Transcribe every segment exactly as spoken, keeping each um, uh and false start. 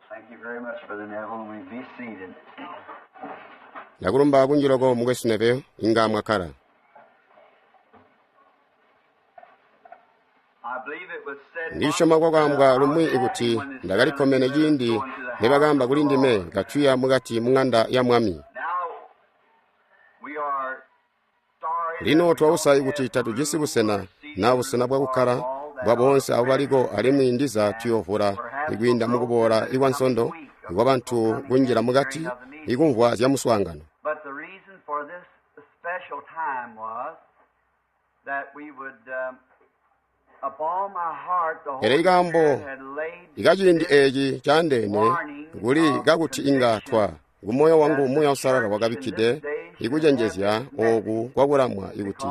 Thank you very much, Brother Neville. We be seated. Ndakulumba kunji loko mukwesu Neville inga mwakkala. I believe it was said Ndisyoma kwakaambwa lumwi ikuti ndakalikkomene ciindi nibakaamba kuli ndime katuya mukati mung'anda ya Mwami. Now we are sorry Lino twausa ikuti tatujisi busena na busena bwakukkala bwa boonse abo baliko alimwi ndiza tuyoovula ikwiinda mukuboola ikwa nsondo ikwa bantu kunjila mukati ikumvwa zya muswaangano. But the reason for this special time was that we would, um, upon my heart, the Pele Holy ikaambo Spirit had laid ikaciindi this eeci caandeene kuli kakuti inga twa kumoyo wangu Muuya Uusalala wakabikkide ikucenjezya ooku kwakulamwa ikuti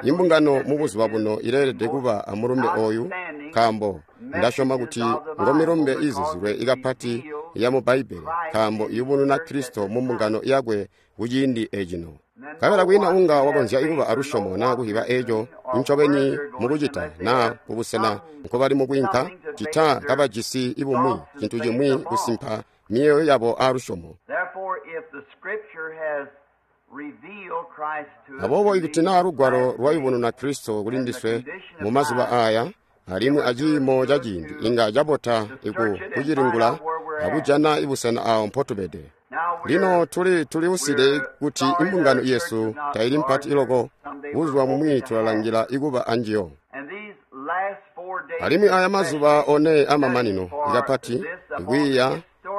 imbungano mubuzuba buno ileelede kuba amulumbe ooyu nkaambo ndasyoma kuti ngomilumbe izizilwe ikapati yamu Bbaibbele nkaambo iyubununa Kristo mu mbungano yakwe kuciindi ecino. Nkabela kwiina unga wakonzya ikuba alusyomo naa kuhiba eeco ncobeni mukucita naa kubusena nkobali mukwiinka cita kabajisi ibumwi cintu cimwi kusimpa miyeeyo yabo aalusyomo. Therefore, if the Scripture has revealed Christ to us Aboobo to ikuti be naa lugwalo last days, lwayubununa Kristo kuli ndiswe mu mazuba aaya alimwi aciimo ca ciindi inga cabota iku kucilingula akujana ibusena awo mpotubede. now Lino we're tuli tuliuside kuti imbungano yesu taili mpati iloko buzuba bumwi tulalangila ikuba anjiyo. and these last four days Alimwi aya mazuba one amamanino ikapati ikwiiya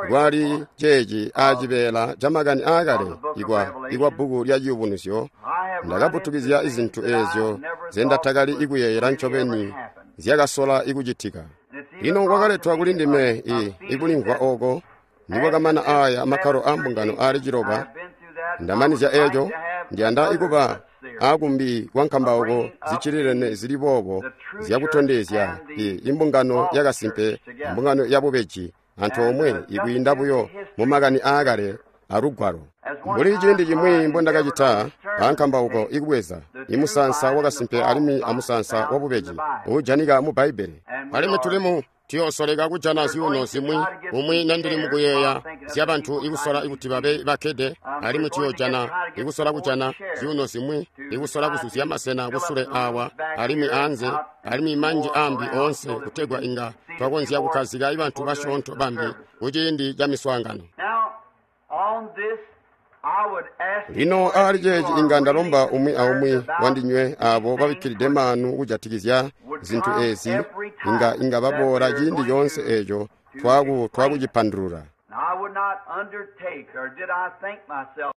kwali ceeci aacibeela ca makani aakale ikwa ikwa bbuku lya ciyubunuzyo I have run into ndakaputukizya things izintu that I eezyo never thought zendatakali would ikuyeeyela really ever ncobeni happen. zyakasola ikucitika. And it's even Lino brought to kwakaletwa me kuli a, ndime a i feeling ikulimvwa that oko nikwakamana after this aaya makkalo seven a church mbungano age, aali ciloba I've been through that, I would ndamanizya like eeco to have ndiyanda another ikuba such series aakumbi kwa of nkambauko bringing up ziccililene the, zili boobo the true church zyakutondezya and i the imbungano false church yakasimpe together. ambungano yabubeji And antoomwe uh, just ikwiinda through the buyo history mu of makani the aakale Scripture. alugwalo. As one Mbuli ciindi time I cimwi endeavored on mbondakacita a sermon ankambauko tape, ikubweza the true imusansa vine and the wakasimpe false alimwi vine amusansa found in the wabubeji Bible. uujanika mu Bbaibbele. And we Alimwi are tulimu tuyoosoleka kujana we're zyuuno going to zimwi try to get umwi some nandili chairs while mukuyeeya I'm thinking of zya the bantu people trying ikusola to be ikuti seated. babe bakkede Um, we're alimwi going to get tuyoojana try to get ikusola some more kujana chairs zyuuno zimwi to ikusola try kuzuzya to masena fill up kusule the awa rooms back alimwi here anze out and alimwi some manji more ambi around oonse so that we kutegwa can inga seat a few twakonzya more kukkazika ibantu people during basyoonto the bambi services. kuciindi ca miswaangano. Now, on this, I would ask Lino you if aali you ceeci are inga really ndalomba umwi concerned aumwi about wandinywe these aabo things babikkilide which maanu kujatikizya would zintu come eezi every inga time inga that baboola we're ciindi going coonse to eeco to twaku explain it. twakucipandulula. Now, I would not undertake, or did I think myself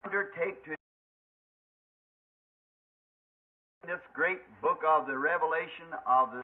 undertake to this great book of the Revelation of the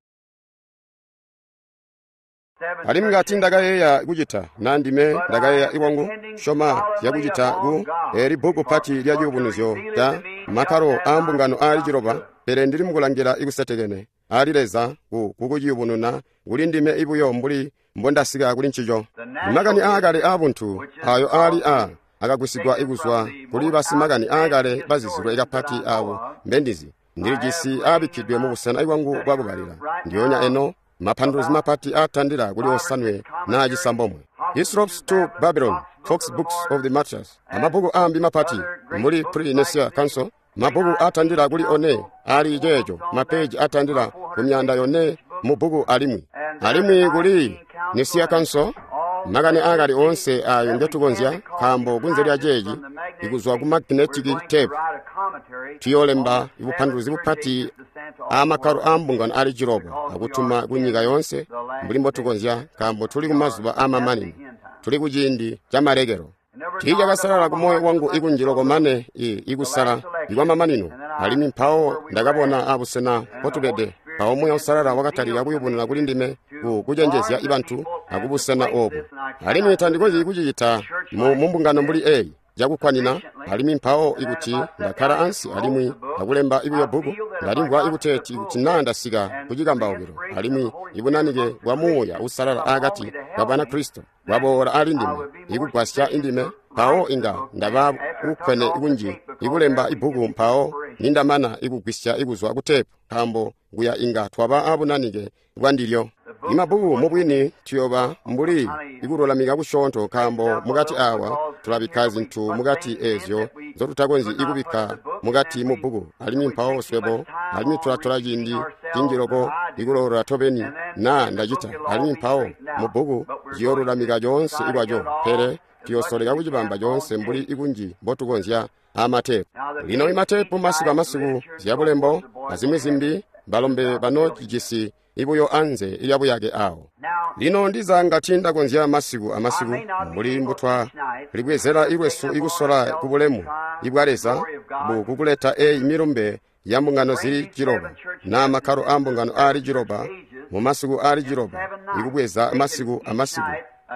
seven Alimwi church ngati ages, ndakayeeya kucita na ndime but I ndakayeeya am iwangu depending syoma solemnly zyakucita upon ku God eeli bbuku for, pati lya for to ciyubunuzyo reveal it ca to me just makkalo as aa I mbungano aali come to ciloba it. pele ndili mukulangila ikusetekene aali Leza ku kukuciyubununa kuli ndime ibuyo mbuli mbondasika kuli ncico. The Makani natural aakale history, aabuntu which is ayo aali of a the akagwisigwa taken from ikuzwa the kuli most basimakani outstanding aakale bazizilwe historians that ikapati I know aabo of, mbendizi I have ndilijisi laying in aabikkidwe mu my busena ibwangu study bwakubalila room right ndiyoonya now eno mapanduluzi about mapati aatandila kuli five or osanwe six naa commentaries, cisambomwe. Hospice Hislop's to to Babylon, Babylon, Fox Book Fox of the Books of the Martyrs, Martyrs, and amabbuku aambi mapati other great mbuli books Pre like Nicene the Council, mabbuku Pre-Nicene aatandila kuli one Council, aali four ceeco books on that, mapeji atandila about ku myanda four hundred yone pages each book, mu bbuku alimwi and there the alimwi kuli Nicene Council Nicene and Council all makani the aakale other oonse things ayo that we can ngetukonzya because nkaambo kunze lya behind this ceeci from the magnetic ikuzwa ku tape we're magnetic going to tape write a commentary on tuyoolemba the seven ibupanduluzi church bupati ages to send to all the aamakkalo world aa mbungano aali ciloba because we are akutuma ku nyika in yoonse the last mbuli days. mbotukonzya nkaambo tuli We ku are mazuba at the aamamanino end time. tuli ku ciindi ca malekelo. It never dawned Tiichakasalala upon ku my moyo heart so wangu much ikunjiloko until the, mane i the ikusala last election. ikwamamanino And then I alimwi saw mpawo where we were ndakabona at. abusena And the Holy mpotubede Spirit mpawo Muuya began to Uusalala wakatalika reveal to kuyubununa me kuli ndime to ku kucenjezya warn the ibantu people and to akubusena place obu. this, and I Alimwi cannot do it tandikonzyi in a kucicita church mu like mu mbungano mbuli this eeyi cakukwanina sufficiently. alimwi mpawo And then if ikuti I sat ndakkala down and ansi wrote alimwi the book, akulemba ibuyo I bbuku feel that if I ndalimvwa got to the ikuteeti ikuti naa pulpit ndasika and ku the cikambaukilo inspiration of alimwi the Holy Spirit ibunanike amongst the bwa Muuya Christians Uusalala come upon aakati me to ka help me, Banakristo then bwaboola aali I ndime would be more ikugwasya sufficient indime to mpawo write the inga book then ndaba after I took ukkwene off the ikunji tape because ikulemba there we ibbuku get the mpawo inspiration. nindamana ikugwisya ikuzwa ku tepu nkaambo kuya inga twaba aabunanike bwandilyo. The Imabbuku mubwini tuyoba mbuli ikululamika kusyoonto nkaambo mukati awa tulabikka zintu mukati eezyo nzotutakonzyi ikubikka mukati mu bbuku, alimwi mpawo swebo alimwi tulatola ciindi cinji loko ikulolola tobeni naa ndacita, alimwi mpawo mu bbuku ciyoolulamika coonse ikwaco, pele tuyosoleka kucibamba coonse mbuli ikunji mbotukonzya amatepu. Lino imatepu masiku amasiku zyabulembo azimwi zimbi balombe banocijisi ibuyo anze lyabuyake awo. Lino ndiza ngati ndakonzya masiku amasiku mbuli mbutwa libwezela ilwesu ikusola kubulemu ibwa Leza bu kukuleta eyi milumbe ya mbungano zili ciloba na makkalo a mbungano ali ciloba mu masiku ali ciloba ikubweza masiku amasiku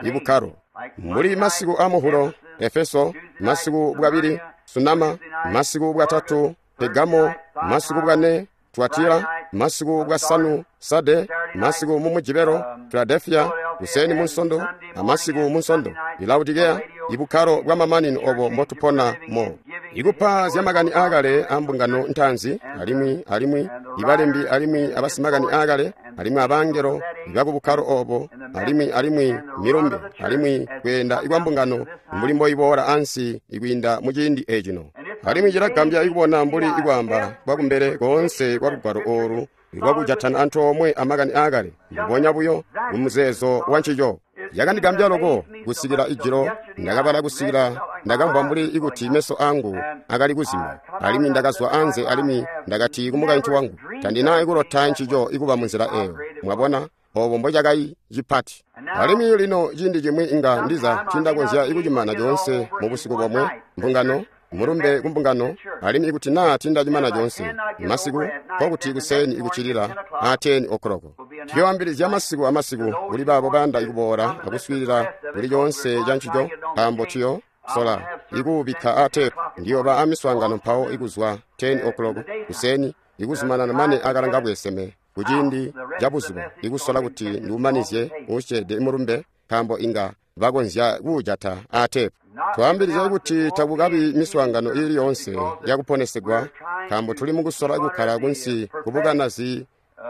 ibukkalo mbuli masiku a Muhulo, Efeso, masiku bwabili Sunama, masiku bwatatu Pegamo, masiku bwane Tuatira, masiku bwasanu Sade, masiku mu Mujibelo, Filadelfia, kuseni munsondo, amasiku munsondo Laodikea, ibukkalo bwa mamanino obo mbotupona mo. Ikupa zyamakani aakale a mbungano ntaanzi, alimwi alimwi ibalembi alimwi abasimakani aakale, alimwi abangelo ibakubukkalo obo, alimwi alimwi milumbe, alimwi kweenda ikwa mbungano mbuli mboiboola ansi ikwiinda muciindi ecino. Alimwi cilagambya ikubona mbuli ikwaamba kwakumbele koonse kwa lugwalo oolu lwakujatana antoomwe amakani aakale, mbubonya buyo mumuzeezo wa ncico. Yakandigambya loko kusikila ijilo ndakabala kusikila ndakamvwa mbuli ikuti meso angu akali kuzima, alimwi ndakazwa anze alimwi ndakati kumukaintu wangu, tandina ikulota ncico ikuba munzila eyo. Mwabona obo mbocakali cipati. Alimwi lino ciindi cimwi inga ndiza tindakonzya ikucimana coonse mu busiku bomwe mbungano mulumbe kumbungano, alimwi ikuti naa tindacimana coonse masiku nkokuti kuseni ikucilila a ten o'clock. Tuyoambilizya masiku amasiku kuli baabo bayanda ikuboola akuswiilila kuli coonse ca ncico, nkaambo tuyo sola ikuubikka a tepu. Ndiyoba amiswaangano mpawo ikuzwa ten o'clock kuseni ikuzumanana mane akalanga bweseme kuciindi ca buzuba ikusola kuti ndiumanizye usyeede mulumbe, nkaambo inga bakonzya kuujata a tepu. Twaambilizya kuti takukabi miswaangano iili yoonse yakuponesegwa, nkaambo tuli mukusola kukkala kunsi kubukanazi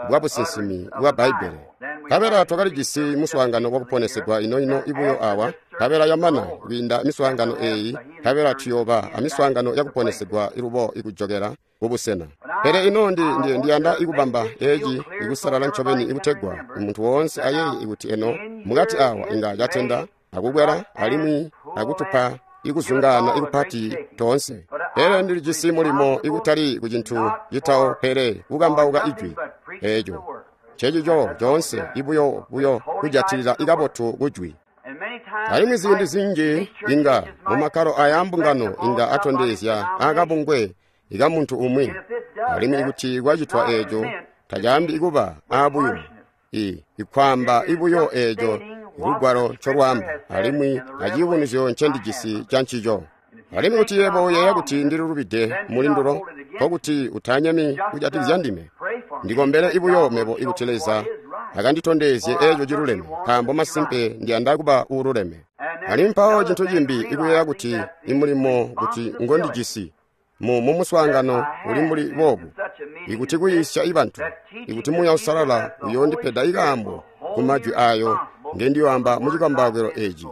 bwa businsimi bwa Bbaibbele. Nkabela twakalijisi muswaangano wakuponesegwa ino-ino ibuyo awa, nkabela yamana kwiinda miswaangano eeyi, nkabela tuyooba amiswaangano yakuponesegwa ilubo ikujokela kubusena. Pele ino ndi, ndi, ndiyanda ikubamba eeci ikusalala ncobeni ikutegwa muntu woonse ayeeye ikuti eno mukati awa inga catenda akukwela alimwi akutupa ikuzungaana ikupati toonse. Pele ndilijisi mulimo ikutali kucintu citawo pele kukambauka ijwi eeco ncecico coonse ibuyo buyo kujatilila ikabotu kujwi. Alimwi ziindi zinji inga mumakkalo aya mbungano inga atondezya akabungwe ikamuntu umwi, alimwi ikuti kwacitwa eeco tacaambi ikuba aabuyumu i ikwaamba ibuyo eeco lugwalo ncolwaamba alimwi aciyubunuzyo ncendijisi ca ncico. Alimwi kuti yebo uyeeya kuti ndililubide mulindulo, nkokuti utanyemi kujatikizya ndime. Ndikombele ibuyo mebo ikuti Leza akanditondezye eeco ciluleme, nkaambo masimpe ndiyanda kuba uululeme. Alimwi mpawo cintu cimbi ikuyeeya kuti imulimo kuti ngondijisi mu mumuswaangano uli mbuli boobu, ikuti kuyiisya ibantu, ikuti Muuya Uusalala uyoondipeda ikaambo ku majwi ayo ngendiyoamba mucikambawukilo eeci.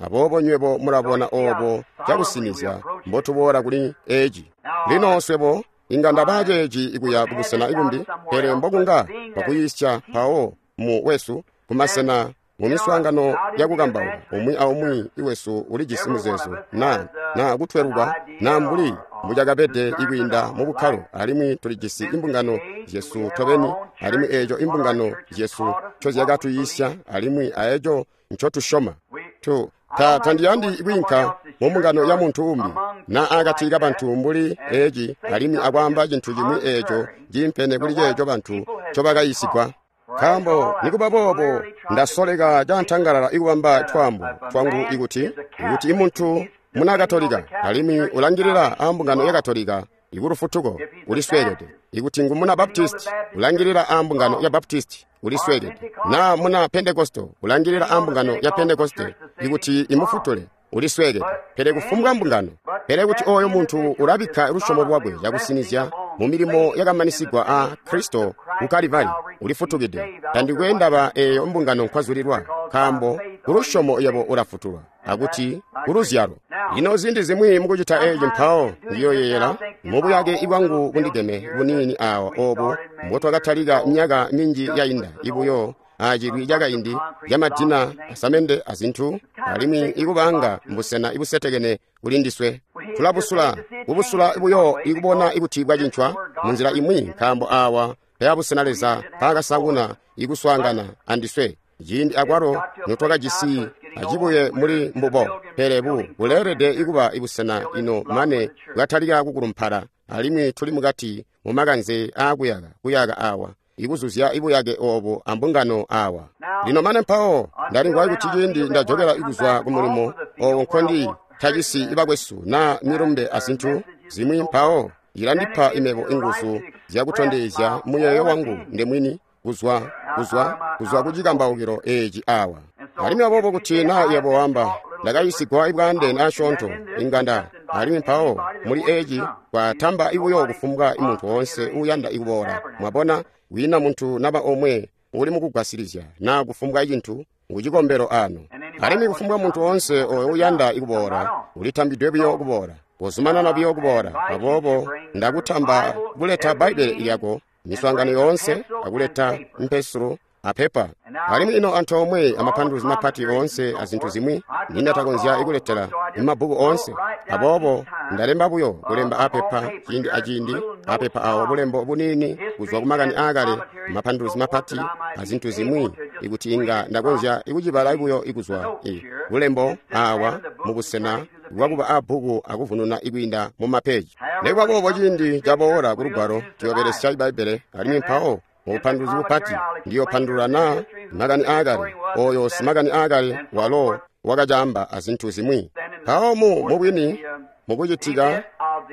Aboobo nywebo mulabona oobo cakusinizya mbotuboola kuli eeci. Lino swebo inga ndaba ceeci ikuya kubusena ikumbi, pele mbokunga twakuyiisya mpawo mu wesu kumasena mu miswaangano yakukambauka, umwi aumwi iwesu ulijisi muzeezo na na kutweluka na mbuli mbucakabede ikwiinda mubukkalo, alimwi tulijisi imbungano zyesu tobeni, alimwi eeco imbungano zyesu ncozyakatuyiisya alimwi aeco ncotusyoma. Tu ta tandiyandi kwiinka mu mbungano ya muntu umbi na akati kabantu mbuli eeci alimwi akwaamba cintu cimwi eeco ciimpene kuli ceeco bantu ncobakayiisigwa. Nkaambo nikuba boobo ndasoleka cantangalala ikubamba twaambo twangu ikuti ikuti imuntu muna Katolika alimwi ulangilila a mbungano ya Katolika ikulufutuko ulisweekede, ikuti ngu muna Baptisti ulangilila a mbungano ya Baptisti ulisweekede, na muna Pentekosto ulangilila a mbungano ya Pentekoste ikuti imufutule ulisweekede, pele kufumbwa mbungano. Pele kuti oyo muntu ulabikka lusyomo lwakwe cakusinizya mu milimo yakamanisigwa a Kristo ku Kalivari, ulifutukide. Tandikwe ndaba eeyo mbungano nkwazulilwa, nkaambo kulusyomo yebo ulafutulwa, akuti kuluzyalo. Lino ziindi zimwi mukucita eeci mpawo ndiyoyeeyela mubuyake bwangu bundigeme buniini aawa oobo mbotwakatalika myaka minji yainda ibuyo acilwi cakaindi camadina asamende azintu, alimwi ikubanga mbusena ibusetekene kuli ndiswe. Tulabusula kubusula buyo ikubona ikuti bwacincwa munzila imwi, nkaambo aawa peyabusena Leza mpaakasanguna ikuswaangana andiswe ciindi akwalo notwakajisi acibuye muli mbubo. Pele bu buleelede ikuba ibusena ino mane bwatalika kukulumpala, alimwi tuli mukati mumakanze aakuyaka kuyaka aawa, ikuzuzya ibuyake oobo ambungano aawa. Lino mane mpawo ndalimvwa kuti ciindi ndajokela ikuzwa ku mulimo oowo nkondi tajisi ibakwesu naa milumbe azintu zimwi, mpawo ilandipa imebo inguzu zyakutondezya muyeeyo wangu ndemwini kuzwa kuzwa kuzwa kucikambaukilo eeci aawa. Alimwi aboobo kuti naa yebo wamba ndakayisigwa ibwaandeene asyoonto inganda, alimwi mpawo muli eeci kwatamba ibuyo kufumbwa imuntu woonse uuyanda ikuboola. Mwabona, wiina muntu naba omwe uli mukugwasilizya naa kufumbwa cintu ngucikombelo ano. Alimwi kufumbwa muntu woonse oyo uyanda ikuboola ulitambidwe buyo kuboola, uzumanana buyo kuboola. Aboobo ndakutamba kuleta Bbaibbele lyako miswaangano yoonse, akuleta mpesulo apepa, alimwi ino antoomwe amapanduluzi mapati oonse azintu zimwi nindatakonzya ikuletela mumabbuku oonse. Aboobo ndalemba buyo kulemba apepa ciindi aciindi, apepa awo bulembo buniini kuzwa kumakani aakale, mapanduluzi mapati azintu zimwi, ikuti inga ndakonzya ikucibala buyo ikuzwa e bulembo aawa mubusena bwakuba abbuku akuvununa ikwiinda mumapeji. Nikuba boobo ciindi caboola kulugwalo tuyobelesya Bbaibbele, alimwi mpawo mubupanduluzi bupati ndiyopandulula naa makani aakale oyo simakani aakale walo wakacaamba azintu zimwi. Mpawo mu mubwini mukucitika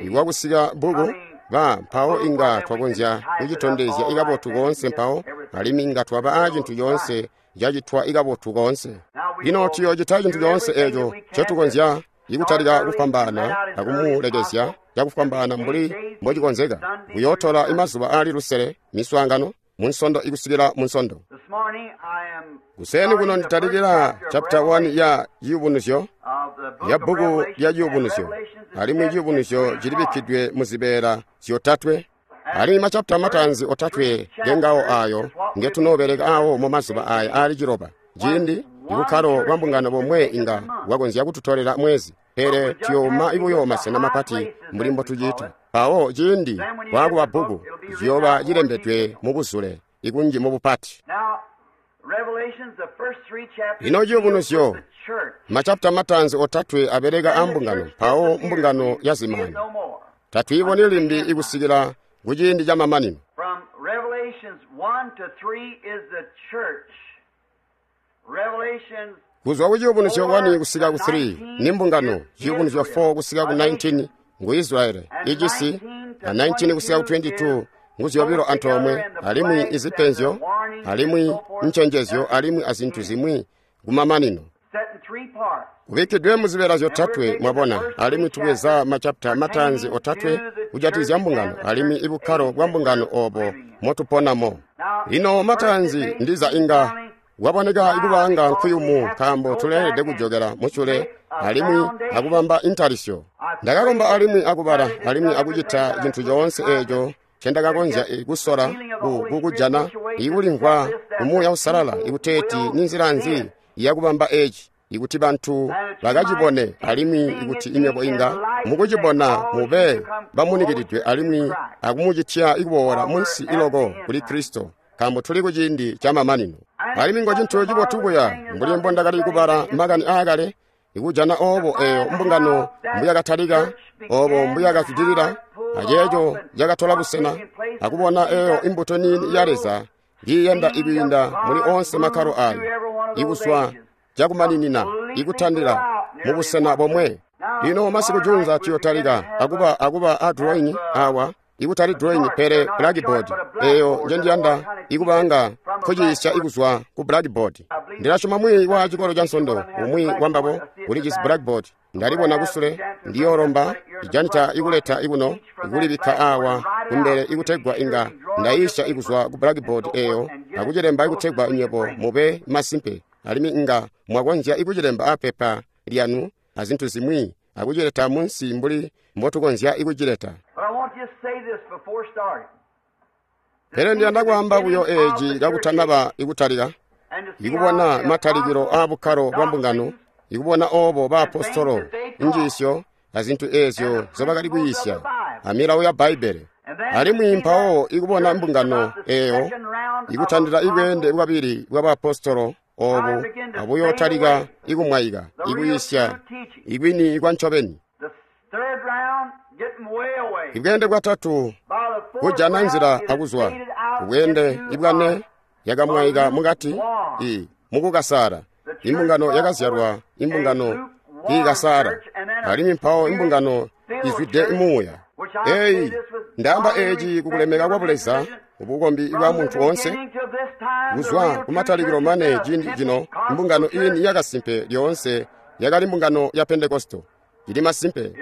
ikwakusika bbuku ba mpawo inga twakonzya kucitondezya ikabotu koonse mpawo, alimwi inga twaba aacintu coonse cacitwa ikabotu koonse. Lino tuyoocita cintu coonse eeco ncotukonzya ikutalika kufwambaana akumulekezya cakufwambaana mbuli mbocikonzeka. Kuyootola imazuba aali lusele miswaangano munsondo ikusikila munsondo. Kuseni kuno nditalikila chapter one ya Ciyubunuzyo, ya bbuku lya Ciyubunuzyo, alimwi Ciyubunuzyo cilibikkidwe muzibeela zyotatwe. Alimwi machapita matanzi otatwe ngengawo ayo ngetunoobeleka awo mumazuba aya aali ciloba. Ciindi ibukkalo bwa mbungano bomwe inga bwakonzya kututolela mwezi, pele tuyooma ibuyo masena mapati mbuli mbotucita. Mpawo ciindi bwaakuba bbuku ciyooba cilembedwe mubuzule ikunji mubupati. Lino Ciyubunuzyo machapita matanzi otatwe abeleka ambungano, mpawo mbungano yazimani tatwiiboni limbi ikusikila kuciindi ca mamanino. Kuzwa ku Ciyubunuzyo one kusika ku three ni mbungano, Ciyubunuzyo four kusika ku nineteen ngu Israeli icisi, na nineteen kusika ku twenty-two ngu zyobilo antoomwe, alimwi izipenzyo, alimwi ncenjezyo, alimwi azintu zimwi kumamanino. Kubikkidwe muzibeela zyotatwe, mwabona, alimwi tubweza machapita matanzi otatwe kujatikizya mbungano, alimwi ibukkalo bwa mbungano oobo motuponamo. Lino matanzi ndiza inga waboneka ikubanga nkuyumu, nkaambo tuleelede kujokela musyule alimwi akubamba intalisyo. Ndakakomba alimwi akubala alimwi akucita cintu coonse eeco ncendakakonzya kusola kukujana ikulimvwa Muuya Uusalala ikuteeti ninzila nzi yakubamba eeci, ikuti bantu bakacibone, alimwi ikuti inywebo inga mukucibona mube bamunikilidwe alimwi akumucitya ikuboola munsi iloko kuli Kristo, nkaambo tuli kuciindi ca mamanino. Alimwi ngo cintu cibotu buya mbuli mbondakali kubala makani aakale ikujana oobo eeyo mbungano mbuyakatalika, oobo mbuyakazwidilila, aceeco cakatola busena, akubona eeyo imbuto niini ya Leza ngiyenda ikwiinda muli onse makkalo ayo, ikuswa cakumaninina ikutandila mubusena bomwe. Lino masiku junza tuyotalika akuba akuba a drawing awa, ikutali drawing pele blackboard eyo njendiyanda ikubanga nkuciisya ikuzwa ku blackboard. Ndilasyoma mwiiyi wa cikolo ca nsondo umwi wambabo ulijisi blackboard, ndalibona kusule, ndiyolomba ijanita ikuleta ikuno ikulibikka awa kumbele ikutegwa inga Ndayiisya ikuzwa ku blackboard eyo akucilemba ikutegwa nywebo mube masimpe, alimwi inga mwakonzya ikucilemba apepa lyanu azintu zimwi akucileta munsi mbuli mbotukonzya ikucileta. Pele ndiyanda kwaamba buyo eeci kakutanaba ikutalika, ikubona matalikilo aabukkalo bwa mbungano, ikubona oobo baapostolo, injiisyo azintu eezyo nzobakali kuyiisya amilawo ya Bbaibbele, alimwi mpawo ikubona mbungano eeyo ikutandila ibweende bwabili bwa baapostolo oobu abuyootalika ikumwaika ikuyiisya ikwini kwa ncobeni. Ibweende bwatatu kujana nzila akuzwa ubweende ibwane yakamwaika mukati i mukukasala imbungano yakazyalwa imbungano iikasala alimwi mpawo imbungano izwide muuya. Eyi ndaamba eeci kukulemeka kwa Buleza ubukombi bwa muntu woonse kuzwa kumatalikilo mane ciindi cino imbungano iini yakasimpe lyoonse yakali mbungano ya Pentekosto. Ili masimpe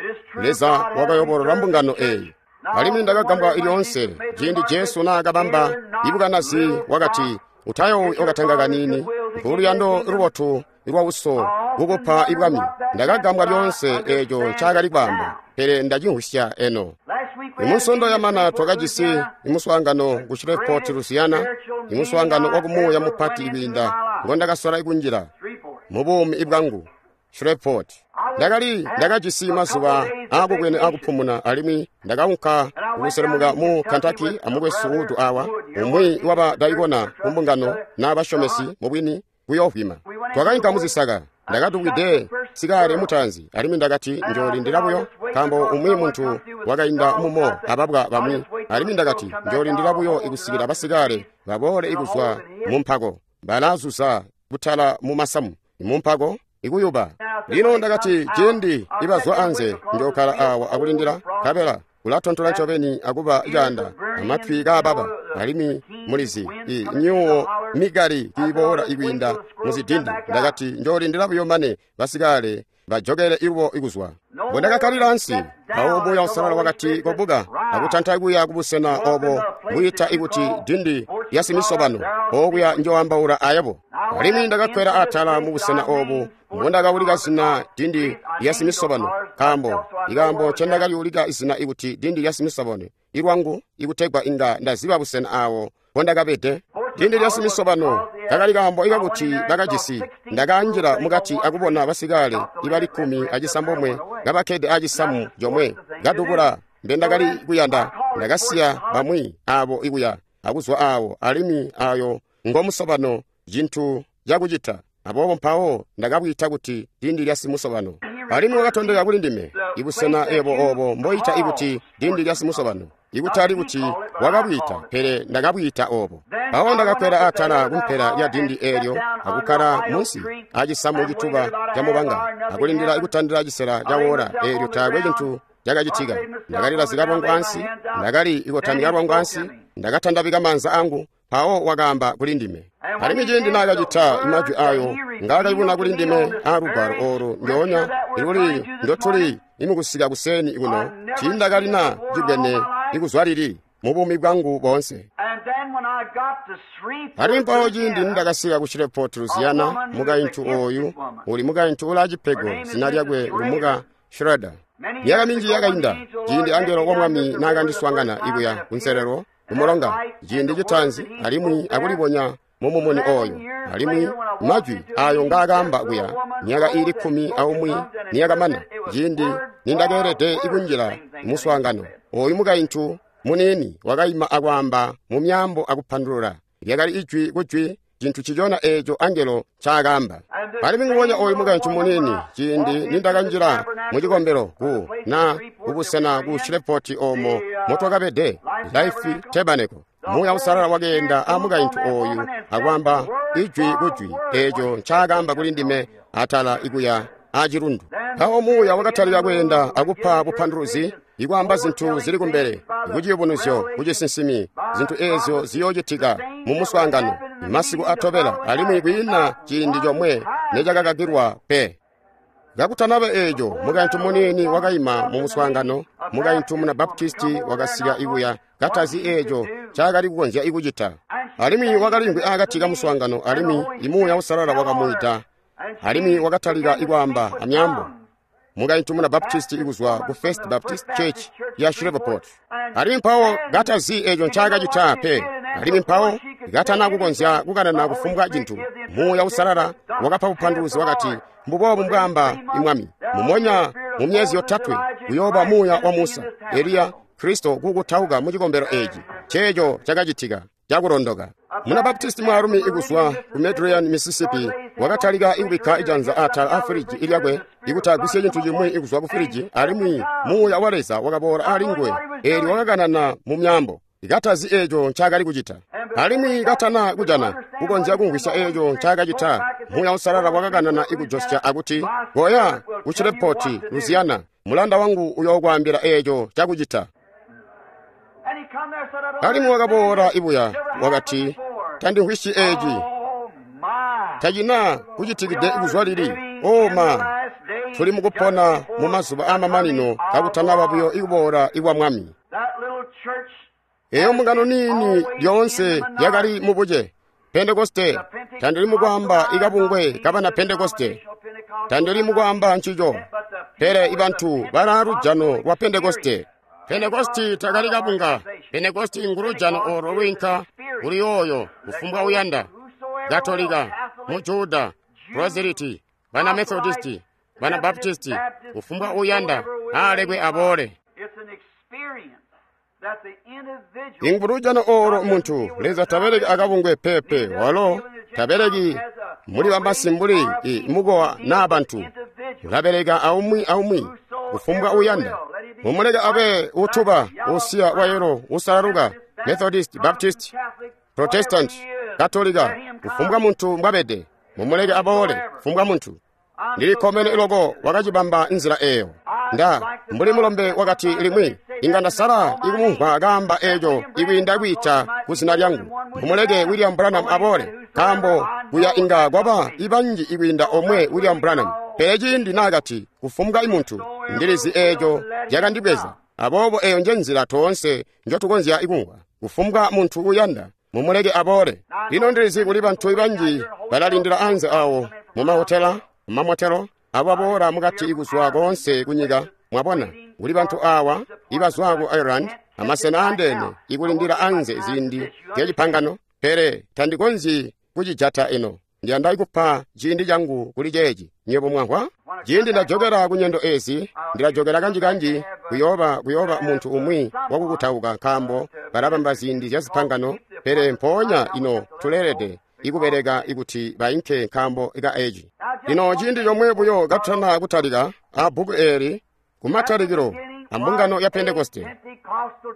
Leza wakayobolola mbungano eyi. Alimwi ndakagambwa lyoonse ciindi Jesu naakabamba ibukanazi wakati, utayoowi okatanga kaniini, nkuluyando lubotu lwa uso kukupa ibwami. Ndakagambwa lyoonse eeco ncaakali kwaamba, pele ndacimvwisya eno. Imunsondo yamana twakajisi imuswaangano ku Shreveport, Louisiana, imuswaangano wakumuuya mupati kwiinda ngondakasola kunjila mubuumi bwangu. Shreveport. Ndakali ndakajisi mazuba aakubwene akupumuna, alimwi ndakaunka kuselemuka mu Kentucky amukwesu Wood awa, umwi wabadaikona kumbungano n'abasyomesi mubwini kuyoovwima. Twakainka muzisaka. Ndakatukwide sikale mutanzi, alimwi ndakati njoolindila buyo, nkaambo umwi muntu wakainda mumo ababwa bamwi, alimwi ndakati njoolindila buyo ikusikila basikale baboole ikuzwa mumpako balazuza kutala mumasamu mumpako ikuyuba. Lino ndakati ciindi ibazwa anze njookala awa akulindila, nkabela kulatontola ncobeni akuba caanda amatwi kaababa, alimwi mulizi i myuwo mikali kiiboola ikwiinda muzidindi. Ndakati njoolindila buyo mane basikale bajokele ilubo ikuzwa. Mbondakakkalila ansi, mpawo Muuya Uusalala wakati kobuka akutanta kuya kubusena obo bwiita ikuti dindi lya simisobano, okuya njoambaula ayebo. Alimwi ndakakkwela atala mubusena obu mbondakaulika zina dindi lya simisobano, nkaambo ikaambo ncendakaliulika izina ikuti dindi lya simisobano ilwangu ikutegwa inga ndaziba busena awo mbondakabede. Dindi lya simisobano kakali kaambo ikakuti bakajisi. Ndakanjila mukati akubona basikale ibali kkumi acisambomwe kabakkede acisamu comwe kadubula mbendakali kuyanda. Ndakasiya bamwi abo ikuya akuzwa awo, alimwi ayo ngomusobano cintu cakucita. Aboobo mpawo ndakabwita kuti dindi lya simusobano. Alimwi wakatondeka kuli ndime ibusena ebo obo mboita ikuti dindi lya simusobano, ikutali kuti wakabwita, pele ndakabwita obo. Mpawo ndakakkwela atala kumpela lya dindi eelyo akukkala munsi acisamu cituba camubanga akulindila ikutandila cisela cawola eelyo taakwe cintu cakacitika. Ndakalilazika lwangu ansi, ndakali ikotamika lwangu ansi, ndakatandabika maanza angu. Mpawo wakaamba kuli ndime. Alimwi ciindi naakacita majwi ayo ngaakayubuna kuli ndime aalugwalo oolu ndyoonya iluli ndotuli imukusika kuseni kuno, tiindakalina cibwene ikuzwa lili mubuumi bwangu boonse. Alimwi mpawo ciindi nindakasika ku Shreveport, Louisiana, mukaintu ooyu uli mukaintu ulaacipego, zina lyakwe ngumuka Schroeder. Myaka minji yakainda ciindi angelo wa Mwami naakandiswaangana ikuya kunselelo kumulonga ciindi citaanzi, alimwi akulibonya mumumuni ooyo, alimwi majwi ayo ngaakaamba kuya myaka iili kkumi aumwi niyakamana ciindi nindakeelede ikunjila muswaangano ooyu mukaintu muniini wakaima akwaamba mu myaambo akupandulula. Lyakali ijwi kujwi cintu cicona eeco angelo ncaakaamba. Alimwi nguwonya ooyu mukaintu muniini ciindi nindakanjila mucikombelo ku na kubusena ku Shreveport oomo motwakabede Life Tabernacle, Muuya Uusalala wakeenda amukaintu ooyu akwaamba ijwi kujwi eeco ncaakaamba kuli ndime atala ikuya acilundu. Mpawo Muuya wakatalika kweenda akupa bupanduluzi, ikwaamba zintu zili kumbele, kuciyubunuzyo, kucisinsimi, zintu eezyo ziyoocitika mumuswaangano masiku atobela, alimwi kwiina ciindi comwe necakakakilwa pe. Kakutanaba eeco, mukaintu muniini wakaima mumuswaangano, Mukaintu muna Baptisti wakasika ikuya katazi eeco ncaakali kukonzya ikucita. Alimwi wakaliimvwi akati kamuswaangano alimwi Muuya Uusalala wakamwiita alimwi wakatalika ikwaamba amyaambo. Mukaintu muna Baptisti ikuzwa ku First Baptist Church ya Shreveport. Alimwi mpawo katazi eeco ncaakacita pe. Alimwi mpawo katana kukonzya kukanana kufumbwa cintu, Muuya Uusalala wakapa bupanduluzi wakati, mbuboobu mbwaamba Mwami, mumonya mu myezi yotatwe kuyooba muuya wa Musa, Eliya, Kristo kukutauka mu cikombelo eeci. Ceeco cakacitika cakulondoka. Muna Baptisti mwaalumi ikuzwa ku Medrian, Mississippi wakatalika ikubikka ijanza atala a firiji ilyakwe ikuti agwisye cintu cimwi ikuzwa ku firiji, alimwi Muuya wa Leza wakaboola ali nguwe, eelyo wakakanana mu myaambo katazi eeco ncaakali kucita. Alimwi katana kujana kukonzya kumvwisya eeco ncaakacita, Muuya Uusalala wakakanana ikujosya akuti, koya ku Shreveport, Louisiana, mulanda wangu uyookwaambila eeco cakucita. Alimwi wakaboola ibuya wakati, tandimvwisyi eeci, tacina kucitikide kuzwa lili. O ma, tuli mukupona mu mazuba aamamanino kakutanaba buyo ikuboola ikwa Mwami. Eyo mbungano niini lyoonse yakali mubuce. Pentekoste, tandili mukwaamba ikabungwe kabana Pentekoste, tandili mukwaamba ncico, pele ibantu balaa lujano lwa Pentekoste. Pentekosti takali kabunga. Pentekosti ngulujano olo lwiinka kuli yooyo kufumbwa uyanda. Katolika, Mujuda, Proseliti, bana Methodisti, bana Baptisti, kufumbwa uyanda alekwe aboole. Ingulujano olo muntu Leza tabeleki akabungwe pepe, walo tabeleki muli bamasi mbuli i mukowa naa bantu. Ulabeleka aumwi aumwi kufumbwa uyanda. Mumuleke abe utuba, usiya wayelo, usalaluka, Methodist, Baptist, Protestant, Katolika, kufumbwa muntu mbwabede. Mumuleke aboole kufumbwa muntu. Ndilikkomene iloko wakacibamba nzila eyo. Nda mbuli mulombe wakati limwi inga ndasala ikumumvwa kaamba eeco ikwiinda kwiita ku zina lyangu. Mumuleke William Branham aboole, nkaambo kuya inga kwaba ibanji ikwiinda omwe William Branham. Pele ciindi naakati kufumbwa imuntu, ndilizi eeco cakandibweza. Aboobo eyo nje nzila toonse njotukonzya ikumvwa. Kufumbwa muntu uyanda, mumuleke aboole. Lino ndilizi kuli bantu banji balalindila anze awo mu mahotela, mumamotelo, abo aboola mukati ikuzwa koonse kunyika. Mwabona, kuli bantu awa ibazwa ku Ireland amasena andeene ikulindila anze ziindi zyacipangano, pele tandikonzyi kucijata ino. Ndiyanda ikupa ciindi changu kuli ceeci. Nywebo mwamvwa? Ciindi ndajokera ku nyendo ezi, ndilajokera kanji-kanji kuyooba kuyooba muntu umwi wakukutauka, nkaambo balabamba ziindi zya zipangano, pele mpoonya ino tuleelede ikubeleka ikuti bainke nkaambo ka eci. Lino ciindi comwe buyo katutana kutalika a bbuku eeli kumatalikilo ambungano ya Pentekoste.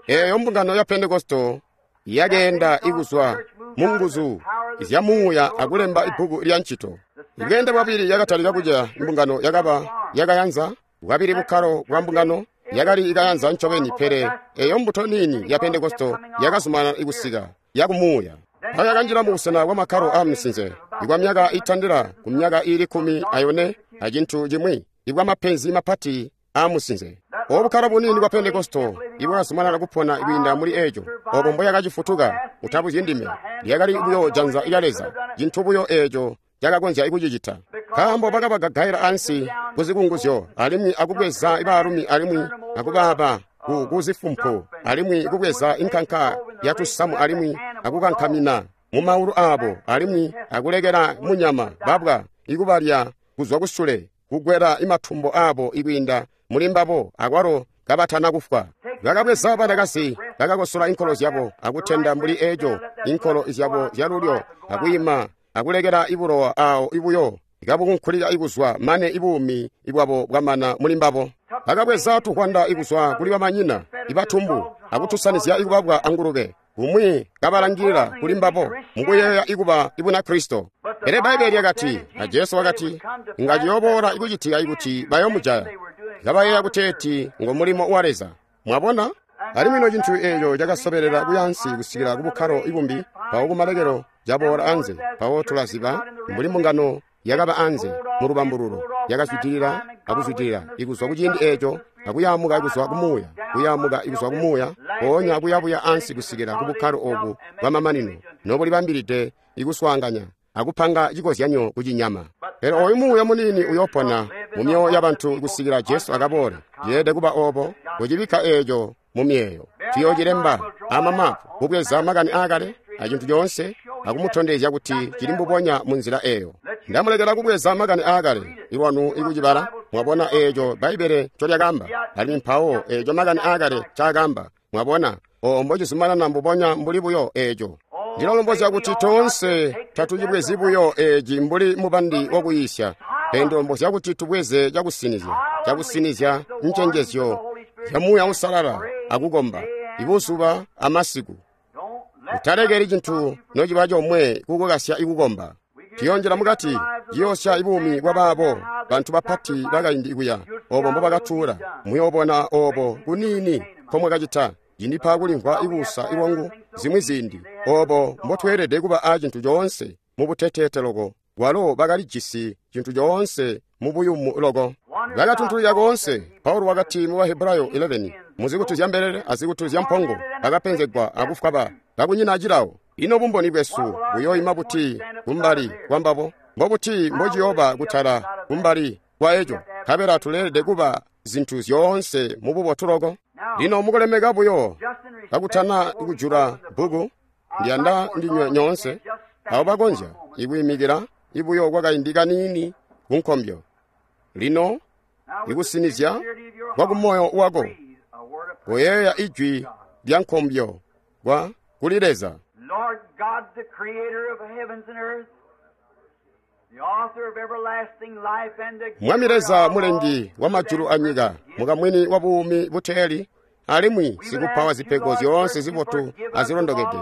Eeyo mbungano ya Pentekoste yakeenda ikuzwa mu nguzu zya Muuya akulemba ibbuku lya ncito. Ibweende bwabili yakatalika kuca mbungano yakaba yakayanza, bwabili bukkalo bwa mbungano yakali ikayanza ncobeni, pele eyo mbuto niini ya Pentekoste yakazumanana ikusika yakumuuya. Mpawo yakanjila mu busena bwa makkalo a misinze ikwa myaka itandila ku myaka iili kkumi ayone acintu cimwi ibwa mapenzi mapati a musinze. Obu bukkalo buniini bwa Pentekoste ibwakazumanana kupona kwiinda muli eco, obo mboyakacifutuka utabuzyi ndime, lyakali buyo janza lya Leza, cintu buyo eco cakakonzya kucicita. Nkaambo bakabagagaila ansi kuzikunguzyo alimwi akubweza baalumi alimwi akubaaba ku kuzifumpu alimwi kubweza inkanka yatusamu alimwi akukankamina mu maulu aabo alimwi akulekela munyama babwa ikubalya kuzwa kusule kugwela imatumbo aabo ikwiinda muli mbabo akwalo kabatana kufwa. Bakabweza banakazi bakakosola inkolo zyabo akutenda mbuli eco inkolo zyabo zyalulyo akwiima akulekela ibulowa awo ibuyo ikabukunkulika ikuzwa mane ibuumi ibwabo bwamana muli mbabo. Bakabweza tuhwanda ikuzwa kuli bamanyina ibatumbu akutusanizya ikubabwa angulube kumwi kabalangilila kuli mbabo mukuyeeya ikuba ibuna Kristo. Pele Bbaibbele lyakati, a Jesu wakati, inga ciyooboola ikucitika ikuti bayomujaya kabayeeya kuteeti ngo mulimo wa Leza. Mwabona? Alimwi ino cintu eeco cakasobelela kuyansi kusikila kubukkalo ibumbi, mpawo kumalekelo caboola anze, mpawo tulaziba mbuli mbungano yakaba anze mu lubambululo. yakazwidilila akuzwidilila ikuzwa kuciindi eeco akuyaamuka kuzwa kumuuya kuyaamuka kuzwa kumuuya mpoonya kuyabuya ansi kusikila kubukkalo obu bwamamanino nobulibambilide ikuswaanganya akupanga cikozyanyo kucinyama. Pele oyu muuya muniini uyopona mu myoyo yabantu kusikila Jesu akaboole. Yeelede kuba obo, kucibikka eeco mu myeeyo. Tuyoocilemba amamapu, kubweza makani aakale acintu coonse akumutondezya kuti cili mbubonya mu nzila eeyo. Ndamulekela kubweza makani aakale ilwanu ikucibala, mwabona eeco Bbaibbele ncolyakaamba, alimwi mpawo eeco makani aakale ncaakaamba, mwabona oo mbocizumanana mbubonya mbuli buyo eeco. Ndilalombozya kuti toonse tatucibwezi buyo eeci mbuli mubandi wakuyiisya, pele ndilombozya kuti tubweze cakusinizya, cakusinizya ncenjezyo zya Muuya Uusalala akukomba ibuzuba amasiku. Utalekeli cintu nociba comwe kukukasya ikukomba. Tuyonjela mukati, ciyoosya ibuumi bwa baabo bantu bapati bakaindi kuya, obo mbobakatuula. Muyoobona obo kuniini nkomwakacita. Cindipa kulimvwa ikuusa ilwangu zimwi ziindi, obo mbotweelede kuba aacintu coonse mubuteteete loko, walo bakalijisi cintu coonse mubuyumu loko. Bakatuntulika koonse. Paulo wakati mu Bahebrayo eleven, muzikutu zya mbelele azikutu zya mpongo bakapenzegwa akufwa ba kakunyina cilawo. Ino bumboni bwesu buyoima buti kumbali kwambabo? Mbobuti mbociyooba kutala kumbali kwa eco? Nkabela tuleelede kuba zintu zyoonse mububotu loko. Lino mukulemeka buyo kakutana kujula bbuku, ndiyanda ndinywe nyoonse abo bakonzya ikwiimikila ibuyo kwakaindi kaniini kunkombyo. Lino ikusinizya kwa kumoyo wako, koyeeya ijwi lya nkombyo kwa kuli Leza. Lord God, the creator of heavens and earth, the author of everlasting life and the Mwami Leza mulengi wa majulu anyika, mukamwini wa buumi buteeli, alimwi sikupa wa zipego zyoonse zibotu azilondokede,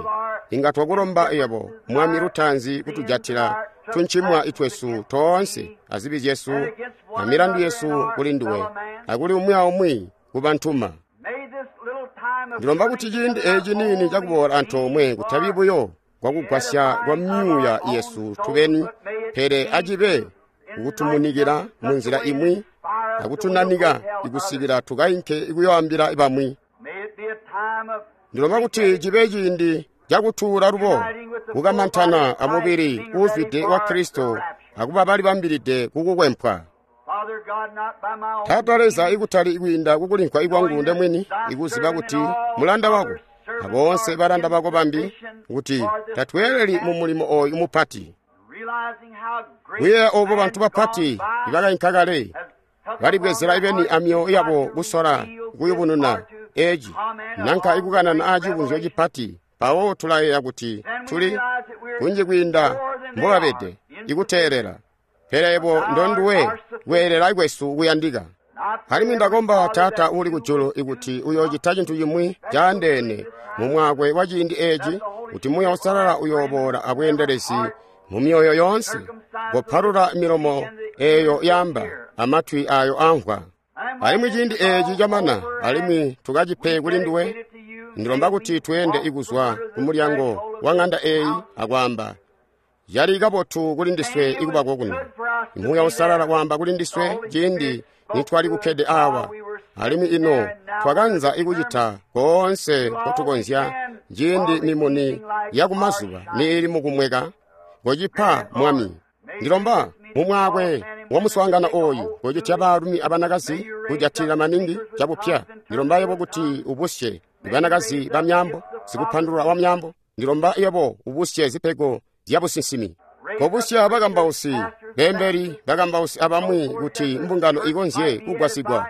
inga twakulomba yebo Mwami lutaanzi kutujatila tuncimwa itwesu toonse azibi zyesu amilandu yesu kuli nduwe akuli umwi aumwi kubantuma. May this little time of Ndilomba kuti ciindi eeci niini cakuboola antoomwe kutabi buyo kwakugwasya kwa myuuya yesu tubeni, pele acibe kukutumunikila munzila imwi akutunanika ikusikila tukainke ikuyoambila bamwi. May it be a time of Ndilomba kuti cibe ciindi cakutuula lubo kukamantana amubili uuzwide wa Kristo akuba balibambilide kukukwempwa. Father God, not by my own Taata Leza, ikutali kwiinda kukulimvwa ikwangu ndemwini, ikuziba kuti mulanda wako aboonse balanda bako bambi kuti tatweeleli mu mulimo oyu mupati. realizing how great Kuyeeya obo bantu bapati man gone by ibakainka kale has took balibwezela upon ibeni their amyoyo hearts yabo to kusola reveal kuyubununa this or to eeci comment nanka upon ikukanana great aacibunzyo revelation. cipati. Mpawo tulayeeya kuti Then we tuli realize that we're kunji kwiinda more than they mbobabede are, ikuteelela, pele yebo ndonduwe kweelela kwesu kuyandika. Not Alimwi ndakomba Father, Taata that uli you kujulu would ikuti do uyoocita cintu cimwi caandeene mu mwakwe wa ciindi eeci, kuti Muuya Uusalala uyooboola abweendelezi mu myoyo yoonse, kopalula milomo eeyo yaamba amatwi aayo amvwa. And Alimwi ciindi eeci camana, alimwi tukacipe kuli nduwe, ndilomba kuti tweende ikuzwa ku mulyango wa ŋanda eeyi akwaamba, yali kabotu kuli ndiswe ikuba kokuno. Muuya Uusalala waamba kuli ndiswe ciindi nitwali kukkede awa, alimwi ino twakanza ikucita koonse nkotukonzya ciindi mimuni yakumazuba niili mukumweka. Kocipa Mwami. Ndilomba mumwakwe wa muswaangano oyu kocitya baalumi abanakazi kujatilila maningi cabupya. Ndilomba yebo kuti ubusye banakazi ba myambo, sikupandulula wa myambo. Ndilomba yebo ubusye zipego zya businsimi. Kobusya bakambausi, beembeli, bakambausi abamwi kuti mbungano ikonzye kugwasigwa.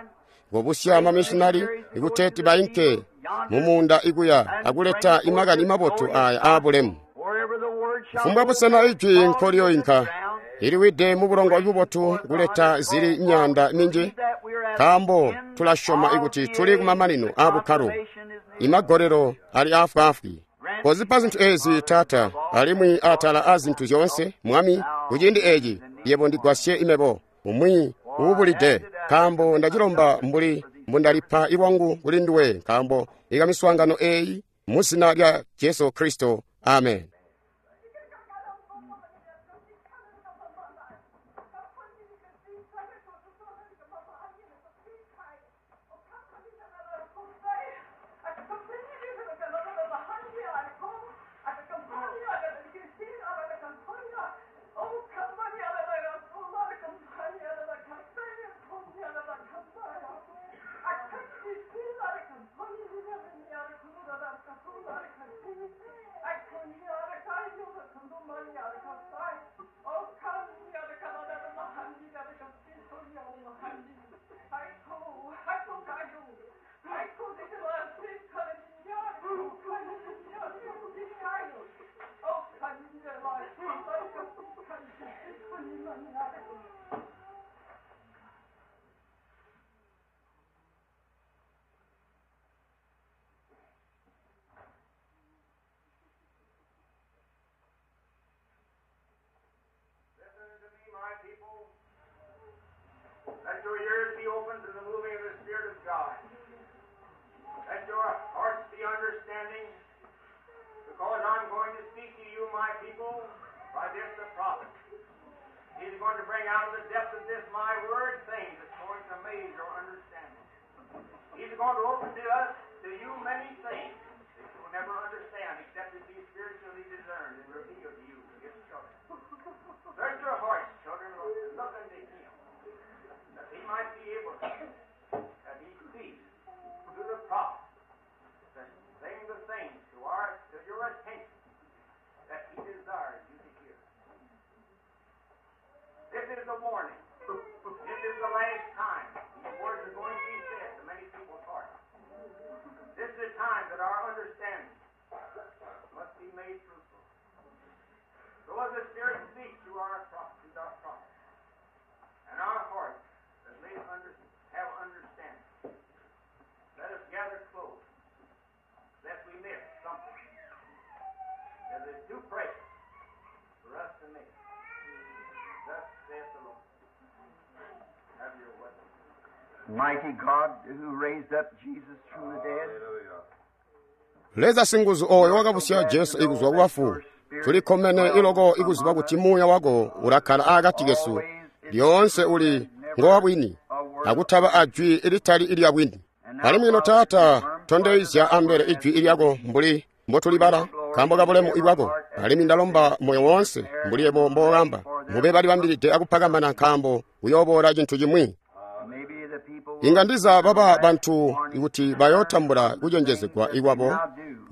Kobusya mamishinali ikuteeti bainke mumuunda ikuya akuleta imakani mabotu aya aabulemu. Wherever the word shall Kufumbwa go, busena ijwi fall nkolyoinka to the ground, iliwide mubulongo bubotu kuleta zili myanda minji, that we're at nkaambo the end tulasyoma of ikuti the tuli age, kumamanino the aabukkalo, consummation is near. imagolelo ali afwaafwi. Kozipa zintu ezi Taata, alimwi atala a zintu zyoonse, Mwami, kuciindi eci yebo ndigwasye imebo umwi uubulide, nkaambo ndacilomba mbuli mbundalipa ilwangu kuli nduwe, nkaambo ikamiswaangano eeyi mu zina lya Jesu Kristo, amen. Listen to me, my people. Let your ears be open to the moving of the Spirit of God. Let your hearts be understanding, because I'm going to speak to you, my people, by this the prophet. He's going to bring out of the depth of this my word things that's going to amaze your understanding. He's going to open to us, to you, many things that you will never understand except it be spiritually discerned and revealed to you, his children. Search your hearts, children, and look unto him, that he might be able to, that he speaks to the prophet, to bring the things to our to your attention that he desires you to hear. This is the warning. This is the last time these words are going to be said to many people's hearts. This is the time that our understanding must be made fruitful. So as the Spirit speaks to our prophet, to our prophet, and our hearts that may under, have understanding, let us gather close, lest we miss something that is too precious for us to miss. Thus saith the Lord. Have your way. Mighty God who raised up Jesus from the dead, Leza singuzu oyo wakabusya Jesu ikuzwa kubafu tulikkomene iloko ikuziba kuti muuya wako ulakkala akati kesu lyoonse uli ngowabwini akutaba ajwi ilitali ilya bwini. Alimwi ino Taata, tondezya ambele ijwi ilyako mbuli mbotulibala nkaambo ka bulemu ibwako. Alimwi ndalomba moyo woonse mbuli yebo mbookamba mube balibambilide akupakamana nkaambo kuyooboola cintu cimwi. maybe the people will Inga ndiza baba bantu kuti bayootambula kucenjezegwa ikwabo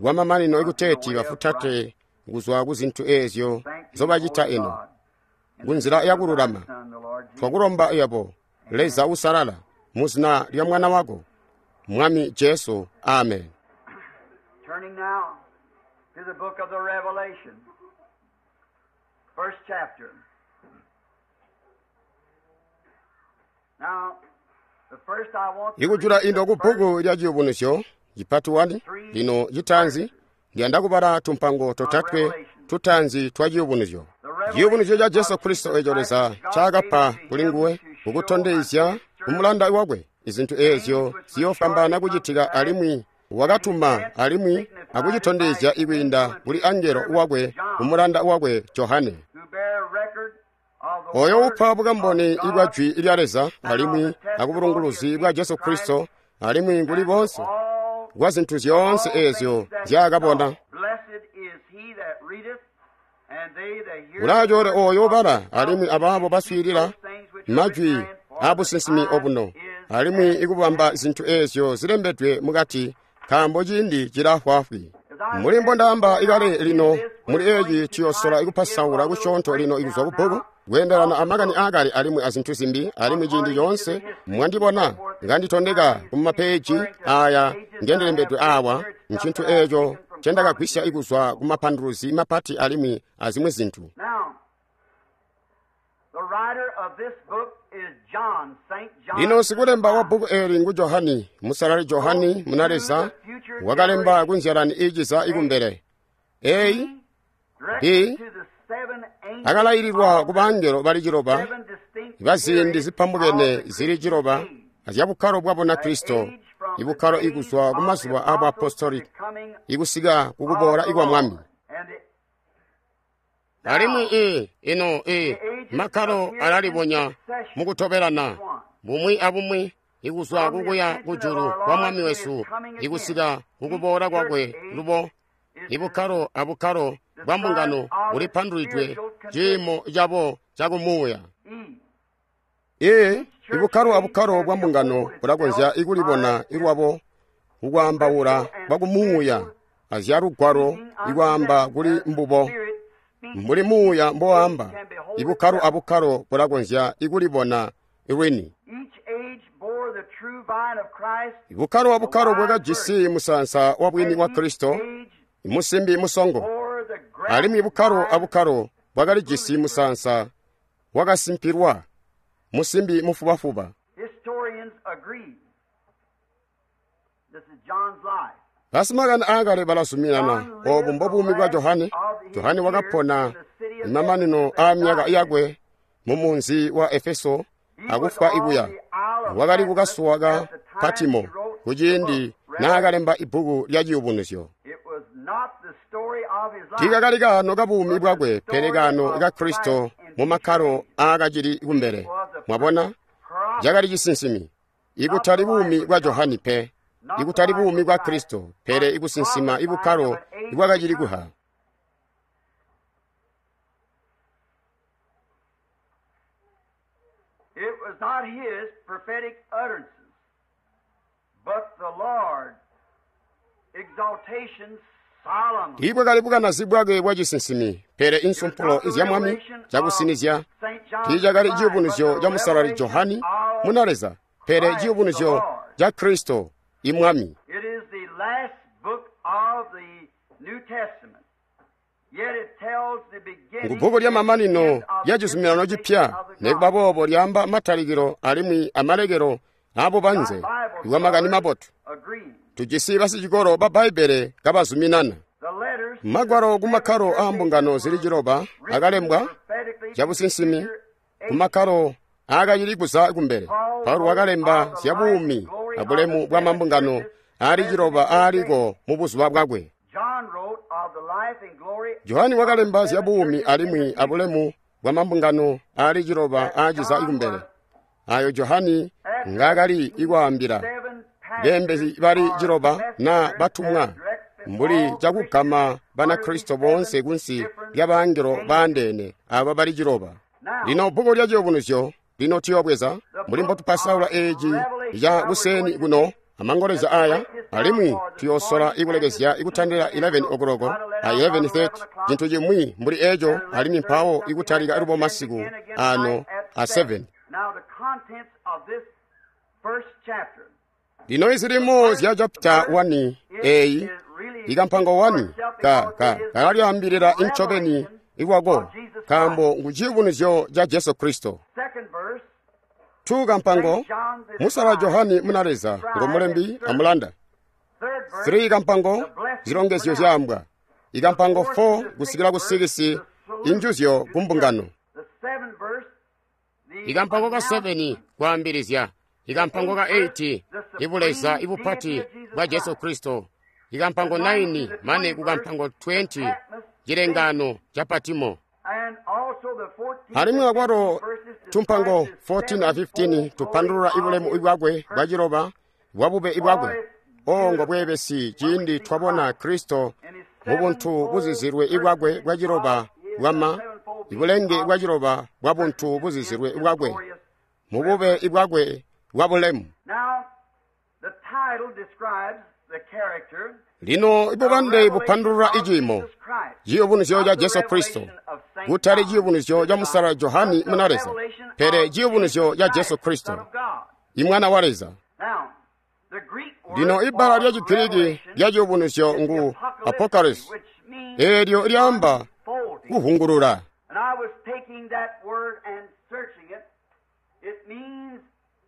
kwamamanino ikuteeti bafutate kuzwa ku zintu eezyo nzobacita ino kunzila yakululama. Twakulomba yebo Leza usalala muzina lya mwana wako Mwami Jesu, amen. Turning now to the book of the Revelation, first chapter. Now, the first I want to Ikujula read indo the ku bbuku lya Chiyubunusyo chipatu wani lino chitanzi ndiyanda kubala tumpango totatwe tutanzi twa Chiyubunusyo. Chiyubunusyo cha Jesu Kristo eco Leza ncaakapa kuli nguwe kukutondezya kumulanda wakwe izintu eezyo ziyofwambaana kucitika, alimwi wakatuma alimwi akucitondezya ikwiinda kuli angelo wakwe kumulanda wakwe Johane, who bear record of the oyo word upa bukamboni of God ibwa jwi lya Leza alimwi akubulunguluzi bwa Jesu Kristo alimwi kuli bonse all kwa zinthu zyoonse eezyo nzyaakabona. Blessed is he that readeth, and they that hear Ulachoole the oyo words ubala of this alimwi prophecy, abaabo baswiilila those things which are majwi written therein, for the aabusinsimi time obuno is alimwi at ikubamba zinthu eezyo zilembedwe mukati nkaambo ciindi cilafwaafwi. Mbuli mbondaamba ikale lino muli eeci tuyosola ikupasaula kusyoonto lino ikuzwa ku bbuku kweendelana amakani aakale alimwi azinthu zimbi, alimwi ciindi coonse mwandibona nganditondeka ku mapeji aya ngendilembedwe awa ncintu eeco ncendakagwisya ikuzwa ku mapanduluzi mapati alimwi azimwi zinthu. Now, the writer of this book is John, Saint John. Lino sikulemba wa bbuku eli ngu Johani, musalali Johani munaleza wakalemba kunzyalani iiciza ikumbele. A Directed B to the seven angels akalayililwa of ku bangelo bali ciloba seven distinct baziindi periods zipambukene of the zili ciloba Christian age. azyabukkalo bwa bunakristo, ibukkalo ikuzwa ku mazuba a buapostoli coming ikusika kukuboola ikwa Mwami. and the Alimwi i ino i makkalo alalibonya mukutobelana bumwi abumwi ikuzwa kukuya kujulu kwa Mwami wesu ikusika kukuboola kwakwe lubo. Ibukkalo abukkalo bwa mbungano bulipandulwidwe ciimo cabo cakumuuya. E. Ee, ibukkalo abukkalo bwa mbungano bulakonzya ikulibona ilwabo kukwaambaula kwa kumuuya azyalugwalo ikwaamba kuli mbubo. Mbuli muuya mbowaamba, ibukkalo abukkalo bulakonzya ikulibona lwini. Each age bore the true vine of Christ. Ibukkalo abukkalo bwakajisi musaansa wa bwini wa And each Kristo, age musimbi musongo, bore the alimwi bukkalo vine abukkalo bwakalijisi musaansa Wakasimpilwa musimbi mufubafuba. Historians agree. This is John's life. Basimakani aakale balazuminana oobu mbobuumi bwa Johane. Johane wakapona imamanino aamyaka yakwe mu munzi wa Efeso akufwa ikuya. Wakali kukasuwa ka Patimo kuciindi naakalemba ibbuku lya Ciyubunuzyo. It was not the story of his life. Tiikakali kaano kabuumi bwakwe pele kaano ka Kristo mu makkalo aakacili kumbele. Mwabona, cakali cisinsimi. Ikutali buumi bwa Johane pe, ikutali buumi bwa Kristo, pele ikusinsima ibukkalo ibwakacili kuha. It was not his prophetic utterances, but the Lord's exaltation solemnly. Tiibwakali bukanazi bwakwe bwa cisinsimi, pele insumpulo izya Mwami cakusinizya. Tiicakali ciyubunuzyo ca Musalali Johane muna Leza, pele ciyubunuzyo ca Kristo imwami. It is the last book of the New Testament. Yet it tells the beginning Ngubbuku lya mamanino and end of lya the cizuminano cipya, dispensation of the nekuba gospel. boobo lyaamba matalikilo alimwi amalekelo aabubanze ibwa makani mabotu. Agreeing. Tujisi basicikolo ba Bbaibbele kabazuminana. The letters Magwalo ku makkalo aa mbungano zili ciloba akalembwa prophetically cabusinsimi ku makkalo aakacili kuza kumbele. Paulo wakalemba zya buumi abulemu bwa mambungano aali ciloba aaliko mu buzuba bwakwe. John wrote of the life and glory Johane wakalemba zya buumi alimwi abulemu bwa mambungano aali ciloba aaciza kumbele. Ayo Johane ngaakali ikwaambila seven beembezi bali ciloba na batumwa mbuli cakugama Banakristo boonse kunsi lya bangelo baandeene aba bali ciloba. Lino bbuku lya Ciyubunuzyo lino tuyobweza mbuli mbotupasaula eeci ca kuseeni kuno amangolezya aya, alimwi tuyoosola ikulekezya ikutandila eleven o'clock a eleven thirty cintu cimwi mbuli eco, alimwi mpawo ikutalika lubo masiku ano a seven. Now the contents of this first chapter. Lino izilimo zya chapter one eyi ikampango one ka ka kalalyaambilila incobeni ikwako nkaambo ngu ciyubunuzyo ca Jesu Kristo. Second verse, two kampango musala Johane muna Leza ngomulembi amulanda. third verse, three kampango zilongezyo zyaambwa. Ikampango four kusikila ku six injuzyo ku mbungano. the seventh verse, the Ikampango ka seven kwaambilizya. Ikampango ka eight ibuleza ibupati bwa Jesu Kristo. Ikampango nine mane kukampango twenty chilengano cha Patimo. and also the fourteenth Alimwi akwalo verses tumpango describes the fourteen a fifteen sevenfold tupandulula ibulemu ibwakwe bwa ciloba bwa bube ibwakwe. Ongo bwebesi ciindi twabona Kristo mu buntu buzizilwe ibwakwe bwa ciloba bwama ibulenge bwa ciloba bwa buntu buzizilwe ibwakwe mu bube ibwakwe bwa bulemu. Now, the title describes the character Lino ibubande bupandulula iciimo Jesus Christ. ciyubunuzyo ca Jesu Kristo, kutali ciyubunuzyo ca Musala Johane muna Leza, pele ciyubunuzyo ca Jesu Kristo, Son of God. imwana wa Leza. Now, the Greek word Lino ibbala lya for Chigiriki revelation lya ciyubunuzyo ngu apocalypse, which means eelyo lyaamba folding. kuhungulula. And I was taking that word and searching it. It means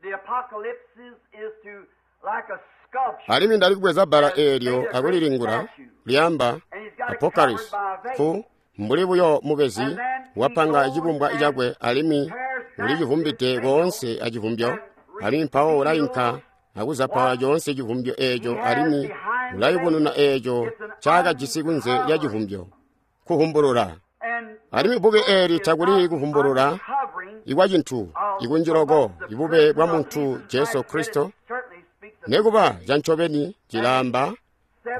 the apocalypse is to like a sculpture. Alimwi ndali kubweza bbala eelyo akulilingula lyaamba apocalypse ku mbuli buyo mubezi wapanga cibumbwa cakwe alimwi ulicivumbide koonse acivumbyo, alimwi mpawo ulainka akuzapala coonse civumbyo eeco alimwi ulayubununa eeco ncaakajisi kunze lya civumbyo, kuhumbulula. And Alimwi bbuku eeli takuli kuvumbulula uncovering ikwa cintu ikunjiloko ibube bwa muntu Jesu Kristo, certainly speaks of nekuba cancobeni cilaamba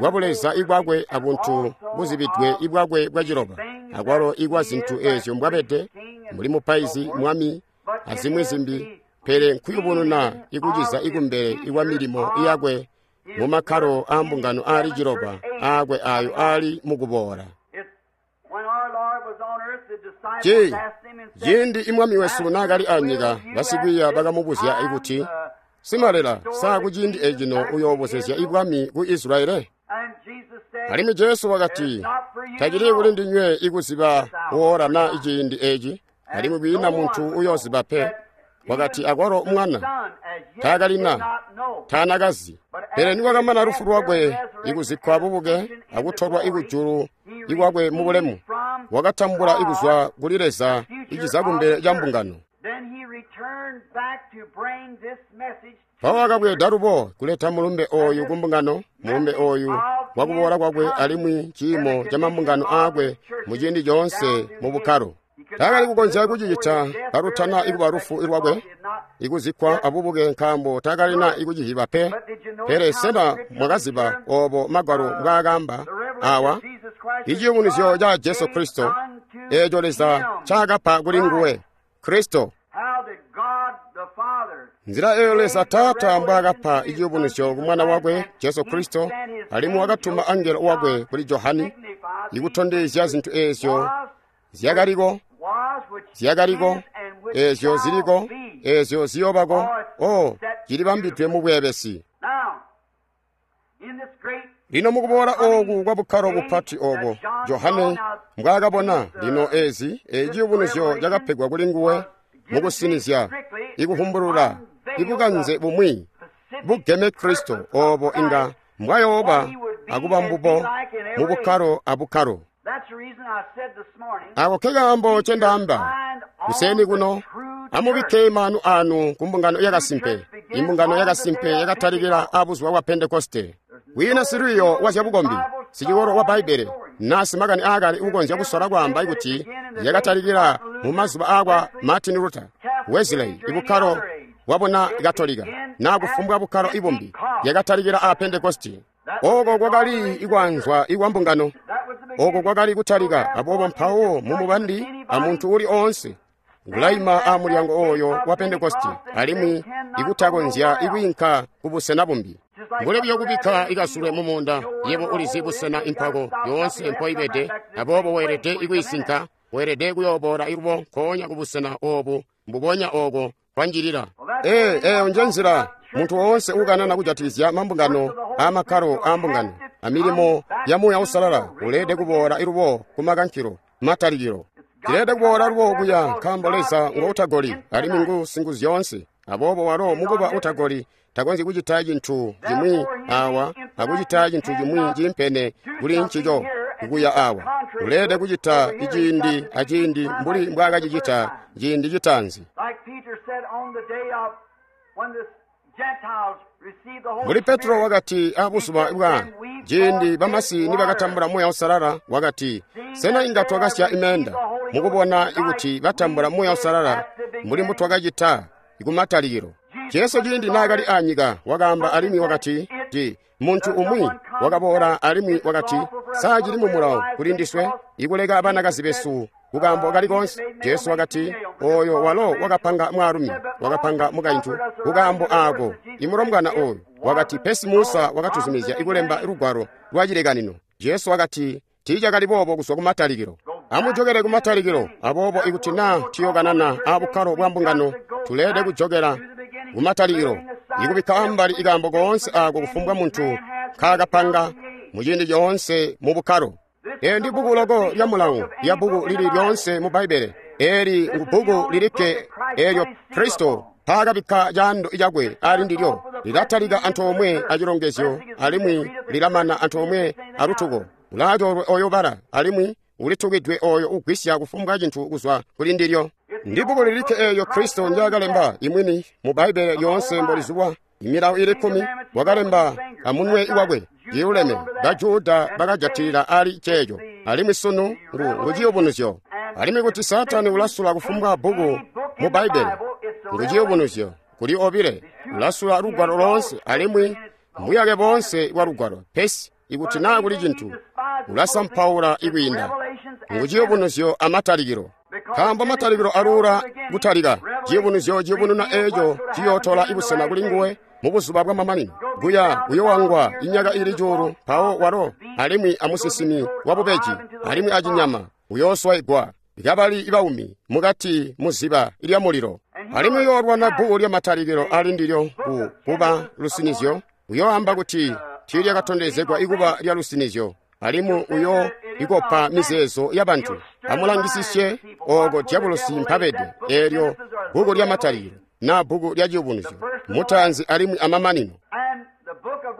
bwa buleza ibwakwe abuntu buzibidwe ibwakwe bwa ciloba, akwalo ikwa zintu eezyo mbwabede mbuli mupaizi, mwami, azimwi zimbi, pele nkuyubununa ikuciza ikumbele ikwa milimo iyakwe mu makkalo aa mbungano aali ciloba aakwe ayo aali mukuboola. It's when our Lord was on earth, the disciples Ci asked him and said, ciindi imwami wesu naakali anyika, basikwiiya bakamubuzya ikuti, Simalela, saa kuciindi ecino uyoobozezya ibwami ku Israele? And Jesus said, Alimwi Jesu wakati, tacili kuli ndinywe ikuziba woola na iciindi eci Alimwi kwiina muntu uyooziba pe. Wakati akwalo mwana taakalina taanakazi. Pele nikwakamana lufu lwakwe ikuzikkwa bubuke akutolwa ikujulu ikwakwe mubulemu, wakatambula ikuzwa kuli Leza iciza kumbele ca mbungano. Mpawo wakabweeda lubo kuleta mulumbe ooyu kumbungano, mulumbe ooyu wakuboola kwakwe alimwi ciimo ca mambungano aakwe muciindi coonse mu bukkalo. Taakali kukonzya kucicita kalutana ikuba lufu lwakwe ikuzikkwa abubuke nkaambo taakalina ikuciziba pe. Pele sena mwakaziba oobo Magwalo mbwaakaamba awa? Iciyubunuzyo ca Jesu Kristo, eeco Leza ncaakapa kuli nguwe, Kristo. Nzila eeyo Leza Taata mbwaakapa iciyubunuzyo ku Mwana wakwe Jesu Kristo, alimwi wakatuma angelo wakwe kuli Johani ikutondezya zintu eezyo zyakaliko, zyakaliko, eezyo ziliko, eezyo ziyoobako, o cilibambidwe mu bweebesi. Lino mukuboola ooku kwa bukkalo bupati oobo Johane mbwaakabona, lino eezi eciyubunuzyo cakapegwa kuli nguwe mukusinizya, ikuvumbulula, ibukanze bumwi bugeme Kristo oobo inga mbwayooba akuba mbubo mu bukkalo abukkalo. Ako kekaambo ncendaamba kuseeni kuno, amubikke maanu anu ku mbungano yakasimpe. Imbungano yakasimpe yakatalikila abuzuba bwa Pentekoste. Kwiina silwiiyo wa zyabukombi, sicikolo wa Bbaibbele, naa simakani aakale uukonzya kusola kwaamba kuti yakatalikila mu mazuba aakwa Martin Luther, Wesley, ibukkalo bwabuna Katolika, naa kufumbwa bukkalo ibumbi, yakatalikila a Pentekoste. Oko kwakali ikwaanzwa ikwa mbungano. Oko kwakali kutalika. Aboobo mpawo mumubandi amuntu uli oonse ngulaima a mulyango ooyo wa Pentekoste alimwi ikutakonzya ikwiinka kubusena bumbi. Mbuli buyo kubikka ikasulwe mumuunda, yebo ulizi busena impako yoonse mpoibede, aboobo weelede ikwiisinka, weelede kuyooboola ilubo nkoonya kubusena oobu mbubonya ooko kwanjilila. Ee, eeyo nje nzila muntu woonse uukanana kujatikizya mambungano aamakkalo aambungano amilimo ya Muuya Uusalala uleede kuboola ilubo kumakankilo matalikilo. Cileede kuboola lubo kuya nkaambo Leza ngo utagoli alimwi ngu singuzyoonse. Aboobo walo mukuba utagoli takonzyi kucita cintu cimwi awa akucita cintu cimwi ciimpene kuli ncico kuya awa. Uleede kucita iciindi aciindi mbuli mbwaakacicita ciindi citaanzi. Mbuli Petro wakati abuzuba bwa ciindi bamasi nibakatambula Muuya Uusalala, wakati, sena inga twakasya imeenda mukubona ikuti batambula Muuya Uusalala mbuli mbutwakacita kumatalikilo. Jesu ciindi naakali anyika wakaamba alimwi wakati, ti muntu umwi wakaboola alimwi wakati, saa cili mumulawo kuli ndiswe ikuleka banakazi besu kukaambo kali koonse. Jesu wakati, ooyo walo wakapanga mwaalumi, wakapanga mukaintu kukaambo aako imulombwana ooyu. Wakati, pesi Musa wakatuzumizya ikulemba lugwalo lwa cilekanino. Jesu wakati, tiicakali boobo kuzwa kumatalikilo. Amujokele kumatalikilo. Aboobo ikuti naa tuyokanana abukkalo bwa mbungano, tuleede kujokela kumatalikilo, ikubikka ambali ikaambo koonse aako kufumbwa muntu nkaakapanga muciindi coonse mu bukkalo. Eeli ndi bbuku loko lya mulawo lya bbuku lili lyoonse mu Bbaibbele. Eeli ngu bbuku lilikke eelyo Kristo mpaakabikka caando cakwe ali ndilyo. Lilatalika antoomwe acilongezyo alimwi lilamana antoomwe alutuko. Ulaacoolwe ooyo ubala alimwi ulitukidwe ooyo ugwisya kufumbwa cintu kuzwa kuli ndilyo. Ndi bbuku lilikke eelyo Kristo ndyaakalemba imwini mu Bbaibbele lyoonse mbolizulwa. Imilawo ili kkumi wakalemba amunwe wakwe iluleme. Bajuda bakajatilila ali ceeco, alimwi sunu ngu nguciyubunuzyo. Alimwi kuti Saatani ulasula kufumbwa bbuku mu Bbaibbele, nguciyubunuzyo kuli obile, ulasula lugwalo loonse alimwi mbuyake boonse bwa lugwalo. Pesi ikuti naa kuli cintu, ulasampaula ikwiinda nguciyubunuzyo amatalikilo. Nkaambo matalikilo aluula kutalika, ciyubunuzyo ciyubununa eeco ciyootola ibusena kuli nguwe mubuzuba bwamamanino. Kuya uyowangwa inyaka ili cuulu, mpawo walo alimwi amusisimi wabubeji alimwi acinyama uyooswaigwa kabali baumi mukati muziba lya mulilo. Alimwi uyoolwana bbuku lya matalikilo ali ndilyo ku kuba lusinizyo. Uyooamba kuti tiilyakatondezegwa ikuba lya lusinizyo, alimwi uyo ikopa mizeezo ya bantu. Amulangisisye ooko dyabulosi mpabede, eelyo bbuku lya Matalikilo na bbuku lya Ciyubunuzyo, mutaanzi alimwi amamanino.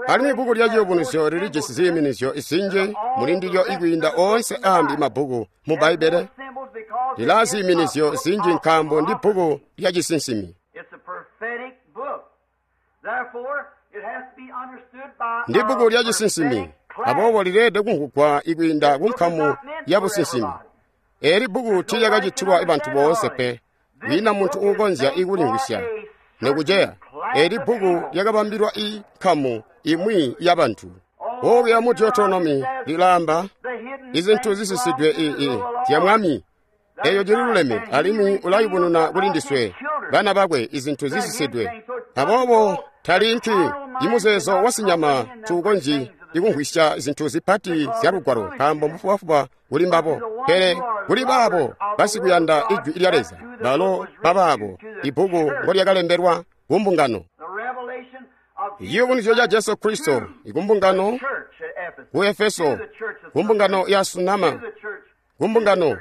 Alimwi bbuku lya Ciyubunuzyo lilijisi ziiminizyo zinji mulindilyo ikwiinda oonse aambi mabbuku mu Bbaibbele. Lilaa ziiminizyo zinji nkaambo ndi bbuku lya cisinsimi. Ndi bbuku lya cisinsimi, aboobo lileelede kumvwugwa ikwiinda ku nkamu ya businsimi. Eeli bbuku tiilyakacitilwa bantu boonse pe, kwiina muntu uukonzya ikulimvwisya nekuceya. Eeli bbuku lyakabambilwa inkamu imwi ya bantu. Bbuku mu Deuteronomy lilaamba izintu zisisidwe ii zya Mwami, eeyo cililuleme, alimwi ulayubununa kuli ndiswe bana bakwe izintu zisisidwe. Aboobo talinki imuzeezo wasinyama tuukonzyi ikumvwisya zintu zipati zya Lugwalo, nkaambo mbufubafuba kuli mbabo. Pele kuli baabo basikuyanda Ijwi lya Leza, balo babaabo ibbuku ngolyakalembelwa kumbungano. Iciyubunuzyo ca Jesu Kristo ikumbungano ku Efeso, kumbungano ya Sunama, kumbungano,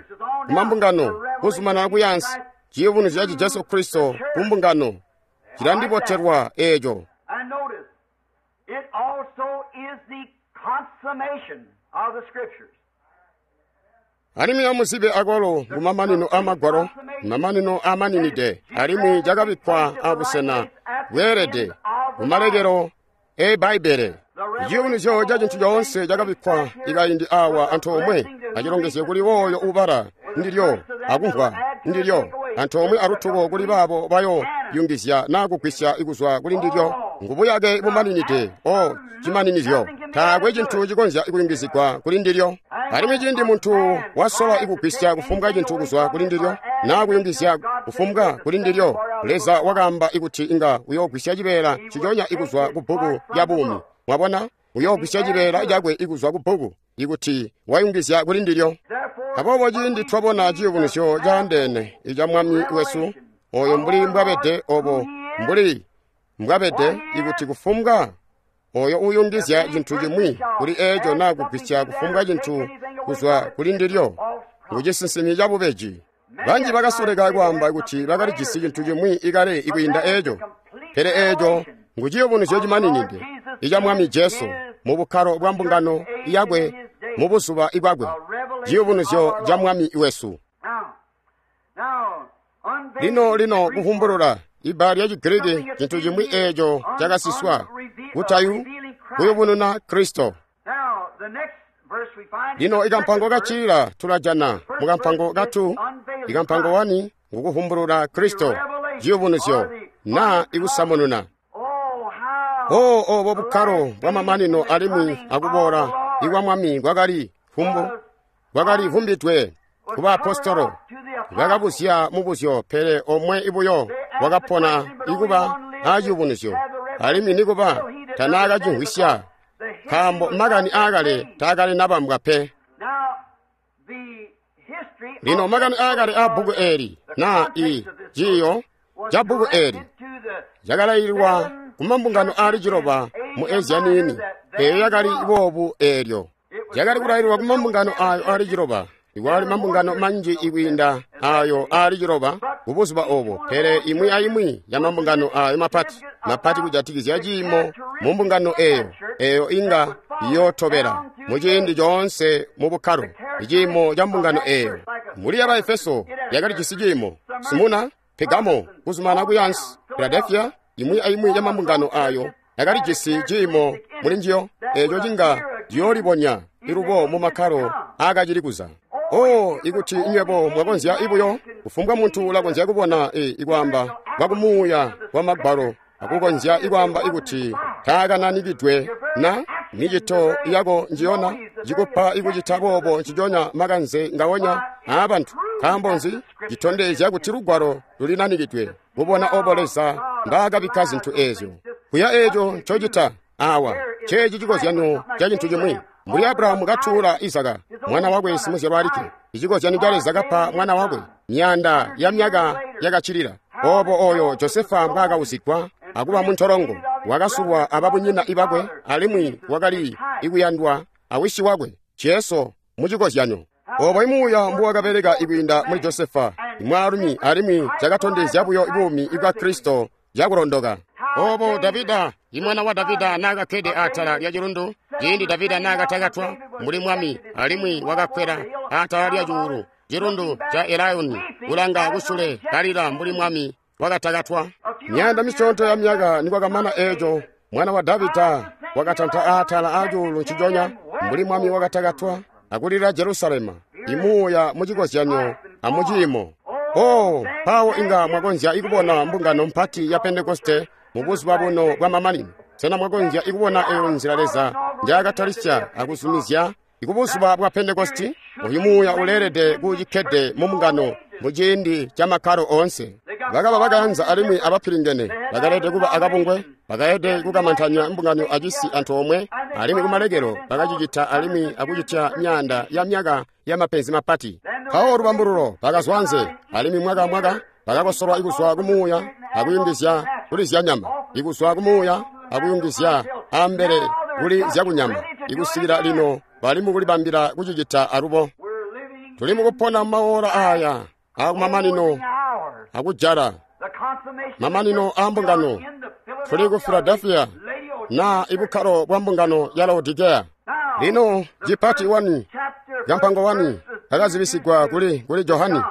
kumambungano, kuzumanana kuyansi. Ciyubunuzyo ca Jesu Kristo kumbungano cilandibotelwa eeco. It also is the consummation of the Scriptures. Alimwi amuzibe akwalo kumamanino amagwalo, mamanino amaninide, alimwi cakabikkwa abusena bweelede kumalekelo e Bbaibbele. Iciyubunuzyo ca cintu coonse cakabikkwa ikaindi awa antoomwe, acilongezye kuli wooyo ubala ndilyo akumvwa ndilyo, antoomwe alutuko kuli baabo bayo yungizya naa kugwisya kuzwa kuli ndilyo. Ngubuyake bumaninide o cimaninizyo, taakwe cintu cikonzya kuyungizigwa kuli ndilyo. Alimwi ciindi muntu wasola ikugwisya kufumbwa cintu kuzwa kuli ndilyo naa kuyungizya kufumbwa kuli ndilyo, Leza wakaamba ikuti inga uyoogwisya cibeela ciconya ikuzwa ku bbuku lya buumi. Mwabona, uyoogwisya cibeela cakwe ikuzwa ku bbuku ikuti wayungizya kuli ndilyo. Aboobo ciindi twabona ciyubunuzyo caandeene ica Mwami wesu, oyo mbuli mbwabede, obo mbuli mbwabede, ikuti kufumbwa oyo uyungizya cintu cimwi kuli eeco naa kugwisya kufumbwa cintu kuzwa kuli ndilyo, ngucisinsimi cabubeji. Banji bakasoleka kwaamba kuti bakalijisi cintu cimwi ikale ikwiinda eeco, pele eeco nguciyubunuzyo cimaninide ica Mwami Jesu mu bukkalo bwa mbungano yakwe mu buzuba ibwakwe, ciyubunuzyo ca Mwami wesu. Lino lino kuvumbulula, ibbala lya Chigiriki cintu cimwi eeco cakasiswa, kutayu kuyubununa Kristo. Lino ikampango kacilila tulajana mukampango katu, ikampango wani ngukuvumbulula Kristo, ciyubunuzyo naa ikusamununa. O obo bukkalo bwa mamanino alimwi akuboola ikwa Mwami kwakali vumbu kwakali vumbidwe ku baapostolo. Bakabuzya mubuzyo, pele omwe ibuyo wakapona ikuba aaciyubunuzyo, alimwi nikuba tanaakacimvwisya, nkaambo makani aakale taakali nabambwa pe. Lino makani aakale aa bbuku eeli naa i ciiyo ca bbuku eeli cakalaililwa kumambungano aali ciloba mu Asia niini, eeyo yakali boobu eelyo. Cakali kulaililwa kumambungano aayo aali ciloba. Ikwali mambungano manji ikwiinda aayo aali ciloba kubuzuba obo, pele imwi aimwi ya mambungano aayo mapati mapati kujatikizya ciimo mu mbungano eeyo, eeyo inga iyootobela muciindi coonse mu bukkalo iciimo ca mbungano eeyo. Muli ya Baefeso yakalijisi ciimo, Simuna, Pegamo, kuzumana kuyansi, Filadelfia, imwi aimwi ya mambungano aayo yakalijisi ciimo muli njiyo, eeco cinga ciyoolibonya ilubo mu makkalo aakacili kuza. Oh, ikuti nywebo mwakonzya ibuyo, kufumbwa muntu ulakonzya kubona e, ikwaamba kwa kumuuya kwa magwalo akukonzya ikwaamba ikuti taakananikidwe na micito yako njiyona cikupa ikucita boobo nciconya makanze ngawonya aabantu. Nkaambo nzi? Citondezya kuti lugwalo lulinanikidwe kubona obo Leza mbaakabikka zintu eezyo. Kuya eeco ncocita awa ceeci cikozyanyo ca cintu cimwi. Mbuli Abrahamu katuula Izaka mwana wakwe simuzyalwa alikke, icikozyanyo ca Leza kapa mwana wakwe myaanda ya myaka yakacilila. Obo oyo Josefa mbwaakausigwa akuba muntolongo, wakasulwa ababunyina ibakwe, alimwi wakali ikuyandwa awisi wakwe Jesu mucikozyanyo. Obo imuuya mbuwakabeleka ikwiinda muli Josefa, imwaalumi, alimwi cakatondezya buyo buumi bwa Kristo cakulondoka. Obo Davida, imwana wa Davida, naakakkede atala lya cilundu, ciindi Davida naakatakatwa mbuli mwami, alimwi wakakwela atala lya cuulu, cilundu ca Elaioni, kulanga kusule kalila mbuli mwami wakatakatwa. Myaanda misyoonto ya myaka nikwakamana eeco, mwana wa Davida wakatanta atala acuulu nciconya mbuli mwami wakatakatwa akulila Jerusalema, imuuya mucikozyanyo amuciimo. Oh, mpawo inga mwakonzya ikubona mbungano mpati ya Pentekoste mu buzuba buno bwa mamanino. Sena mwakonzya ikubona eyo nzila Leza njaakatalisya akuzumizya ikubuzuba bwa Pentekosti? Oyu muuya uleelede kucikkede mu mbungano mu ciindi ca makkalo oonse. Bakaba bakaanza alimwi abapilingene, bakaleede kuba akabungwe, bakaleede kukamantanya mbungano acisi antoomwe, alimwi kumalekelo bakacicita alimwi akucitya myaanda ya myaka ya mapenzi mapati. Mpawo lubambululo bakazwa anze, alimwi mwaka mwaka bakakosolwa ikuzwa kumuuya akuyungizya kuli zyanyama, ikuzwa kumuuya akuyungizya ambele kuli zyakunyama, ikusikila lino bali mukulibambila kucicita alubo. Tuli mukupona maola aya akumamanino akujala mamanino a mbungano. Tuli ku Philadelphia na ibukkalo bwa mbungano ya Laodikea. Lino cipati wani kampango wani kakazibisigwa kuli kuli Johani.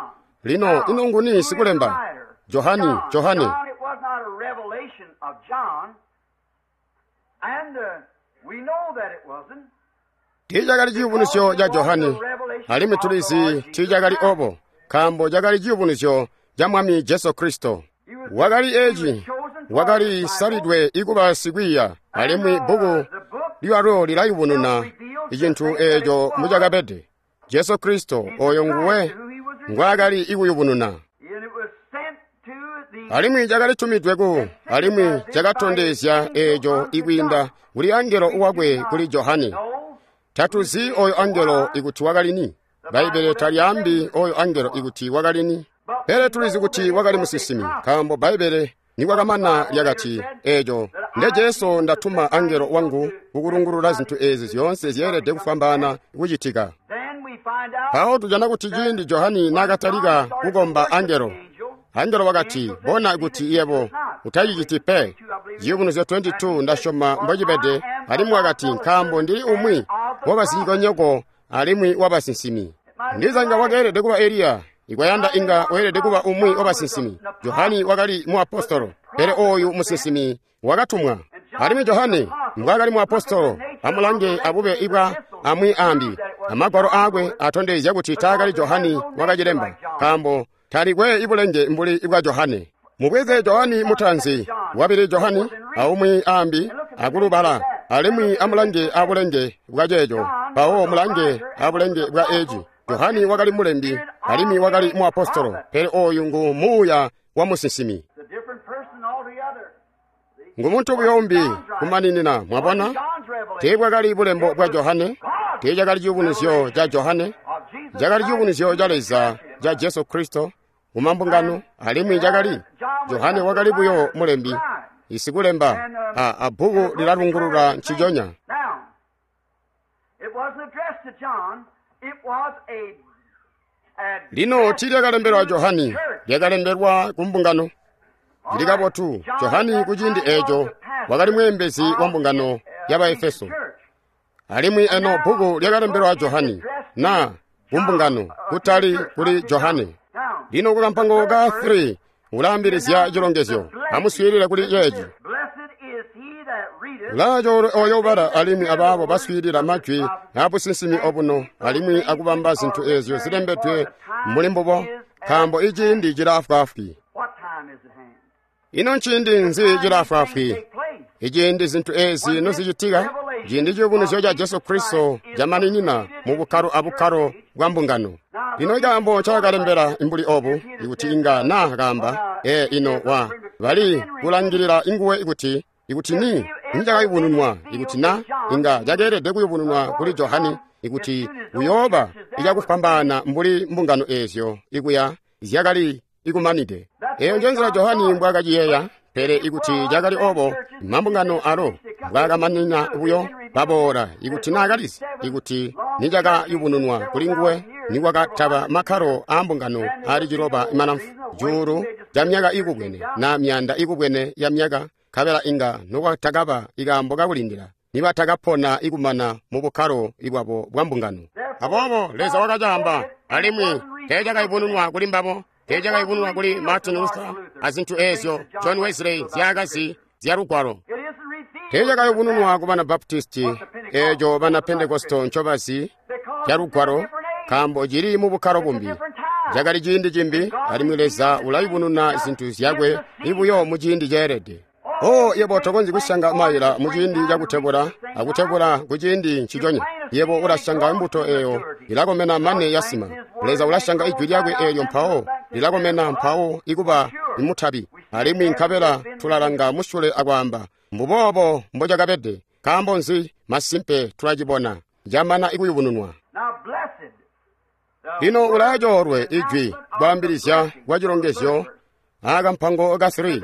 Lino ino nguni sikulemba? Johani, Johani. Tiicakali ciyubunuzyo ca Johani, alimwi tulizi tiicakali obo, nkaambo cakali ciyubunuzyo ca Mwami Jesu Kristo. Wakali eci, wakali salidwe ikuba sikwiiya, alimwi bbuku lyalo lilayubununa icintu eeco mucakabede. Jesu Kristo oyo nguwe ngwaakali ikuyubununa. Alimwi cakali tumidwe ku, alimwi cakatondezya eeco ikwiinda kuli angelo wakwe kuli Johane. Tatuzi oyo angelo ikuti wakali ni. Bbaibbele talyaambi oyo angelo ikuti wakali ni. Pele tulizi kuti wakali musinsimi, nkaambo Bbaibbele nikwakamana lyakati eeco nde Jesu ndatuma angelo wangu kukulungulula zintu ezi zyoonse zyeelede kufwambaana kucitika. Mpawo tujana kuti ciindi Johani naakatalika kukomba angelo, angelo wakati, bona kuti yebo utaciciti pe. Ciyubunuzyo twenty two ndasyoma mbocibede, alimwi wakati, nkaambo ndili umwi wabasikonyoko alimwi wabasinsimi. Ndiza inga wakeelede kuba Eliya, ikwayanda inga weelede kuba umwi wabasinsimi. Johani wakali muapostolo, pele oyu musinsimi wakatumwa. Alimwi Johani mbwaakali muapostolo, amulange abube ibwa amwi ambi. Amagwalo aakwe atondezya kuti taakali Johani wakacilemba, nkaambo talikwe ibulenge mbuli ibwa Johane. Mubweze Johani mutanzi, wabili Johani, aumwi ambi akulubala, alimwi amulange abulenge bwa ceeco, mpawo mulange abulenge bwa eci. Johani wakali mulembi, alimwi wakali muapostolo, pele oyu ngu muuya wa musinsimi. Ngu muntu buyo umbi kumaninina, mwabona? Teebwakali bulembo bwa Johane, teecakali ciyubunuzyo ca Johane, cakali ciyubunuzyo ca Leza ca Jesu Kristo kumambungano, alimwi cakali Johane wakali buyo mulembi, isikulemba a, a bbuku lilalungulula nciconya. Lino tiilyakalembelwa Johani, lyakalembelwa ku mbungano. Lili kabotu, Johani kuciindi eeco wakali mweembezi wa mbungano ya Baefeso. Alimwi eno bbuku lyakalembelwa Johani, na kumbungano, kutali kuli Johane. Lino kukampango ka three ulaambilizya cilongezyo. Amuswiilile kuli ceeci. Ulaacoolwe oyo ubala alimwi abaabo baswiilila majwi aabusinsimi obuno alimwi akubamba zintu eezyo zilembedwe muli mbubo, nkaambo iciindi cilaafwaafwi. Ino nciindi nzi cilaafwaafwi? Iciindi zintu ezi nozicitika, ciindi ciyubunuzyo ca Jesu Kristo camaninina mu bukkalo abukkalo bwa mbungano. Lino ikaambo ncakalembela imbuli obu, ikuti inga na kaamba, ee ino wa bali kulangilila inguwe ikuti ikuti ni nicakayubununwa, ikuti na inga cakeelede kuyubununwa kuli Johani, ikuti uyooba icakufwambaana mbuli mbungano eezyo ikuya zyakali ikumanide. Eyo njenzila Johani mbwaakaciyeeya, pele ikuti cakali obo, mambungano alo mbwaakamanina buyo baboola, ikuti naakalizi, ikuti nicakayubununwa kuli nguwe nikwakataba makkalo aa mbungano aali ciloba malamfu cuulu ca myaka ikubwene na myaanda ikubwene ya myaka nkabela inga nokwatakaba ikaambo kakulindila nibatakapona ikumana mu bukkalo bwabo bwa mbungano. Aboobo Leza wakacaamba, alimwi teecakayubununwa kuli mbabo, teecakayubununwa kuli Martin Luther azintu eezyo John Wesley zyaakazi zya Lugwalo. Teecakayubununwa ku bana Baptisti eeco bana Pentekosto ncobazi ca Lugwalo, nkaambo cili mu bukkalo bumbi. Cakali ciindi cimbi, alimwi Leza ulayubununa zintu zyakwe ibuyo mu ciindi ceelede. Oh, yebo tokonzyi kusyanga maila mu ciindi cakutebula akutebula ku ciindi nciconya. Yebo ulasyanga mbuto eyo ilakomena mane yasima. Leza ulasyanga ijwi lyakwe eelyo mpawo lilakomena mpawo ikuba imutabi. Alimwi nkabela tulalanga musyule akwaamba, mbuboobo mbocakabede. Nkaambo nzi? Masimpe tulacibona camana ikuyubununwa. Lino ulaacoolwe ijwi kwaambilizya kwa cilongezyo akampango ka three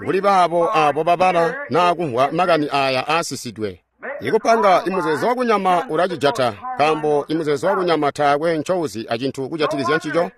kuli baabo abo babala naa kumvwa makani aya aasisidwe. Ikupanga imuzeezo wakunyama ulacijata, nkaambo imuzeezo wakunyama taakwe ncouzi acintu kujatikizya ncico.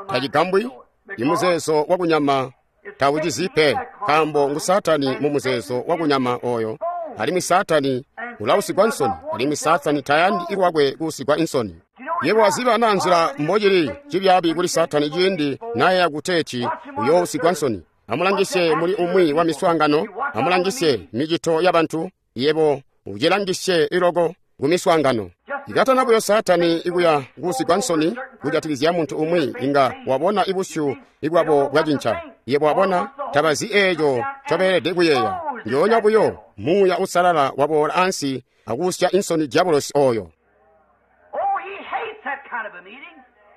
Tacigambwi, imuzeezo wakunyama tawucizi pe, nkaambo ngu Saatani mu muzeezo wakunyama oyo. Alimwi Saatani ulausigwa nsoni, alimwi Saatani tayandi ilwakwe kuusigwa insoni. Yebo waziba naa nzila mbocili cibyaabi kuli Saatani ciindi nayeya kuteeti uyoousigwa nsoni. Amulangisye muli umwi wa miswaangano, amulangisye micito yabantu, yebo ucilangisye iloko ku miswaangano. Ikatana buyo Saatani ikuya kuusigwa nsoni kujatikizya muntu umwi, inga wabona ibusyu ibwabo bwacinca. Yebo wabona tabazi eeco ncobeelede kuyeeya. Njoonya buyo Muuya Uusalala waboola ansi akuusya insoni diabolosi oyo.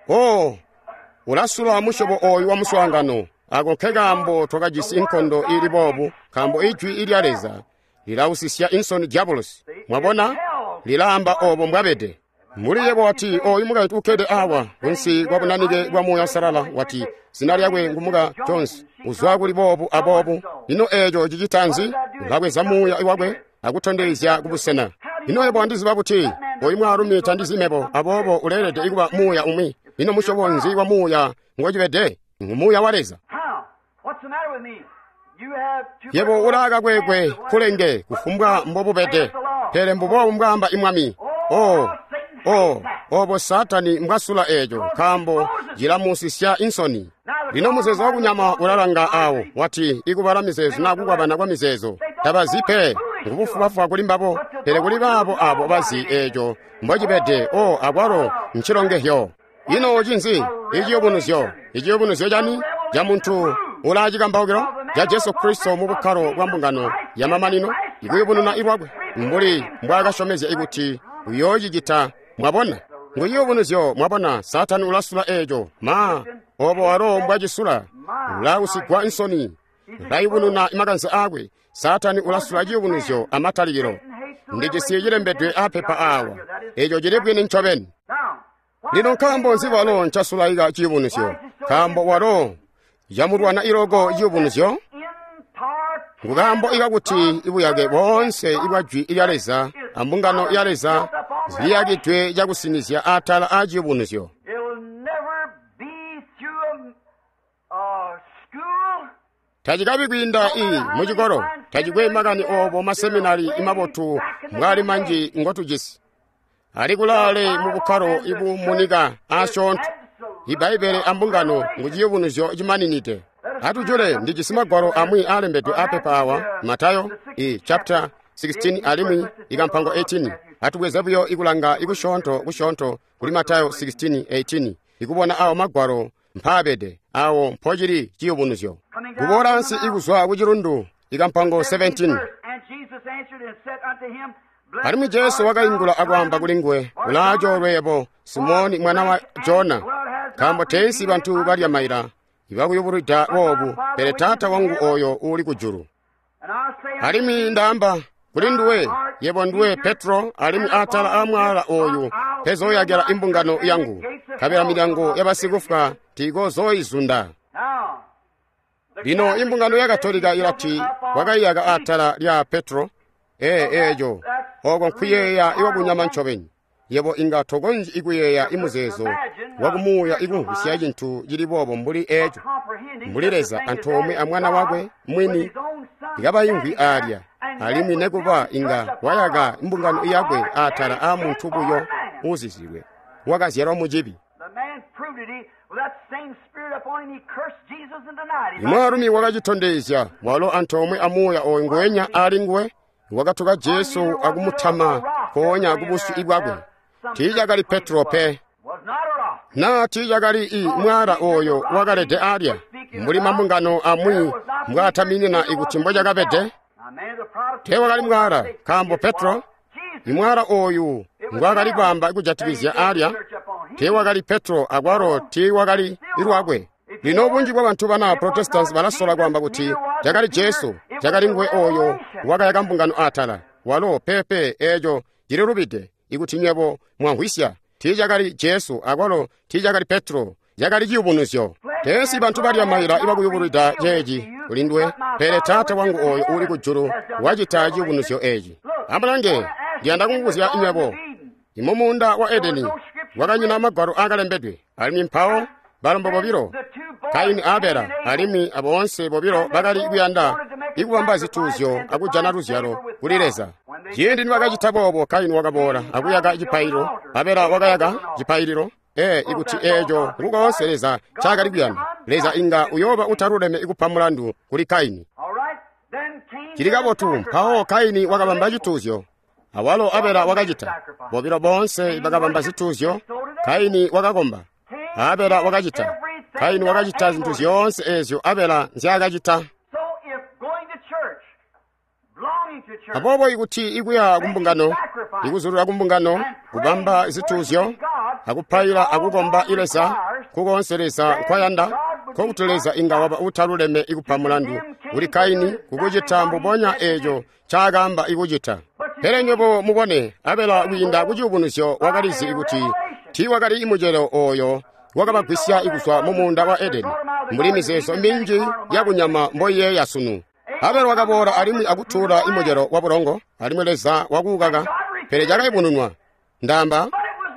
Oh, ulasula musyobo oyu wa muswaangano. Ako nkekaambo twakajisi inkondo ili boobu, nkaambo ijwi ilya Leza lilausisya insoni diabolosi. Mwabona, lilaamba obo mbwabede. Mbuli yebo wati oyu mukaintu ukkede awa kunsi kwa bunanike bwa Muuya Uusalala, wati zina lyakwe ngu Muka Jones, uzwa kuli boobu aboobu. Ino eeco cicita nzi? Ulabweza muuya wakwe akutondezya kubusena. Ino yebo wandiziba buti? Oyu mwaalumi tandizi mebo, aboobo uleelede ikuba muuya umwi. Ino musyobo nzi wa muuya ngocibede? Ngu muuya wa Leza. Yebo ulaakakwekwe kulenge kufumbwa mbobubede, pele mbuboobu mbwaamba imwami. Oh, oh, obo Saatani mbwasula eeco, nkaambo cilamusisya insoni. Lino muzeezo wakunyama ulalanga awo, wati ikubala mizeezo naa kukwabana kwa mizeezo. Tabazi pe, ngubufubafuba kuli mbabo, pele kuli baabo abo bazi eeco mbocibede. Oh, akwalo ncilongehyo. Ino cinzi? Iciyubunuzyo. Iciyubunuzyo cani? Ca muntu ulaacikambaukilo ca Jesu Kristo mu bukkalo bwa mbungano yamamanino, ikuyubununa ilwakwe mbuli mbwaakasyomezya ikuti uyoocicita. Mwabona, ngu ciyubunuzyo. Mwabona, Saatani ulasula eeco. Ma, obo walo mbwacisula, ulausigwa insoni, ulayubununa makanze aakwe. Saatani ulasula ciyubunuzyo amatalikilo. Ndijisi cilembedwe apepa awa, eeco cili bwini ncobeni. Lino nkaambo nzi walo ncasulaika ciyubunuzyo? Nkaambo walo yamulwana iloko ciyubunuzyo. Nkaambo ikakuti ibuyake boonse ibwa jwi lya Leza ambungano ya Leza ziliyakidwe cakusinizya atala a ciyubunuzyo. Tacikabi kwiinda i mucikolo, tacikwe makani obo maseminari imabotu mbwali manji ngotujisi. Ali kulaale mu bukkalo ibumunika asyoonto. Ibbaibele ambungano ngu ciyubunuzyo cimaninide. Atujule ndijisi magwalo amwi aalembedwe apepa awa, Matayo i chapter sixteen alimwi ikampango eighteen. Atubweze buyo ikulanga ikusyoonto kusyoonto kuli Matayo sixteen eighteen, ikubona awo magwalo mpaabede awo mpocili ciyubunuzyo. Kuboola ansi ikuzwa ku cilundu ikampango seventeen. Alimwi Jesu wakaingula akwaamba kuli nguwe, ulaacoolwe yebo, Simoni mwana wa Jona, nkaambo teensi bantu balya maila ibakuyubulwida boobu, pele Taata wangu oyo uuli kujulu. Alimwi ndaamba kuli nduwe, yebo nduwe Petro, alimwi atala aamwaala oyu mpezooyakila imbungano yangu, nkabela milyango yabasikufwa tiikozooizunda. Lino imbungano ya Katolika ilati wakaiyaka atala lya Petro. Ee, eeco oko nkuyeeya iwakunyama ncobeni. Yebo inga tokonzyi ikuyeeya imuzeezo wakumuuya ikumvwisya cintu cili boobo mbuli eco, mbuli Leza antoomwe a Mwana wakwe mwini ikabaimvwi aalya, alimwi nekuba inga wayaka mbungano yakwe atala aa muntu buyo uuzizilwe wakazyalwa mucibi. Imwaalumi wakacitondezya walo antoomwe a muuya ooyu nguwenya aali nguwe wakatuka Jesu akumutama mpoonya kubusyu bwakwe. Tiicakali Petro pe, naa tiicakali i mwaala ooyo wakalede aalya, mbuli mambungano amwi mbwaataminina ikuti mbocakabede. Teewakali mwaala, nkaambo Petro, imwaala ooyu ngwaakali kwaamba kujatikizya aalya, teewakali Petro akwalo tiiwakali lwakwe. Lino bunji bwabantu bana Protestants balasola kwaamba kuti cakali Jesu, cakali nguwe ooyo wakayaka mbungano atala. Walo pepe eeco cililubide. Ikuti nywebo mwamvwisya, tiicakali Jesu akwalo tiicakali Petro, cakali ciyubunuzyo. Teesi bantu balya maila ibakuyubulwida ceeci kulinduwe, pele Taata wangu ooyo uuli kujulu wacita ciyubunuzyo eeci. Amulange, ndiyanda kumubuzya nywebo, imumuunda wa Edeni wakanyina magwalo aakalembedwe, alimwi mpawo balombo bobilo, Kaini a Abela, alimwi aboonse bobilo bakali kuyanda ikubamba zituuzyo akujana luzyalo kuli Leza. Ciindi nibakacita boobo, Kaini wakaboola akuyaka cipaililo, Abela wakayaka cipaililo. Ee, ikuti eeco ngukoonse Leza ncaakali kuyanda, Leza inga uyooba utaluleme ikupa mulandu kuli Kaini. Cili kabotu, mpawo Kaini wakabamba cituuzyo, awalo Abela wakacita. Bobilo boonse bakabamba zituuzyo. Kaini wakakomba, Abela wakacita. Kaini wakacita zintu zyoonse eezyo Abela nzyaakacita. Aboobo ikuti ikuya kumbungano, ikuzulula kumbungano, kubamba zituuzyo, akupaila akukomba Leza, kukoonse Leza nkwayanda, nkokuti Leza inga waba utaluleme ikupa mulandu kuli Kaini kukucita mbubonya eeco ncaakaamba ikucita. Pele nywebo mubone, Abela kwiinda kuciyubunuzyo wakalizi kuti tiiwakali mucelo ooyo wakabagwisya kuzwa mumuunda wa Edeni, mbuli mizeezo minji yakunyama mboiyeeya sunu. Abela wakaboola alimwi akutuula imucelo wa bulongo, alimwi Leza wakuukaka, pele cakayubununwa. Ndaamba,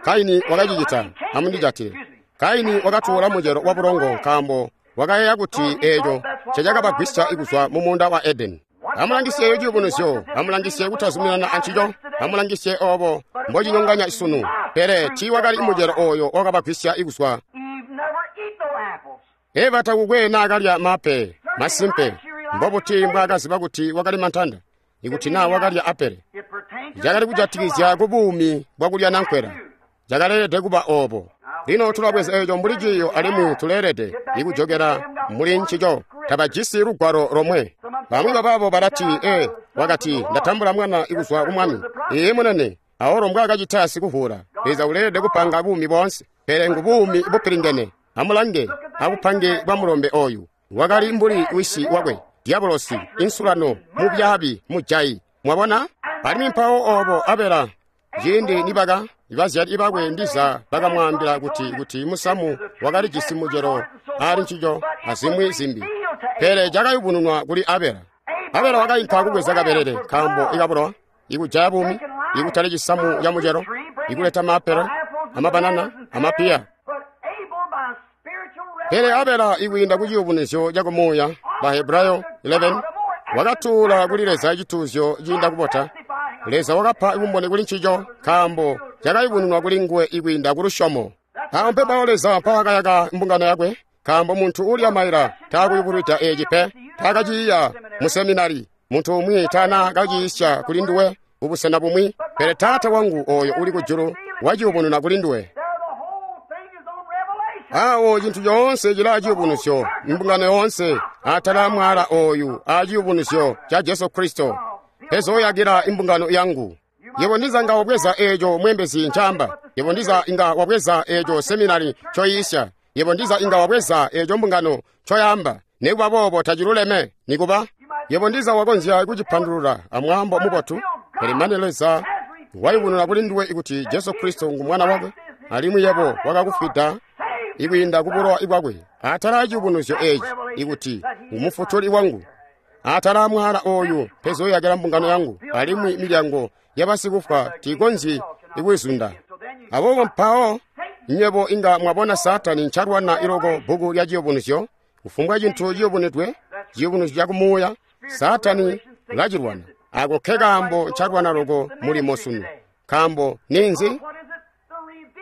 Kaini wakacicita, amundijatile. Kaini wakatuula mucelo wa bulongo nkaambo wakayeeya kuti eeco ncecakabagwisya kuzwa mumuunda wa Edeni. Amulangisye eyo ciyubunuzyo, amulangisye kutazuminana ancico, amulangisye oobo mbocinyonganya sunu. Pele tiiwakali mucelo ooyo wakabagwisya kuzwa. Eva takukwe naakalya mape, masimpe. Mbobuti mbwaakaziba kuti wakali mantanda? Ikuti naa wakalya apele, cakali kujatikizya kubuumi bwakulya nankwela. Cakaleelede kuba oobo. Lino tulabweza eeco mbuli ciiyo alimwi tuleelede ikujokela muli ncico. Tabajisi lugwalo lomwe. Bamwi babaabo balati, ee, wakati ndatambula mwana ikuzwa ku Mwami. Ee munene, awalo mbwaakacita sikuvuula. Leza uleelede kupanga buumi boonse, pele ngubuumi bupilingene. Amulange abupange bwa mulombe ooyu. Wakali mbuli wisi wakwe, diabolosi, insulano, mubyaabi, mujayi. Mwabona? Alimwi mpawo oobo Abela, ciindi nibaka bazyali bakwe ndiza bakamwaambila kuti kuti musamu wakalijisi mucelo aali ncico azimwi zimbi, pele cakayubununwa kuli Abela. Abela wakainka kubweza kabelele nkaambo ikabulowa, ikujaya buumi, ikutali cisamu ca mucelo, ikuleta maapele, amabanana, amapiya. Pele Abela ikwiinda ku ciyubunuzyo cakumuuya, Bahebrayo eleven, wakatuula kuli Leza cituuzyo ciinda kubota. Leza wakapa bumboni kuli ncico nkaambo cakayubununwa kuli nguwe ikwiinda ku lusyomo. Awo mpepawo Leza mpawakayaka mbungano yakwe, nkaambo muntu uulya maila taakuyubulwida eeci pe, taakaciiya mu seminari. Muntu umwi tana kaciisya kuli nduwe kubusena bumwi, pele Taata wangu ooyo uli kujulu waciyubununa kuli nduwe. Awo cintu coonse cilaa ciyubunuzyo, mbungano yoonse atala mwaala ooyu a ciyubunuzyo ca Jesu Kristo pezooyakila imbungano yangu. Yebo ndiza nga wabweza eeco mweembezi ncaamba. Yebo ndiza inga wabweza eeco seminari ncoyiisya. Yebo ndiza inga wabweza eeco mbungano ncoyaamba. Nikuba boobo taciluleme, nikuba. Yebo ndiza wakonzya kucipandulula amwaambo mubotu, pele mane Leza wayubununa kuli nduwe ikuti Jesu Kristo ngu Mwana wakwe, alimwi yebo wakakufwida ikwiinda kubulowa bwakwe. Atala aciyubunuzyo eeci ikuti ngumufutuli wangu. Atala mwaala ooyu pezooyakila mbungano yangu, alimwi milyango yabasikufwa tiikonzyi ikuyizunda. Aboobo mpawo nywebo inga mwabona Saatani ncalwana iloko bbuku lya Ciyubunuzyo. Kufumbwa cintu ciyubunudwe, ciyubunuzyo cakumuuya, Saatani ulacilwana. Ako nke kaambo ncalwana loko mulimo sunu. Nkaambo ninzi?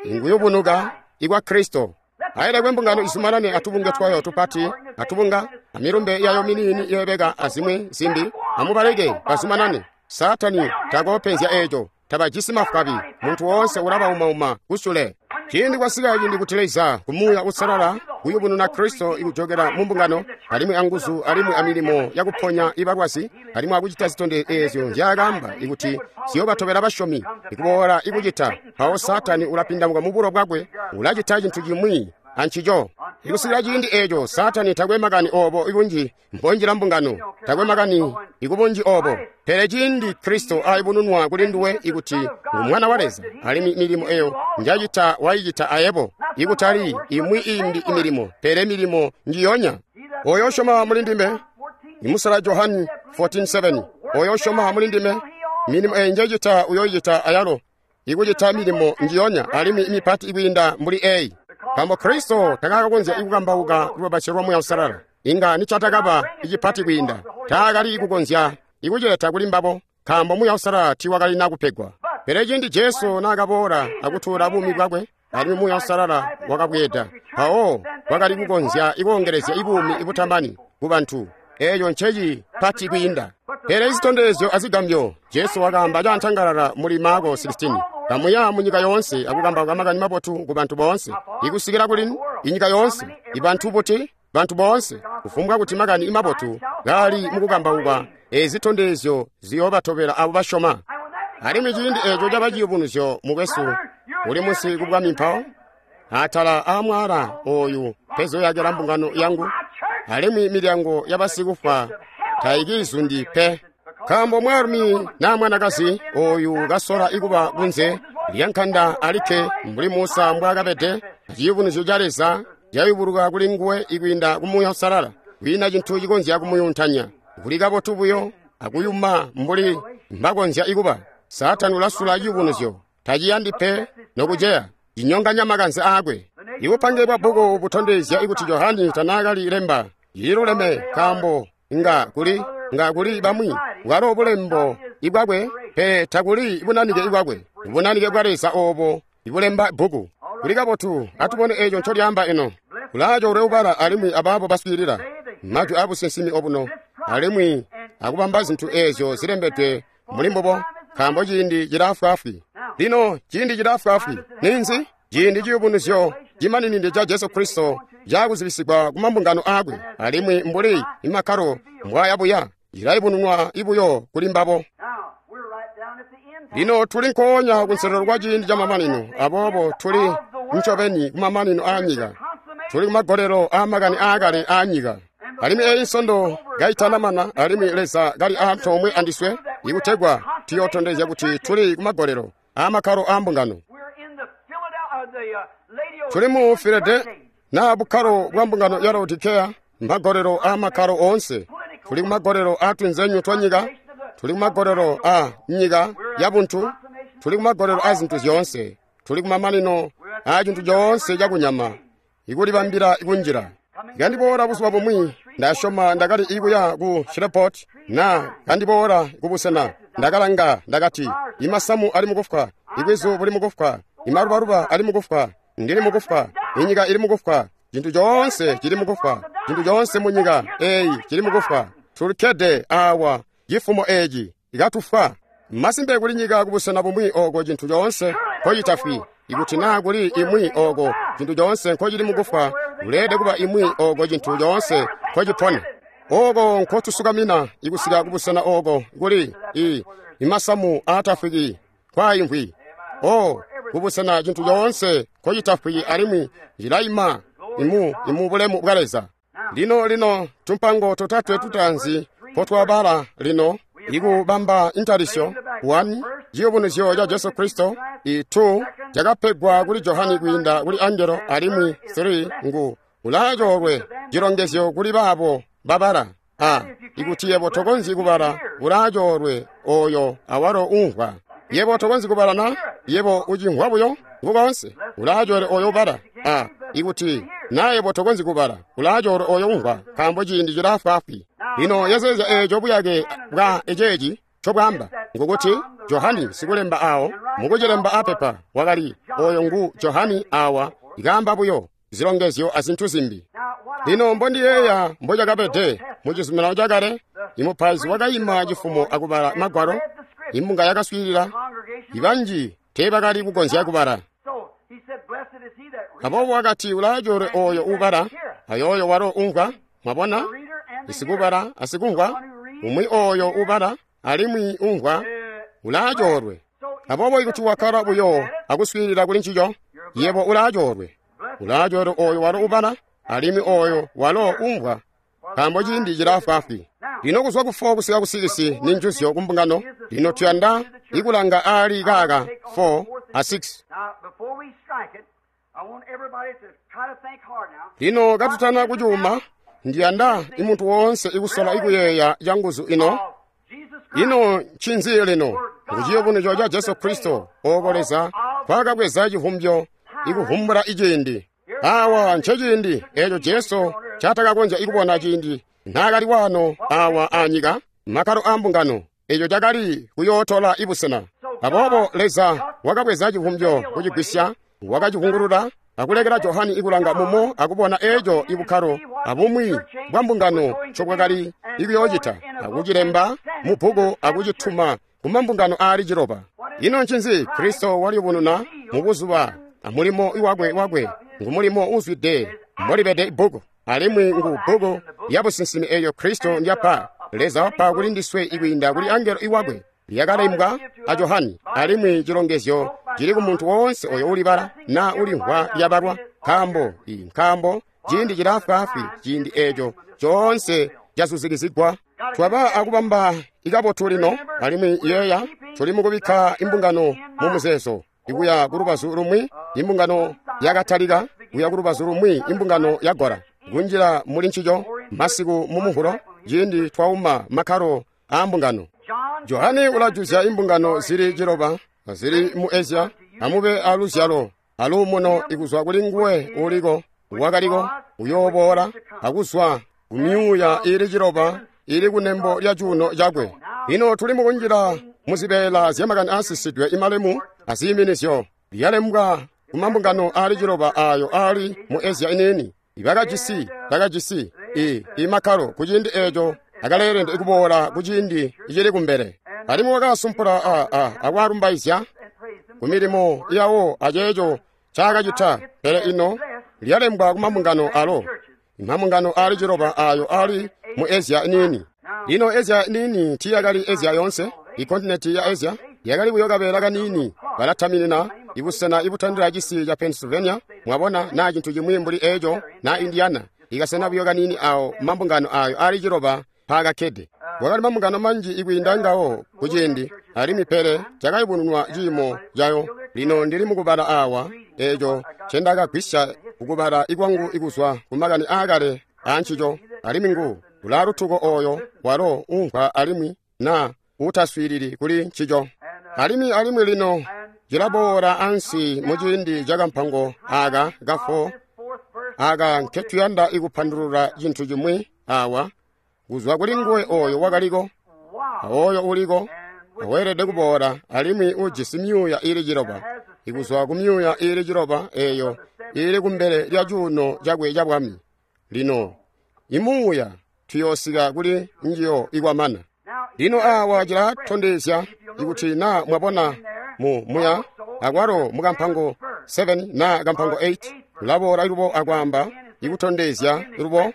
Inguyubunuka ikwa Kristo. Ailekwe mbungano izumanane atubunge twayo tupati, atubunga, amilumbe yayo miniini yeebeka azimwi zimbi. Amubaleke bazumanane. Saatani takoopenzya eeco. Tabajisi mafwabi. Muntu woonse ulabaumauma kusule. Ciindi kwasika ciindi kuti Leza kumuuya usalala kuyubununa Kristo ikujokela mu mbungano alimwi anguzu alimwi amilimo yakuponya ibalwazi alimwi akucita zitondezyo eezyo nzyaakaamba ikuti ziyoobatobela basyomi ikuboola ikucita. Mpawo Saatani ulapindamuka mu bulo bwakwe, ulacita cintu cimwi ancico. Ikusikila ciindi eeco Saatani takwe makani oobo ibunji mbonjila mbungano, takwe makani ikubunji oobo. Pele ciindi Kristo ayubununwa kuli nduwe ikuti ngu Mwana wa Leza, alimwi milimo eyo njacita waicita ayebo, ikutali imwi imbi imilimo, pele milimo njiyonya. Oyo usyoma muli ndime, imusala Johani fourteen seven, oyo usyoma muli ndime, milimo eyi njecita uyoicita ayalo, ikucita milimo njiyonya alimwi imipati ikwiinda mbuli eyi. Nkaambo Kristo takakakonzya ikukambauka lubabasyo lwa Muuya Uusalala, inga nicatakaba icipati kwiinda, taakali kukonzya ikucileta kuli mbabo, nkaambo Muuya Uusalala tiiwakalina kupegwa. Pele ciindi Jesu naakaboola akutuula buumi bwakwe, alimwi Muuya Uusalala wakabweeda, mpawo wakali kukonzya ikoongelezya ibuumi ibutamani kubantu. Eeco ncecipati kwiinda. Pele izitondezyo azigambyo, Jesu wakaamba cantangalala muli Marko sixteen, kamuya munyika yoonse akukambauka makani mabotu kubantu boonse. Ikusikila kuli inyika yoonse, ibantu buti, bantu boonse, kufumbwa kuti makani mabotu kaali mukukambauka, ezitondezyo ziyoobatobela abo basyoma. Alimwi ciindi eeco caba ciyubunuzyo mukwesu uli munsi kubwami mpawo, atala aamwaala ooyu mpezoyakila mbungano yangu, alimwi milyango yabasikufwa taikizundi pe. Nkaambo mwaalumi naa mwanakazi ooyu kasola ikuba kunze lyankanda alikke mbuli Musa mbwaakabede, ciyubunuzyo ca Leza cayubuluka kuli nguwe ikwiinda ku Muuya Uusalala. Kwiina cintu cikonzya kumuyuntanya, kuli kabotu buyo akuyuma mbuli mbakonzya ikuba. Saatani ulasula ciyubunuzyo, taciyandi pe nokuceya, cinyonganya makanze aakwe. Ibupange bwa bbuku butondezya ikuti Johani tanaakali lemba ililuleme, nkaambo nga kuli nga kuli bamwi bwalo bulembo ibwakwe, pe takuli bunanike ibwakwe, bunanike bwa Leza oobo ibulemba bbuku. Kuli kabotu, atubone eeco ncolyaamba ino. Kulaaco uleubala alimwi abaabo baswiilila majwi aabusinsimi obuno, alimwi akubamba zintu eezyo zilembedwe muli mbubo, nkaambo ciindi cilaafwaafwi. Lino ciindi cilaafwaafwi ninzi? Ciindi ciyubunuzyo cimaninide ca Jesu Kristo cakuzibisigwa kumambungano aakwe, alimwi mbuli imakkalo mbwaayabuya cilayubununwa ibuyo kuli mbabo. Lino tuli nkoonya kunselelo kwa ciindi camamanino, aboobo tuli ncobeni kumamanino aanyika, tuli kumagolelo aamakani aakale aanyika. Alimwi eyi nsondo kaitanamana, alimwi Leza kali antoomwe andiswe ikutegwa tuyootondezya kuti tuli kumagolelo aamakkalo aambungano. Tuli mu Filade na bukkalo bwa mbungano ya Laodikeya, magolelo aamakalo oonse. Tuli kumagolelo aatunzenyu twa nyika, tuli kumagolelo a nyika yabuntu, tuli kumagolelo a zintu zyoonse, tuli kumamanino a cintu coonse cakunyama, ikulibambila ikunjila. Kandiboola buzuba bumwi, ndasyoma ndakali ikuya ku Shreveport, na kandiboola kubusena, ndakalanga ndakati, imasamu ali mukufwa, ibwizu buli mukufwa, imalubaluba ali mukufwa, ndili mukufwa, inyika ili mukufwa, cintu coonse cili mukufwa, cintu coonse munyika eyi cili mukufwa. Tulikkede awa cifumo eeci ikatufwa. Masimpe kuli nyika kubusena bumwi ooko cintu coonse nkocitafwi. Ikuti naa kuli imwi ooko cintu coonse nkocili mukufwa, kuleelede kuba imwi ooko cintu coonse nkocipona. Ooko nkotusukamina ikusika kubusena ooko kuli i imasamu aatafwiki kwaimvwi. O kubusena cintu coonse nkocitafwiki alimwi cilaima imu imu bulemu bwa Leza. Lino lino tumpango totatwe tutaanzi mpotwabala lino ikubamba intalisyo one ciyubunuzyo ca Jesu Kristo, i two cakapegwa kuli Johani kwiinda kuli angelo, alimwi three ngu ulaacoolwe cilongezyo kuli baabo babala. A ikuti yebo tokonzyi kubala, ulaacoolwe oyo awalo umvwa. Yebo tokonzyi kubala na yebo ucimvwa buyo. Ngu koonse. Ulaacoolwe oyo ubala. A ikuti na yebo tokonzyi kubala, ulaacoolwe oyo umvwa, nkaambo ciindi cilaafwaafwi. Lino yezeezya eeco buyake bwa eceeci ncobwaamba, ngukuti Johani sikulemba awo mukucilemba apepa wakali oyo ngu Johani awa ikaamba buyo zilongezyo azintu zimbi. Lino mbondiyeeya mbocakabede mu Cizuminano Chakale, imupaizi wakaima cifumo akubala magwalo, imbunga yakaswiilila, ibanji teebakali kukonzya kubala. Aboobo wakati ulaacoolwe oyo uubala, ayooyo walo umvwa. Mwabona, isikubala asikumvwa, umwi oyo ubala alimwi umvwa ulaacoolwe. Aboobo ikuti wakkala buyo akuswiilila kuli ncico, yebo ulaacoolwe. Ulaacoolwe oyo walo ubala alimwi oyo walo umvwa, nkaambo ciindi cilaafwaafwi. Lino kuzwa ku four kusika ku six ni njuzyo ku mbungano. Lino tuyanda ikulanga aali kaaka four a six. Lino katutana kucuuma, ndiyanda imuntu woonse ikusola ikuyeeya canguzu ino. Ino ncinzi lino? Nguciyubunuzyo ca Jesu Kristo, ooko Leza kwakabweza civumbyo ikuvumbula iciindi. Awa nceciindi eeco Jesu ncatakakonzya ikubona ciindi naakali waano awa anyika, makkalo a mbungano, eco cakali kuyootola ibusena. Aboobo Leza wakabweza civumbyo kucigwisya, wakacivungulula akulekela Johani ikulanga mumo akubona eeco ibukkalo abumwi bwa mbungano ncobwakali ikuyoocita, akucilemba mu bbuku akucituma kumambungano aali ciloba. Ino ncinzi? Kristo waliyubununa mu buzuba amulimo wakwe wakwe ngumulimo uzwide mbolibede ibbuku, alimwi ngu bbuku lya businsimi eeyo Kristo ndyapa. Leza wapa kuli ndiswe ikwiinda kuli angelo iwakwe, lyakalembwa a Johani, alimwi cilongezyo cili ku muntu woonse oyo ulibala na ulimvwa lyabalwa, nkaambo nkaambo ciindi cilaafwaafwi, ciindi eeco coonse cazuzikizigwa. Twaba akubamba ikabotu lino, alimwi yeeya tuli mukubikka imbungano mu muzeezo ikuya ku lubazu lumwi imbungano yakatalika, kuya ku lubazu lumwi imbungano yagora kunjila muli ncico masiku mu Muvulo ciindi twauma makkalo a mbungano. Johane ulajuzya imbungano zili ciloba zili mu Asia, amube aluzyalo aluumuno ikuzwa kuli nguwe uliko, wakaliko, uyooboola, akuzwa ku myuuya iili ciloba ili kunembo lya cuuno cakwe. Lino tuli mukunjila muzibeela zyamakani aasisidwe imalemu aziiminizyo lyalembwa kumambungano aali ciloba aayo aali mu Asia iniini. Ibakajisi bakajisi i imakkalo kuciindi eeco akaleelede ikuboola kuciindi icili kumbele. Alimwi wakasumpula a a akwalumbaizya kumilimo yawo aceeco ncaakacita. Pele ino lyalembwa kumambungano alo, imambungano aali ciloba aayo aali mu Asia iniini. Lino Asia iniini tiiyakali Asia yoonse. Ikontinenti ya Asia yakali buyo kabeela kaniini, balataminina ibusena ibutandila cisi ca Pennsylvania, mwabona, na cintu cimwi mbuli eeco, na Indiana, ikasena buyo kaniini awo mambungano ayo aali ciloba mpaakakkede. Kwakali mambungano manji ikwiinda ngawo kuciindi, alimwi pele cakayubununwa ciimo cayo. Lino ndili mukubala awa eeco ncendakagwisya kukubala ikwangu ikuzwa kumakani aakale aancico, alimwi ngu ulaalutuko oyo walo umvwa alimwi na utaswiilili kuli ncico. Alimwi alimwi lino cilaboola ansi muciindi ca kampango aka kafo aka nketuyanda ikupandulula cintu cimwi awa kuzwa kuli nguwe oyo wakaliko, awoyo uliko, aweelede kuboola, alimwi ujisi myuuya iili ciloba, ikuzwa ku myuuya iili ciloba eeyo iili kumbele lya cuuno cakwe ca bwami. Lino imuuya tuyoosika kuli njiyo ikwamana. Lino awa cilatondezya ikuti na mwabona mu muya akwalo mukampango seven na kampango eight ulaboola ilubo akwaamba ikutondezya ilubo.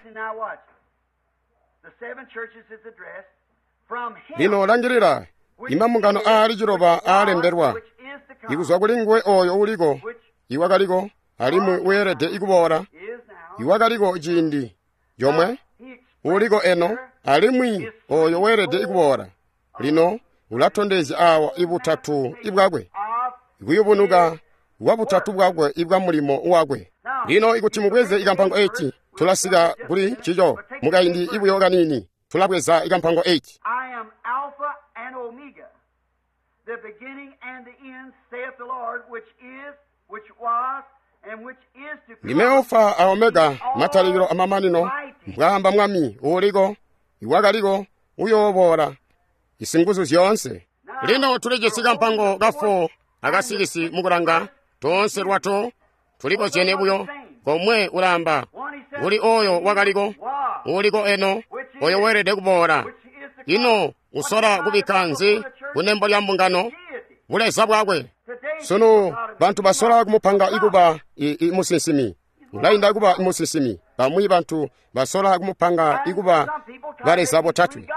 Lino langilila imambungano aali ciloba aalembelwa ikuzwa kuli nguwe oyo uliko, iwakaliko, alimwi weelede ikuboola, iwakaliko ciindi comwe, uliko eno, alimwi oyo weelede ikuboola. Lino ulatondezya awa ibutatu ibwakwe, ikuyubunuka kwa butatu bwakwe ibwa mulimo wakwe. Lino ikuti mubweze ikampango eight, tulasika kuli ncico mukaindi ibuyo kaniini. Tulabweza ikampango eight. I am Alpha and Omega, the beginning and the end, saith the Lord, which is, which was and which is to Ndime come, Alfa a Omega, matalikilo amamanino, mbwaamba Mwami uuliko, iwakaliko, uyooboola, isinguzu zyoonse. Lino tulijisi kampango ka four aka six mukulanga, toonse lwato tulikozyene buyo, komwe ulaamba, kuli oyo wakaliko, uuliko eno, oyo weelede kuboola. Ino usola kubikka nzi kunembo lya mbungano? Buleza bwakwe. Sunu bantu basola kumupanga ikuba i, i musinsimi, ulainda kuba musinsimi. Bamwi bantu basola kumupanga ikuba baleza botatwe.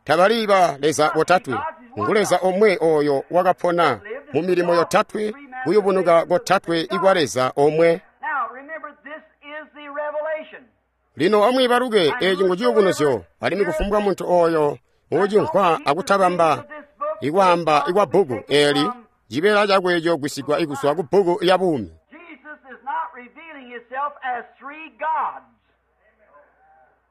Tabali ba leza botatwe, ngu Leza omwe oyo wakapona mu milimo yotatwe, kuyubunuka kotatwe ikwa Leza omwe. Now remember, this is the revelation. Lino amwiibaluke eci ngu ciyubunuzyo, alimwi kufumbwa muntu oyo uucimvwa akutabamba ikwaamba ikwa bbuku eli, cibeela cakwe ciyogwisigwa ikuzwa ku bbuku ya buumi. Jesus is not revealing himself as three gods,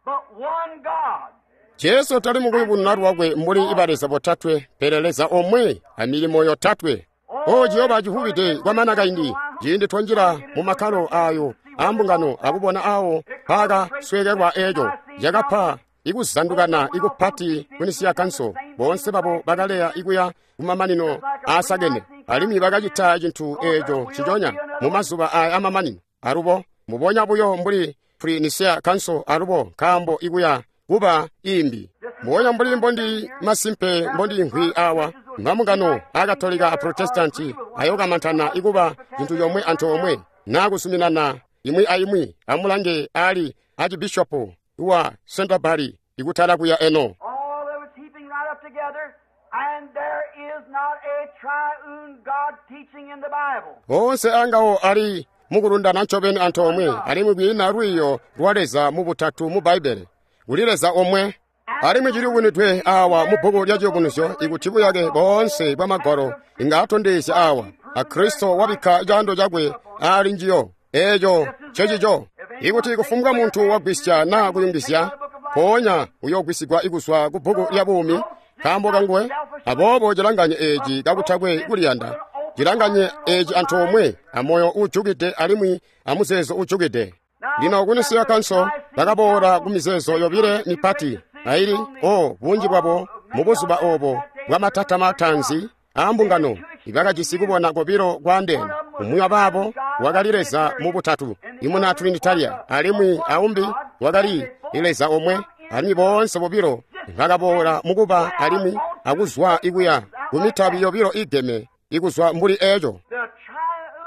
but one God. Jesu tali mukuyubununa lwakwe mbuli ibaleza botatwe, pele Leza omwe amilimo yotatwe. O ciyooba civubide kwamana kaindi, ciindi twanjila mu makkalo ayo ambungano akubona awo paakasweekelwa eco cakapa ikuzandukana ikupati kunisiya kanso. Boonse babo bakaleya ikuya kumamanino aasakene, alimwi bakacita cintu eco nciconya mu mazuba aya amamanino. Alubo mubonya buyo mbuli pre-Nicea Council alubo nkaambo ikuya kuba imbi. Mbubonya mbuli mbondi masimpe mbondi nkwi awa, mambungano a Katolika a Protestanti ayokamantana ikuba cintu comwe antoomwe naa kuzuminana imwi aimwi. Amulange ali archibishopu wa Canterbury ikutala kuya eno. All of it's heaping right up together, and there is not a triune God teaching in the Bible. Onse angawo ali mukulundana ncobeni antoomwe, alimwi kwiina lwiiyo lwa Leza mu butatu mu Bbaibbele. Kuli Leza omwe. Alimwi ciliyubunwidwe awa mu bbuku lya ciyubunuzyo ikuti buyake boonse bwa Magwalo inga atondezya awa, a Kristo wabikka caando cakwe ali njiyo. Eeco ncecico. Ikuti kufumbwa muntu wagwisya naa kuyungizya, mpoonya uyoogwisigwa ikuzwa ku bbuku lya buumi nkaambo kanguwe. Aboobo cilanganye eeci kakutakwe kuliyanda, cilanganye eeci antoomwe amoyo uujukide alimwi amuzeezo uujukide. Lino kunisiya kanso bakaboola ku mizeezo yobile mipati aili o bunji bwabo mu buzuba obo bwa matanzi aambungano ibakajisi kubona kobilo kwaandeene. Umwi wabaabo wakali Leza mu butatu, imuna Trinitaria, alimwi aumbi wakali Leza omwe. Alimwi boonse bobilo bakaboola mukuba alimwi akuzwa ikuya ku mitabi yobilo igeme ikuzwa mbuli eco. The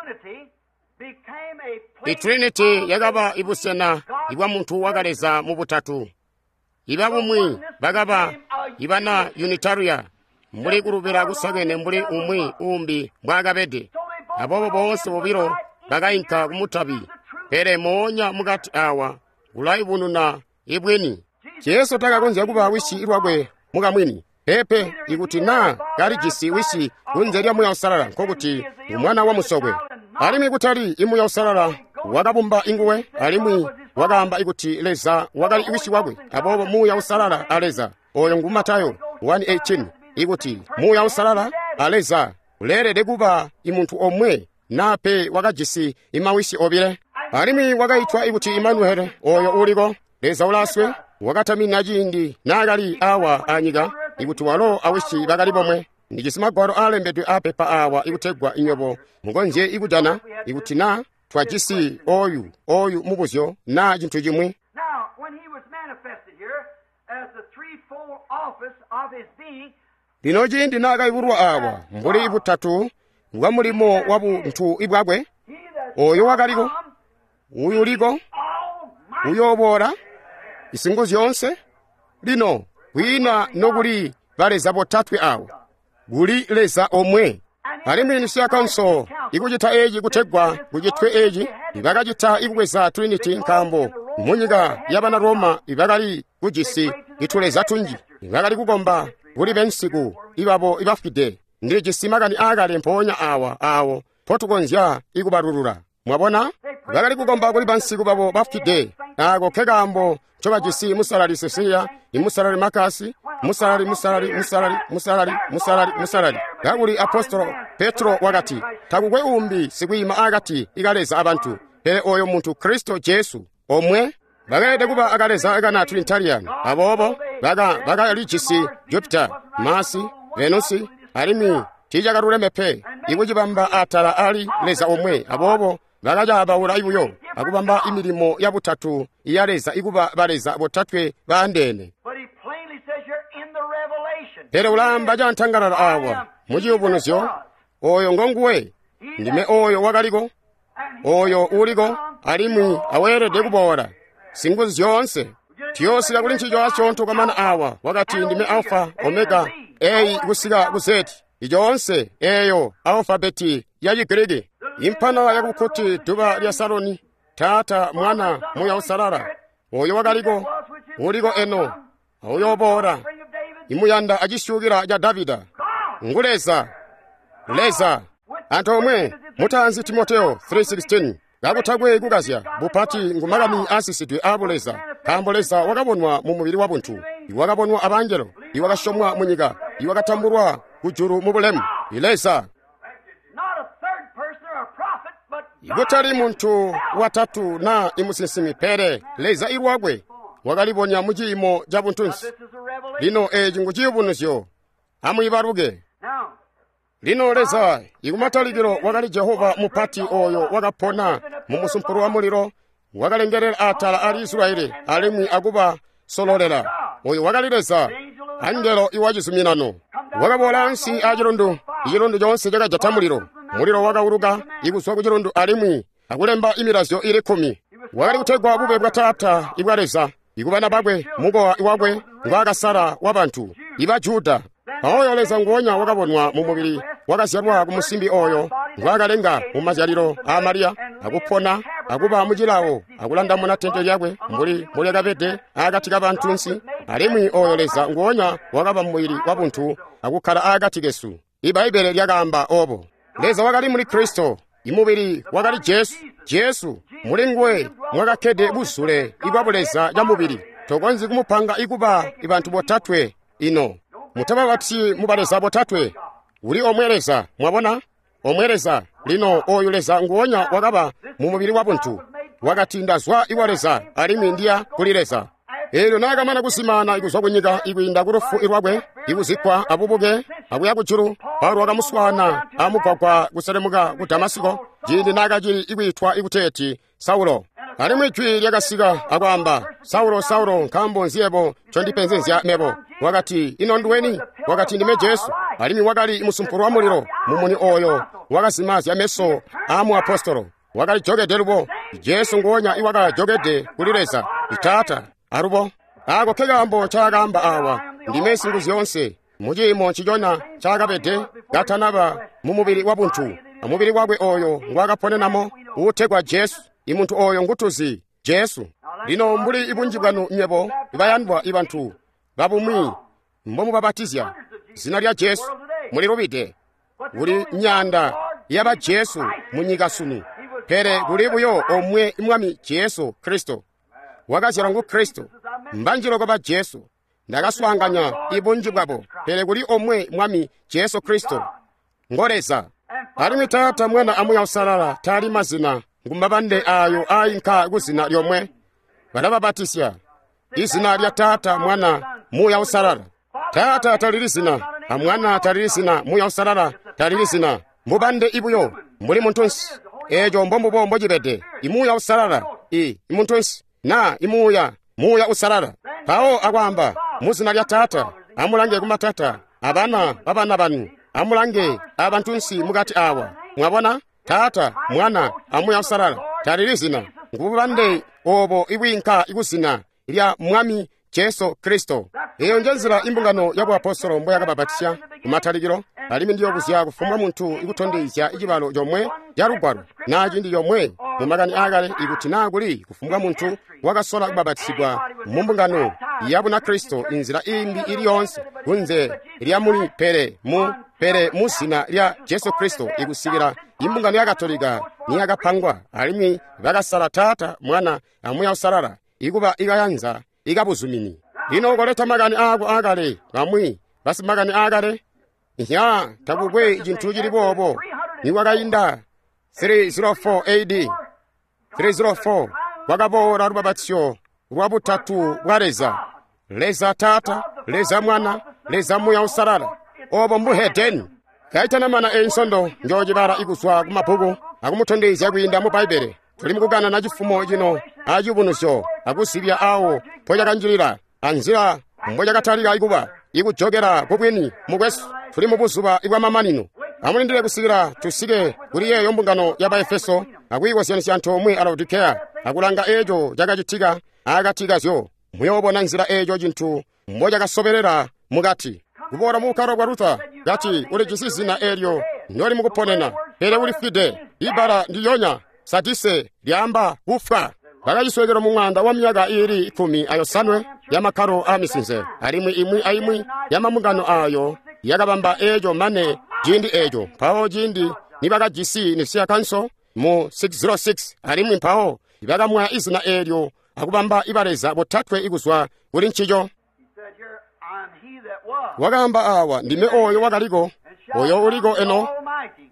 triunity became a place Itrinity yakaba ibusena ibwa muntu wakaleza mu butatu. Iba bumwi bakaba ibana Unitaria mbuli kulubila kusakene mbuli umwi umbi mbwaakabede. Aboobo boonse bobilo bakainka kumutabi, pele moonya mukati awa kulayubununa ibwini. Jesu takakonzya kuba wisi lwakwe mukamwini. Pepe, ikuti naa kalijisi wisi kunze lya Muuya Uusalala, nkokuti ngu mwana wa musokwe. Alimwi kutali imuuya Uusalala wakabumba inguwe, alimwi wakaamba ikuti Leza wakali wisi wakwe. Aboobo Muuya Uusalala a Leza, oyo ngu Matayo one eighteen, ikuti Muuya Uusalala a Leza uleelede kuba imuntu omwe nape wakajisi imawisi obile. Alimwi wakaitwa ikuti Imanuele, oyo uliko Leza ulaswe, wakatamina ciindi naakali awa anyika ikuti walo awisi bakali bomwe. Ndijisi magwalo aalembedwe apepa awa ikutegwa inywebo mukonzye ikujana ikuti naa twajisi oyu oyu mubuzyo naa cintu cimwi. Now, when he was manifested here as the threefold office of his being, Lino ciindi naakayubulwa awa mbuli butatu bwa mulimo wa buntu ibwakwe, he that oyo wakaliko, come uyuliko, almighty uyooboola, isingo zyoonse. Lino kwiina nokuli baleza botatwe awa, kuli Leza omwe. Alimwi Nicea Council ikucita eci kutegwa kucitwe eci, ibakacita ikubweza Trinity nkaambo munyika yabana Roma ibakali kujisi ituleza tunji, ibakali kukomba kuli bensiku ibabo ibafwide. Ndilijisi makani aakale mpoonya awa awo mpotukonzya ikubalulula. Mwabona? Bakali kukomba kuli bansiku babo bafwide. Ako ke kaambo ncobajisi Musalali Cecilia, Musalali Makasi, Musalali, Musalali, Musalali, Musalali, Musalali, Musalali. Kakuli Apostolo Petro wakati, takukwe umbi sikwiima akati ka Leza abantu, pele oyo muntu Kristo Jesu, omwe. Bakeelede kuba akaleza kana Trinitarian. Aboobo baka bakalijisi Jupiter, Mars, Venus, alimwi tiicakaluleme pe ikucibamba atala ali Leza omwe. Aboobo bakacabaula buyo akubamba imilimo ya butatu ya Leza ikuba baleza botatwe baandeene. Pele ulaamba cantangalala awa mu ciyubunuzyo, oyo ngonguwe, ndime oyo wakaliko, oyo uliko, alimwi aweelede kuboola, singuzu zyoonse. Tiyoosika kuli ncico asyoonto kwamana awa, wakati ndime Alpha, Omega, A kusika ku Z, icoonse eyo alfabeti ya Chigiriki. Impana yakukuti duba lya Saloni, Tata, Mwana, Muya Usalala, oyo wakaliko, uliko eno, uyoboola, imuyanda acisyukila ca Davida. Ngu Leza, Leza. Antoomwe, mutaanzi Timoteo three sixteen, kakutakwe kukazya, bupati ngu makani aasisidwe aabu Leza, nkaambo Leza wakabonwa mu mubili wa buntu, iwakabonwa abangelo, iwakasyomwa mu nyika, iwakatambulwa kujulu mu bulemu. Leza. Ikutali muntu watatu na imusinsimi, pele Leza ilwakwe wakalibonya mu ciimo ca buntunsi. Lino eeci ngu ciyubunuzyo. Amwiibaluke. Lino Leza ikumatalikilo wakali Jehova mupati oyo wakapona mu musumpulu wa mulilo, wakalengelela atala ali Israeli alimwi akuba sololela. Oyo wakali Leza, angelo iwa cizuminano. Wakaboola ansi a cilundu, icilundu coonse cakajata mulilo. Mulilo wakauluka ikuzwa ku cilundu alimwi akulemba imilazyo ili kkumi. Wakali kutegwa bube bwa Taata ibwa Leza, ikubana bakwe, mukowa wakwe ngwaakasala wa bantu, iba Juda. Oyo Leza nguonya wakabonwa mu mubili, wakazyalwa ku musimbi oyo ngwaakalenga mu mazyalilo a Mariya, akupona, akuba mu cilawo, akulandamuna tente lyakwe mbuli mbulyakabede akati ka bantunsi. Alimwi oyo Leza nguonya wakaba mubili wa buntu akukkala akati kesu. Ibaibbele lyakaamba obo. Leza wakali muli Kristo, imubili wakali Jesu. Jesu muli nguwe mwakakkede buzule ibwa buleza ca mubili. Tokonzyi kumupanga ikuba ibantu botatwe ino. Mutababati mubaleza botatwe. Uli omwe Leza, mwabona? Omwe Leza. Lino oyu Leza nguonya wakaba mu mubili wa buntu. Wakati ndazwa iwa Leza, alimwi ndiya kuli Leza. Eelyo naakamana kusimana ikuzwa kunyika ikwiinda ku lufu ilwakwe, ikuzikkwa abubuke, akuya kujulu, Paulo wakamuswaana amugwagwa kuselemuka ku Damasiko, ciindi naakacili ikwiitwa ikuteeti Saulo. Alimwi jwi lyakasika akwaamba, Saulo, Saulo, nkaambo nzi yebo ncondipenzezya mebo? Wakati, ino nduweni? Wakati, ndime Jesu. Alimwi wakali musumpulu wa mulilo, mumuni oyo wakazimazya meso aa muapostolo. Wakali jokede lubo, Jesu nguonya iwakajokede kuli Leza, Taata. Alubo, ako ke kaambo ncaakaamba awa, ndime Singuzyoonse, mu ciimo ncicona ncaakabede katanaba mu mubili wa buntu, amubili wakwe oyo ngwaakaponenamo uutegwa Jesu. Imuntu oyo ngutuzi, Jesu. Lino mbuli ibunji bwanu nywebo ibayandwa ibantu babumwi mbomubabatizya zina lya Jesu, mulilubide. Kuli nyanda yaba Jesu munyika sunu, pele kuli buyo omwe Mwami Jesu Kristo. Wakazyalwa ngu Kristo, mbanjiloko ba Jesu. Ndakaswaanganya ibunji bwabo, pele kuli omwe Mwami Jesu Kristo, ngo Leza. Alimwi Taata, Mwana a Muya Usalala taali mazina, ngumabande ayo ainka kuzina lyomwe. Balababatisya izina lya Taata, Mwana, Muya Usalala. Taata talili zina, a Mwana talili zina, Muya Usalala talili zina. Mubande ibuyo mbuli muntunsi. Eeco mbombubo mbocibede. Imuya Usalala i imuntunsi na imuya Muya Usalala. Mpawo akwaamba muzina lya Taata, amulange kumatata abana babana banu, amulange abantunsi mukati awa. Mwabona? Taata, Mwana, a Muya Usalala talili zina, ngububande obo ibwiinka ikuzina lya Mwami Jesu Kristo. Eyo nje nzila imbungano ya buapostolo mboyakababatisya kumatalikilo, alimwi ndiyobuzya kufumbwa muntu ikutondezya icibalo comwe ca lugwalo na cindi comwe mu makani aakale ikuti naa kuli kufumbwa muntu wakasola kubabatisigwa mu mbungano ya Bunakristo inzila imbi ili yoonse kunze lya muli pele mu pele mu zina lya Jesu Kristo ikusikila imbungano ya Katolika niyakapangwa, alimwi bakasala Taata, Mwana, a Muuya Uusalala ikuba ikayanza ikabuzumini. Lino koleta makani aako aakale, bamwi basimakani aakale. Nya takukwe cintu cili boobo. Nikwakainda three oh four A D three oh four kwakaboola lubabatyo lwa butatu bwa Leza, Leza Taata, Leza Mwana, Leza Muuya Uusalala. Obo mbuhedeni. Kaitanamana einsondo njoocibala ikuzwa ku mabbuku akumutondezya kwiinda mu Bbaibbele. Tuli mukukanana cifumo cino aciyubunuzyo akusibya awo mpocakanjilila anzila mbocyakatalika ikuba ikujokela kubwini mukwesu. Tuli mu buzuba bwamamanino. Amulindile kusikila tusike kuli yeeyo mbungano ya Baefeso akwiikozyanisya antoomwe a Laodikeya akulanga eeco cakacitika akati kazyo. Muyoobona nzila eeco cintu mbocakasobelela mukati. Kuboola mu bukkalo bwa Luther, kati ulijisi zina eelyo noli mukuponena, pele ulifwide. Ibbala ndiyonya sadise lyaamba kufwa. Bakaciswekelo mu mwanda wa myaka iili ikumi ayosanwe yamakkalo aamisinze, alimwi imwi aimwi yamamungano aayo yakabamba eeco mane ciindi eeco. Mpawo ciindi nibakajisi Nicea Council mu six oh six, alimwi mpawo bakamwaya izina eelyo akubamba ibaleza botatwe ikuzwa kuli ncico. Wakaamba awa, ndime oyo wakaliko, oyo uliko eno,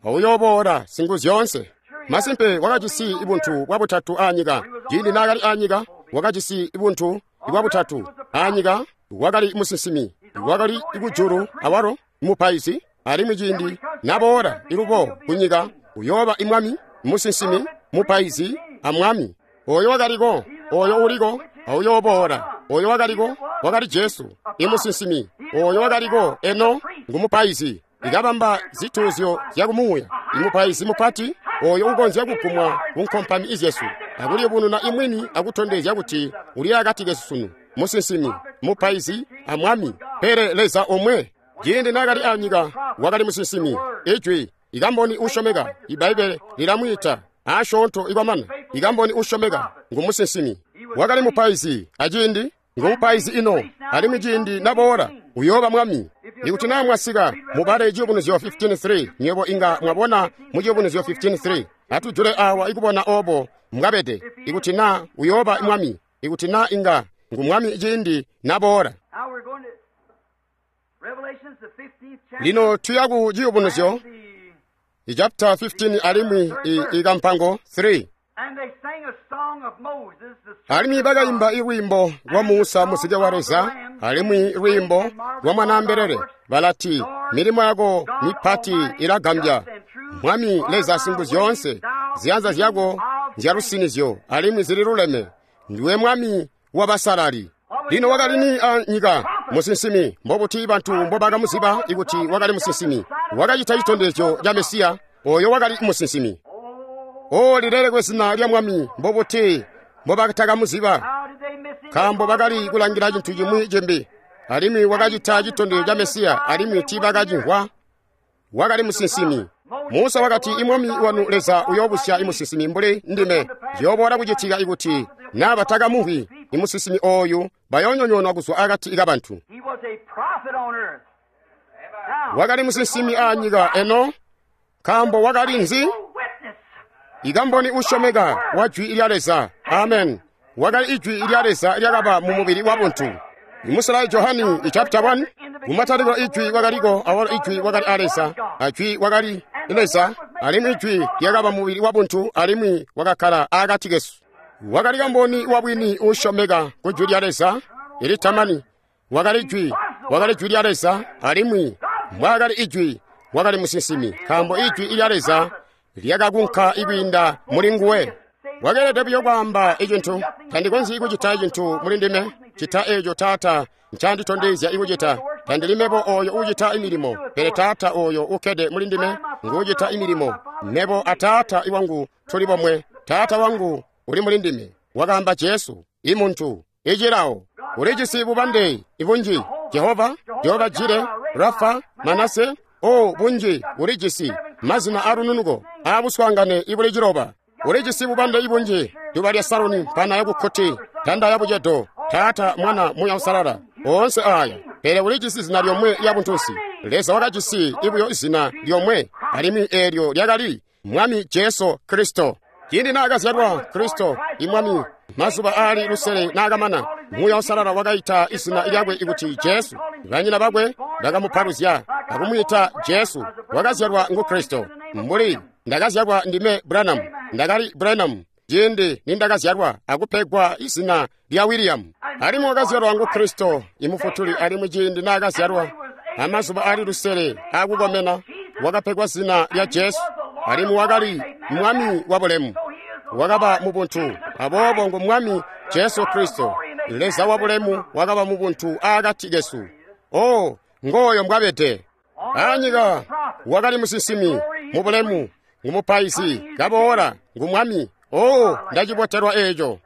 uyooboola Singuzyoonse. Masimpe wakajisi ibuntu bwa butatu anyika. Ciindi naakali anyika wakajisi ibuntu bwa butatu anyika. Wakali musinsimi, wakali kujulu awalo mupaizi, alimwi ciindi naboola ilubo kunyika uyooba imwami, musinsimi, mupaizi amwami. Oyo wakaliko, oyo uliko, uyooboola. Oyo wakaliko wakali Jesu imusinsimi. Oyo wakaliko eno ngumupaizi, ikabamba zituuzyo zyakumuuya. Imupaizi mupati oyo ukonzya kugumwa kunkompami izyesu akuliyubununa imwini akutondezya kuti uli akati kesu sunu, musinsimi, mupaizi amwami, pele Leza omwe. Ciindi naakali anyika wakali musinsimi, ijwi, ikamboni usyomeka. Ibbaibbele lilamwiita asyoonto ikwamana ikamboni usyomeka ngumusinsimi. Wakali mupaizi aciindi, ngumupaizi ino, alimwi ciindi naboola uyooba mwami. Ikuti naa mwasika mubale Ciyubunuzyo fifteen three, nywebo inga mwabona mu Ciyubunuzyo fifteen three. Atujule awa ikubona obo mwabede. Ikuti naa uyooba mwami, ikuti naa inga ngumwami ciindi naboola. Lino tuya ku Ciyubunuzyo chapter fifteen alimwi ikampango three. Alimwi bakayimba ilwiimbo lwa Musa muzike wa Leza, alimwi lwiimbo lwa Mwanaambelele, balati, milimo yako mipati ilagambya, Mwami Leza Singuzyoonse, ziyanza zyako nzyalusinizyo alimwi zililuleme, ndiwe Mwami wabasalali. Lino wakali ni anyika musinsimi? Mbobuti bantu mbobakamuziba ikuti wakali musinsimi? Wakacita citondezyo ca Mesiya, oyo wakali musinsimi. O lilelekwe zina lya Mwami. Mbobuti mbobatakamuziba? Nkaambo bakali kulangila cintu cimwi cimbi. Alimwi wakacita citondezyo ca Mesiya, alimwi tiibakacimvwa. Wakali musinsimi. Musa wakati, imwami wanu Leza uyoobusya imusinsimi mbuli ndime. Ziyooboola kucitika ikuti naa batakamumvwi imusinsimi ooyu, bayoonyonyoonwa kuzwa akati kabantu. Wakali musinsimi anyika eno, nkaambo wakali nzi? Ikamboni usyomeka wa jwi lya Leza. Amen. Wakali ijwi lya Leza lyakaba mu mubili wa buntu. Imusala Johani chapter one, kumatalikilo ijwi wakaliko, awalo ijwi wakali a Leza, ajwi wakali Leza, alimwi ijwi lyakaba mubili wa buntu, alimwi wakakkala akati kesu. Wakali kamboni wabwini usyomeka ku jwi lya Leza ilitamani. Wakali jwi, wakali jwi lya Leza, alimwi mbwaakali ijwi wakali musinsimi, nkaambo ijwi lya Leza lyakakunka ikwiinda muli nguwe. Wakeelede buyo kwaamba icintu. Tandikonzyi kucita cintu muli ndime, cita eeco Taata ncanditondezya ikucita. Tandili mebo oyo uucita imilimo, pele Taata oyo ukkede muli ndime nguucita imilimo. Mebo a Taata iwangu tuli bomwe, Taata wangu uli muli ndime. Wakaamba Jesu, imuntu, icilawo. Ulijisi bubande ibunji, Jehova, Jehova Jire, Rafa, Manase, o bunji ulijisi mazina alununuko aabuswaangane ibuli ciloba. Ulijisi bubande ibunji, duba lya Saroni, mpana yakukkoti, tanda ya bucedo, Taata, Mwana, Muuya Uusalala, oonse aaya. Pele ulijisi zina lyomwe lya buntunsi. Leza wakajisi ibuyo zina lyomwe, alimwi eelyo lyakali Mwami Jesu Kristo. Ciindi naakazyalwa Kristo imwami, mazuba aali lusele naakamana, Muuya Uusalala wakaita izina lyakwe ikuti Jesu. Banyina bakwe bakamupaluzya akumwiita Jesu. Wakazyalwa ngu Kristo. Mbuli ndakazyalwa ndime Branham, ndakali Branham ciindi nindakazyalwa akupegwa izina lya William. Alimwi wakazyalwa ngu Kristo imufutuli, alimwi ciindi naakazyalwa amazuba aali lusele akukomena wakapegwa zina lya Jesu, alimwi wakali Mwami wa bulemu. Wakaba mubuntu, aboobo ngu Mwami Jesu Kristo, Leza wa bulemu wakaba mubuntu aakati kesu. Oh, ngooyo mbwabede. Anyika wakali musinsimi mu bulemu, ngu mupaizi kaboola, ngu Mwami. Oh, ndacibotelwa eeco.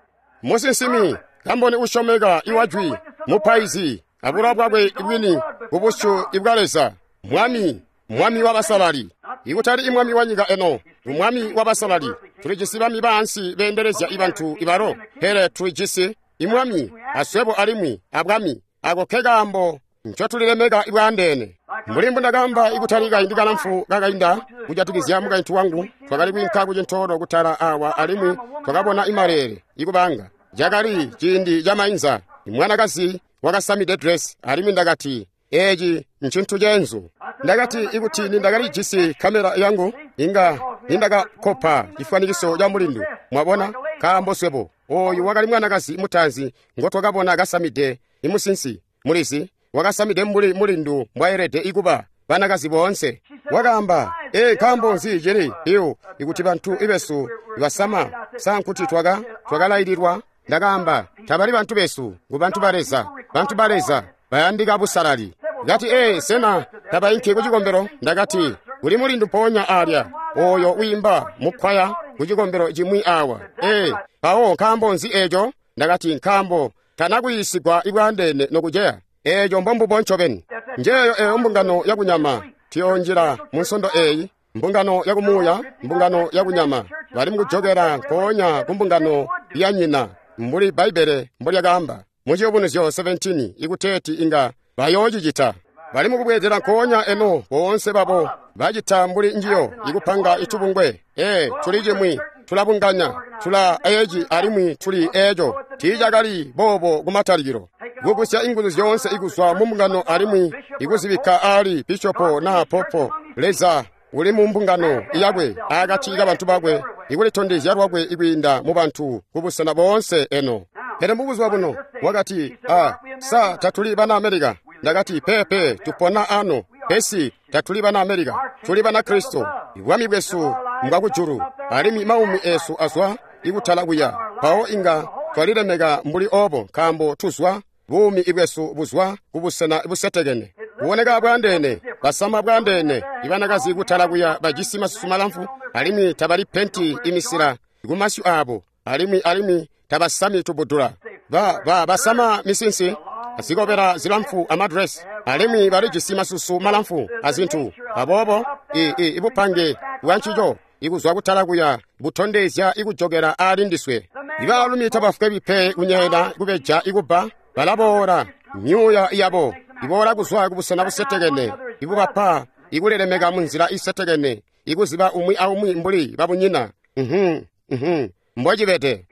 Musinsimi, kamboni usyomeka iwa jwi, mupaizi, abulowa bwakwe bwini kubusyu bwa Leza, Mwami, Mwami wa basalali. Ikutali imwami wa nyika eno, umwami wa basalali. Tulijisi bami baansi beendelezya ibantu ibalo, pele tulijisi imwami aswebo alimwi abwami. Ako ke kaambo ncotulilemeka ibwaandeene. Mbuli mbundakaamba ikutali kaindi kalamfu kakainda kujatikizya mukaintu wangu, twakali kwiinka kucintoolo kutala awa alimwi twakabona imaleele ikubanga. Cakali ciindi ca mainza, mwanakazi wakasamide dress, alimwi ndakati, eeci ncintu ceenzu. Ndakati ikuti nindakalijisi kamera yangu inga nindakakopa cifwanikiso ca mulindu. Mwabona, nkaambo swebo oyu wakali mwanakazi mutaanzi ngotwakabona kasamide imusinsi, mulizi wakasamide mbuli mulindu mbwayelede ikuba banakazi boonse. Wakaamba, ee, nkaambo nzi cili iyo ikuti bantu ibesu basama sankuti twaka twakalaililwa. Ndakaamba, tabali bantu besu, ngu bantu ba Leza. Bantu ba Leza bayandika busalali. Ndati, ee, sena tabainki kucikombelo? Ndakati, kuli mulindu mpoonya alya oyo wiimba mukwaya kucikombelo cimwi awa. Ee, mpawo nkaambo nzi eeco? Ndakati, nkaambo tanakuyiisigwa ibwaandeene nokuceya. Eeco mbombubo ncobeni. Njeeyo eyo mbungano yakunyama tuyonjila mu nsondo eeyi, mbungano yakumuuya, mbungano yakunyama. Bali mukujokera nkoonya ku mbungano ya nyina, mbuli Bbaibbele mbolyakaamba mu Ciyubunuzyo seventeen ikuteeti inga bayoocicita. Bali mukubwezera nkoonya eno boonse babo bacita mbuli njiyo ikupanga itubungwe. Ee, tuli cimwi, tulabunganya, tula eeci alimwi tuli eeco. Tiicakali boobo kumatalikilo. Kugusya inguzu zyoonse ikuzwa mu mbungano alimwi ikuzibikka aali bishopo naa popo. Leza uli mu mbungano yakwe akati kabantu bakwe, ikulitondezya lwakwe ikwiinda mu bantu kubusena boonse eno. Pele mubuzuba buno wakati, ah, sa tatuli bana Amerika? Ndakati, pepe, tupona ano, pesi tatuli bana Amerika, tuli bana Kristo. Bwami bwesu mbwakujulu, alimwi maumi esu azwa ikutala kuya. Mpawo inga twalilemeka mbuli obo, nkaambo tuzwa buumi ibwesu buzwa kubusena busetekene. Kuboneka bwandeene, basama bwandeene, ibanakazi kutala kuya bajisi masusu malamfu, alimwi tabali penti imisila kumasyu abo, alimwi alimwi tabasami tubudula. Ba, ba, basama misinsi, zikobela zilamfu amadresi, alimwi balijisi masusu malamfu azintu. Aboobo, i, i, ibupange bwancico ikuzwa kutala kuya butondezya ikujokera aali ndiswe. Ibaalumi tabafwebi pe kunyeela kubeja ikubba, balaboola myuuya yabo iboola kuzwa kubusena busetekene, ibubapa ikulilemeka munzila isetekene, ikuziba umwi aumwi mbuli babunyina. Mhm, mhm, mbocibede.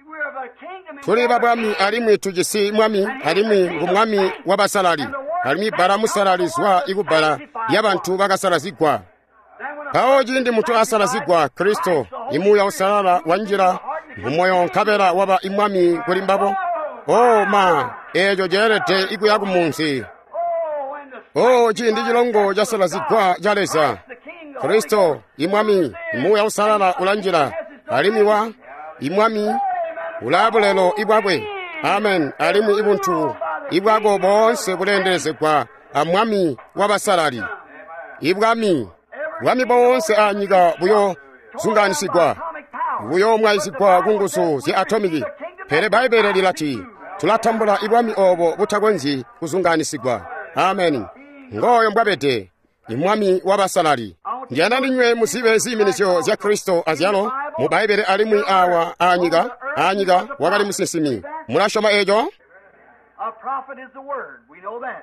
Tuli babwami alimwi tujisi mwami, alimwi ngu mwami wabasalali, alimwi bbala musalali zwa ikubbala lyabantu bakasalazigwa. Mpawo ciindi muntu asalazigwa, Kristo, imuuya usalala wanjila mumoyo nkabela waba imwami kuli mbabo. Oh ma, eeco ceelede ikuya kumunzi. Oh, ciindi cilongo casalazigwa ca Leza, Kristo, imwami, imuuya usalala ulanjila, alimwi wa imwami ulabulelo ibwakwe. Amen. Alimwi ibuntu ibwako boonse buleendelezegwa a mwami wabasalali. Ibwami, bwami boonse anyika buyo zunganisigwa, buyo mwayisigwa ku nguzu zya atomiki. Pele Bbaibbele lilati tulatambula ibwami obo butakonzyi kuzunganisigwa. Amen. Ngooyo mbwabede imwami wabasalali. Ndiyanda ndinywe muzibe ziiminizyo zya Kristo azyalo mu Bbaibbele alimwi awa anyika. Anyika wakali musinsimi. Mulasyoma eeco?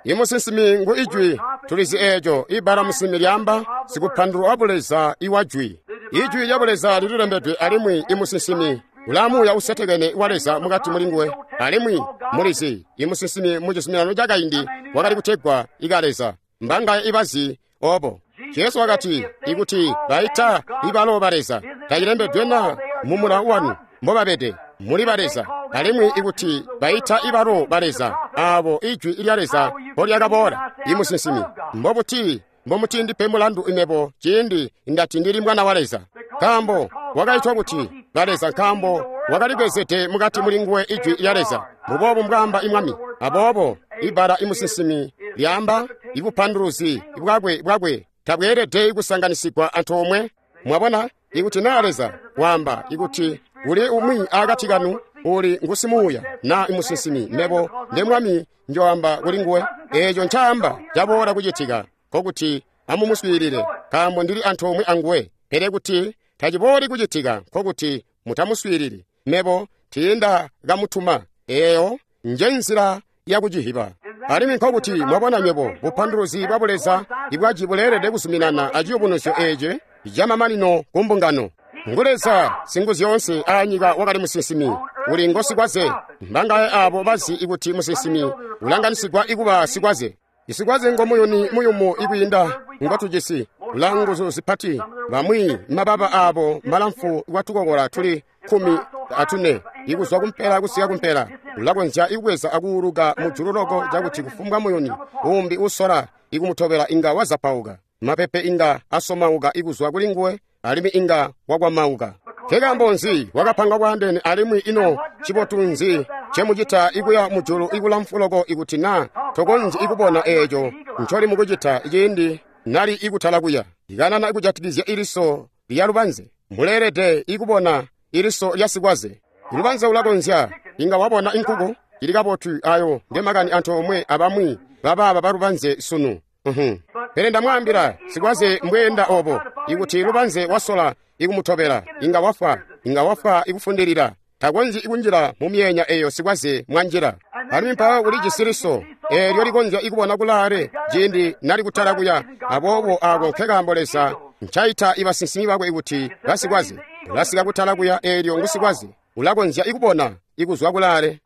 Imusinsimi ngu ijwi, tulizi eeco. Ibbala musinsimi lyaamba sikupandulula wa Buleza iwa jwi. Ijwi lya Buleza lililembedwe alimwi imusinsimi ulaa Muuya Usetekene wa Leza mukati mulinguwe. Alimwi mulizi imusinsimi mu cizuminano cakaindi wakali kutegwa ika Leza. Mbangaye ibazi obo. Jesu wakati, ikuti baita ibalo ba Leza, tacilembedwe na mu mulawo wanu mbobabede muli ba Leza. Alimwi ikuti baita ibalo ba Leza, aabo ijwi lya Leza mbolyakaboola, imusinsimi, mbobuti mbomutindipe mulandu imebo ciindi ndati ndili mwana wa Leza? Nkaambo wakaitwa kuti ba Leza nkaambo wakalibwezede mukati mulinguwe ijwi lya Leza. Mbuboobu mbwaamba imwami. Aboobo ibbala imusinsimi lyaamba ibupanduluzi bwakwe bwakwe tabweelede kusanganisigwa antoomwe. Mwabona, ikuti naa Leza waamba ikuti uli umwi akati kanu uli ngusimuuya na imusinsimi, mebo nde mwami njoamba kulinguwe. Eeco ncaamba caboola kucitika, nkokuti amumuswiilile, nkaambo ndili antoomwe anguwe. Pele kuti tacibooli kucitika, nkokuti mutamuswiilili, mebo tiindakamutuma. Eeyo nje nzila yakucihiba. Alimwi nkokuti mwabona nywebo bupanduluzi bwa Buleza ibwaji buleelede kuzuminana aciyubunuzyo eeci camamanino ku mbungano. Ngu Leza Singuzyoonse aanyika wakali musinsimi, uli ngosikwaze. Mbangaye aabo bazi ikuti musinsimi ulanganisigwa ikuba sikwaze. Isikwaze ngomuyuni muyumu ikwiinda ngotujisi, ulaa nguzu zipati. Bamwi mababa aabo malamfu kwatukokola tuli kkumi atune ikuzwa kumpela kusika kumpela. Ulakonzya ikubweza akuuluka mujulu loko cakuti kufumbwa muyuni uumbi usola ikumutobela inga wazapauka. Mapepe inga asomauka ikuzwa kulinguwe alimwi inga wakwamauka. Nkaambo nzi wakapangwa bwaandeene alimwi ino cibotu nzi ncemucita ikuya mujulu ikulamfu loko ikuti naa tokonzyi ikubona eeco ncoli mukucita ciindi nali ikutala kuya? Ikanana ikujatikizya iliso lya lubanze, muleelede ikubona iliso lya sikwaze. Ilubanze ulakonzya inga wabona inkuku ili kabotu. Ayo nge makani antoomwe abamwi babaaba balubanze sunu. Uhum. Pele ndamwaambila sikwaze mbweenda obo, ikuti lubanze wasola ikumutobela inga wafwa, inga wafwa ikufundilila. Takonzyi ikunjila mu myeenya eyo sikwaze mwanjila. Alimwi mpawo ulijisi liso eelyo likonzya ikubona kulaale ciindi nali kutala kuya. Aboobo ako nkekaambo Leza ncaita ibasinsimi bakwe ikuti basikwaze. Ulasika kutala kuya eelyo ngusikwaze, ulakonzya ikubona ikuzwa kulaale.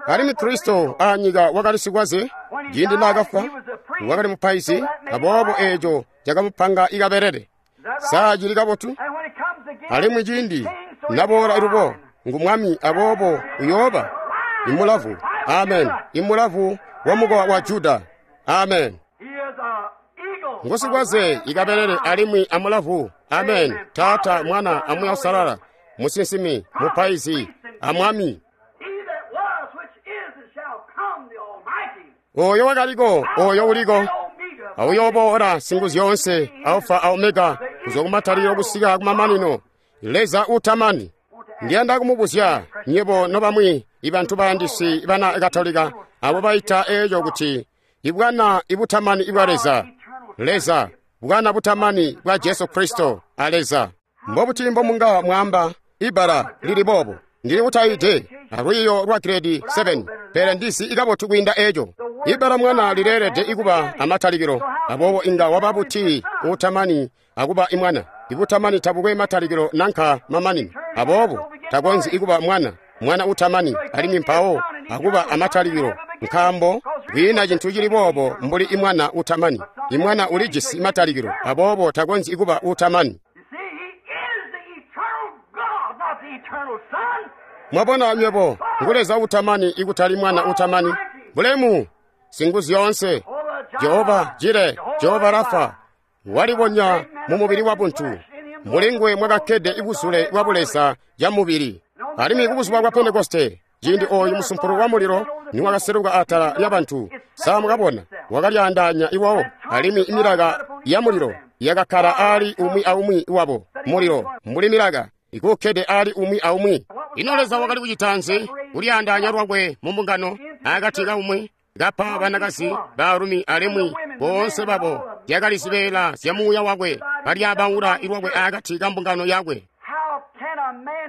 Alimwi Kristo aanyika wakali sikwaze ciindi naakafwa, wakali mupaizi, aboobo eeco cakamupanga ikabelele. Saa cili kabotu? Alimwi ciindi naboola ilubo ngu mwami, aboobo uyooba imulavu. Amen. Imulavu wa mukowa wa Juda. Amen. Ngusikwaze ikabelele alimwi amulavu. Amen. Taata, Mwana, a Muuya Uusalala, musinsimi, mupaizi, amwami. Oyo wakaliko, oyo uliko, auyooboola Singuzyoonse, Alfa a Omega, kuzwa kumatalilo kusika kumamanino, Leza utamani. Ndiyanda kumubuzya nywebo nobamwi ibantu bayandisi bana Katolika abo baita eeco kuti ibwana ibutamani ibwa Leza. Leza, bwana butamani bwa Jesu Kristo a Leza. Mbobuti mbomunga mwaamba ibbala lili boobo? Ndili kutayide alwiiyo lwa grade seven, pele ndizi ikabotu kwiinda eeco. Ibbala mwana lileelede ikuba amatalikilo, aboobo inga waba buti utamani akuba imwana? Ibutamani tabukwe matalikilo nanka mamanino, aboobo takonzyi ikuba mwana, mwana utamani, alimwi mpawo akuba amatalikilo, nkaambo kwiina cintu cili boobo mbuli imwana utamani. Imwana ulijisi matalikilo, aboobo takonzyi ikuba utamani. Mwabona nywebo, ngu Leza utamani ikutali mwana utamani. Bulemu, Singuzyoonse, Jehova Jire, Jehova Rafa, walibonya mu mubili wa buntu. Mulingwe mwakakkede ibuzule bwa Buleza ya mubili. Alimwi kubuzuba bwa Pentekoste, ciindi ooyu musumpulu wa mulilo niwakaseluka atala lya bantu, saa mukabona wakalyaandaanya iwawo, alimwi imilaka ya mulilo yakakkala ali umwi aumwi wabo. Mulilo mbuli milaka ikukkede ali umwi aumwi. Ino Leza wakali kucita nzi? Kulyaandaanya lwakwe mu mbungano akati ka umwi, kapa banakazi, baalumi, alimwi boonse babo yakali zibeela zya muuya wakwe, kalyabaula ilwakwe akati ka mbungano yakwe.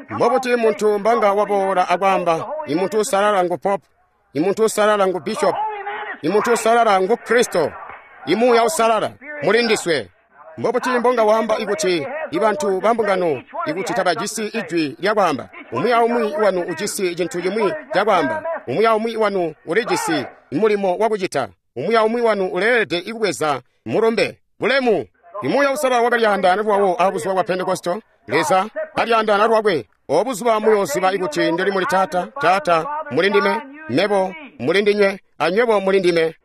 Mbobuti muntu mbanga waboola akwaamba, imuntu usalala ngu pope, imuntu usalala ngu bishop, imuntu usalala ngu Kristo, imuuya usalala muli ndiswe. Mbobuti mbonga waamba ikuti ibantu ba mbungano ikuti tabajisi ijwi lyakwaamba? Umwi aumwi wanu ujisi cintu cimwi cakwaamba. Umwi aumwi wanu ulijisi mulimo wakucita. Umwi aumwi wanu uleelede ikubweza mulumbe. Bulemu! Imuuya Uusalala wakalyaandaana lwawo abuzuba bwa Pentekosto. Leza kalyaandaana lwakwe. Obuzuba muyooziba ikuti ndili muli Taata, Taata muli ndime, mebo muli ndinywe, anywebo muli ndime.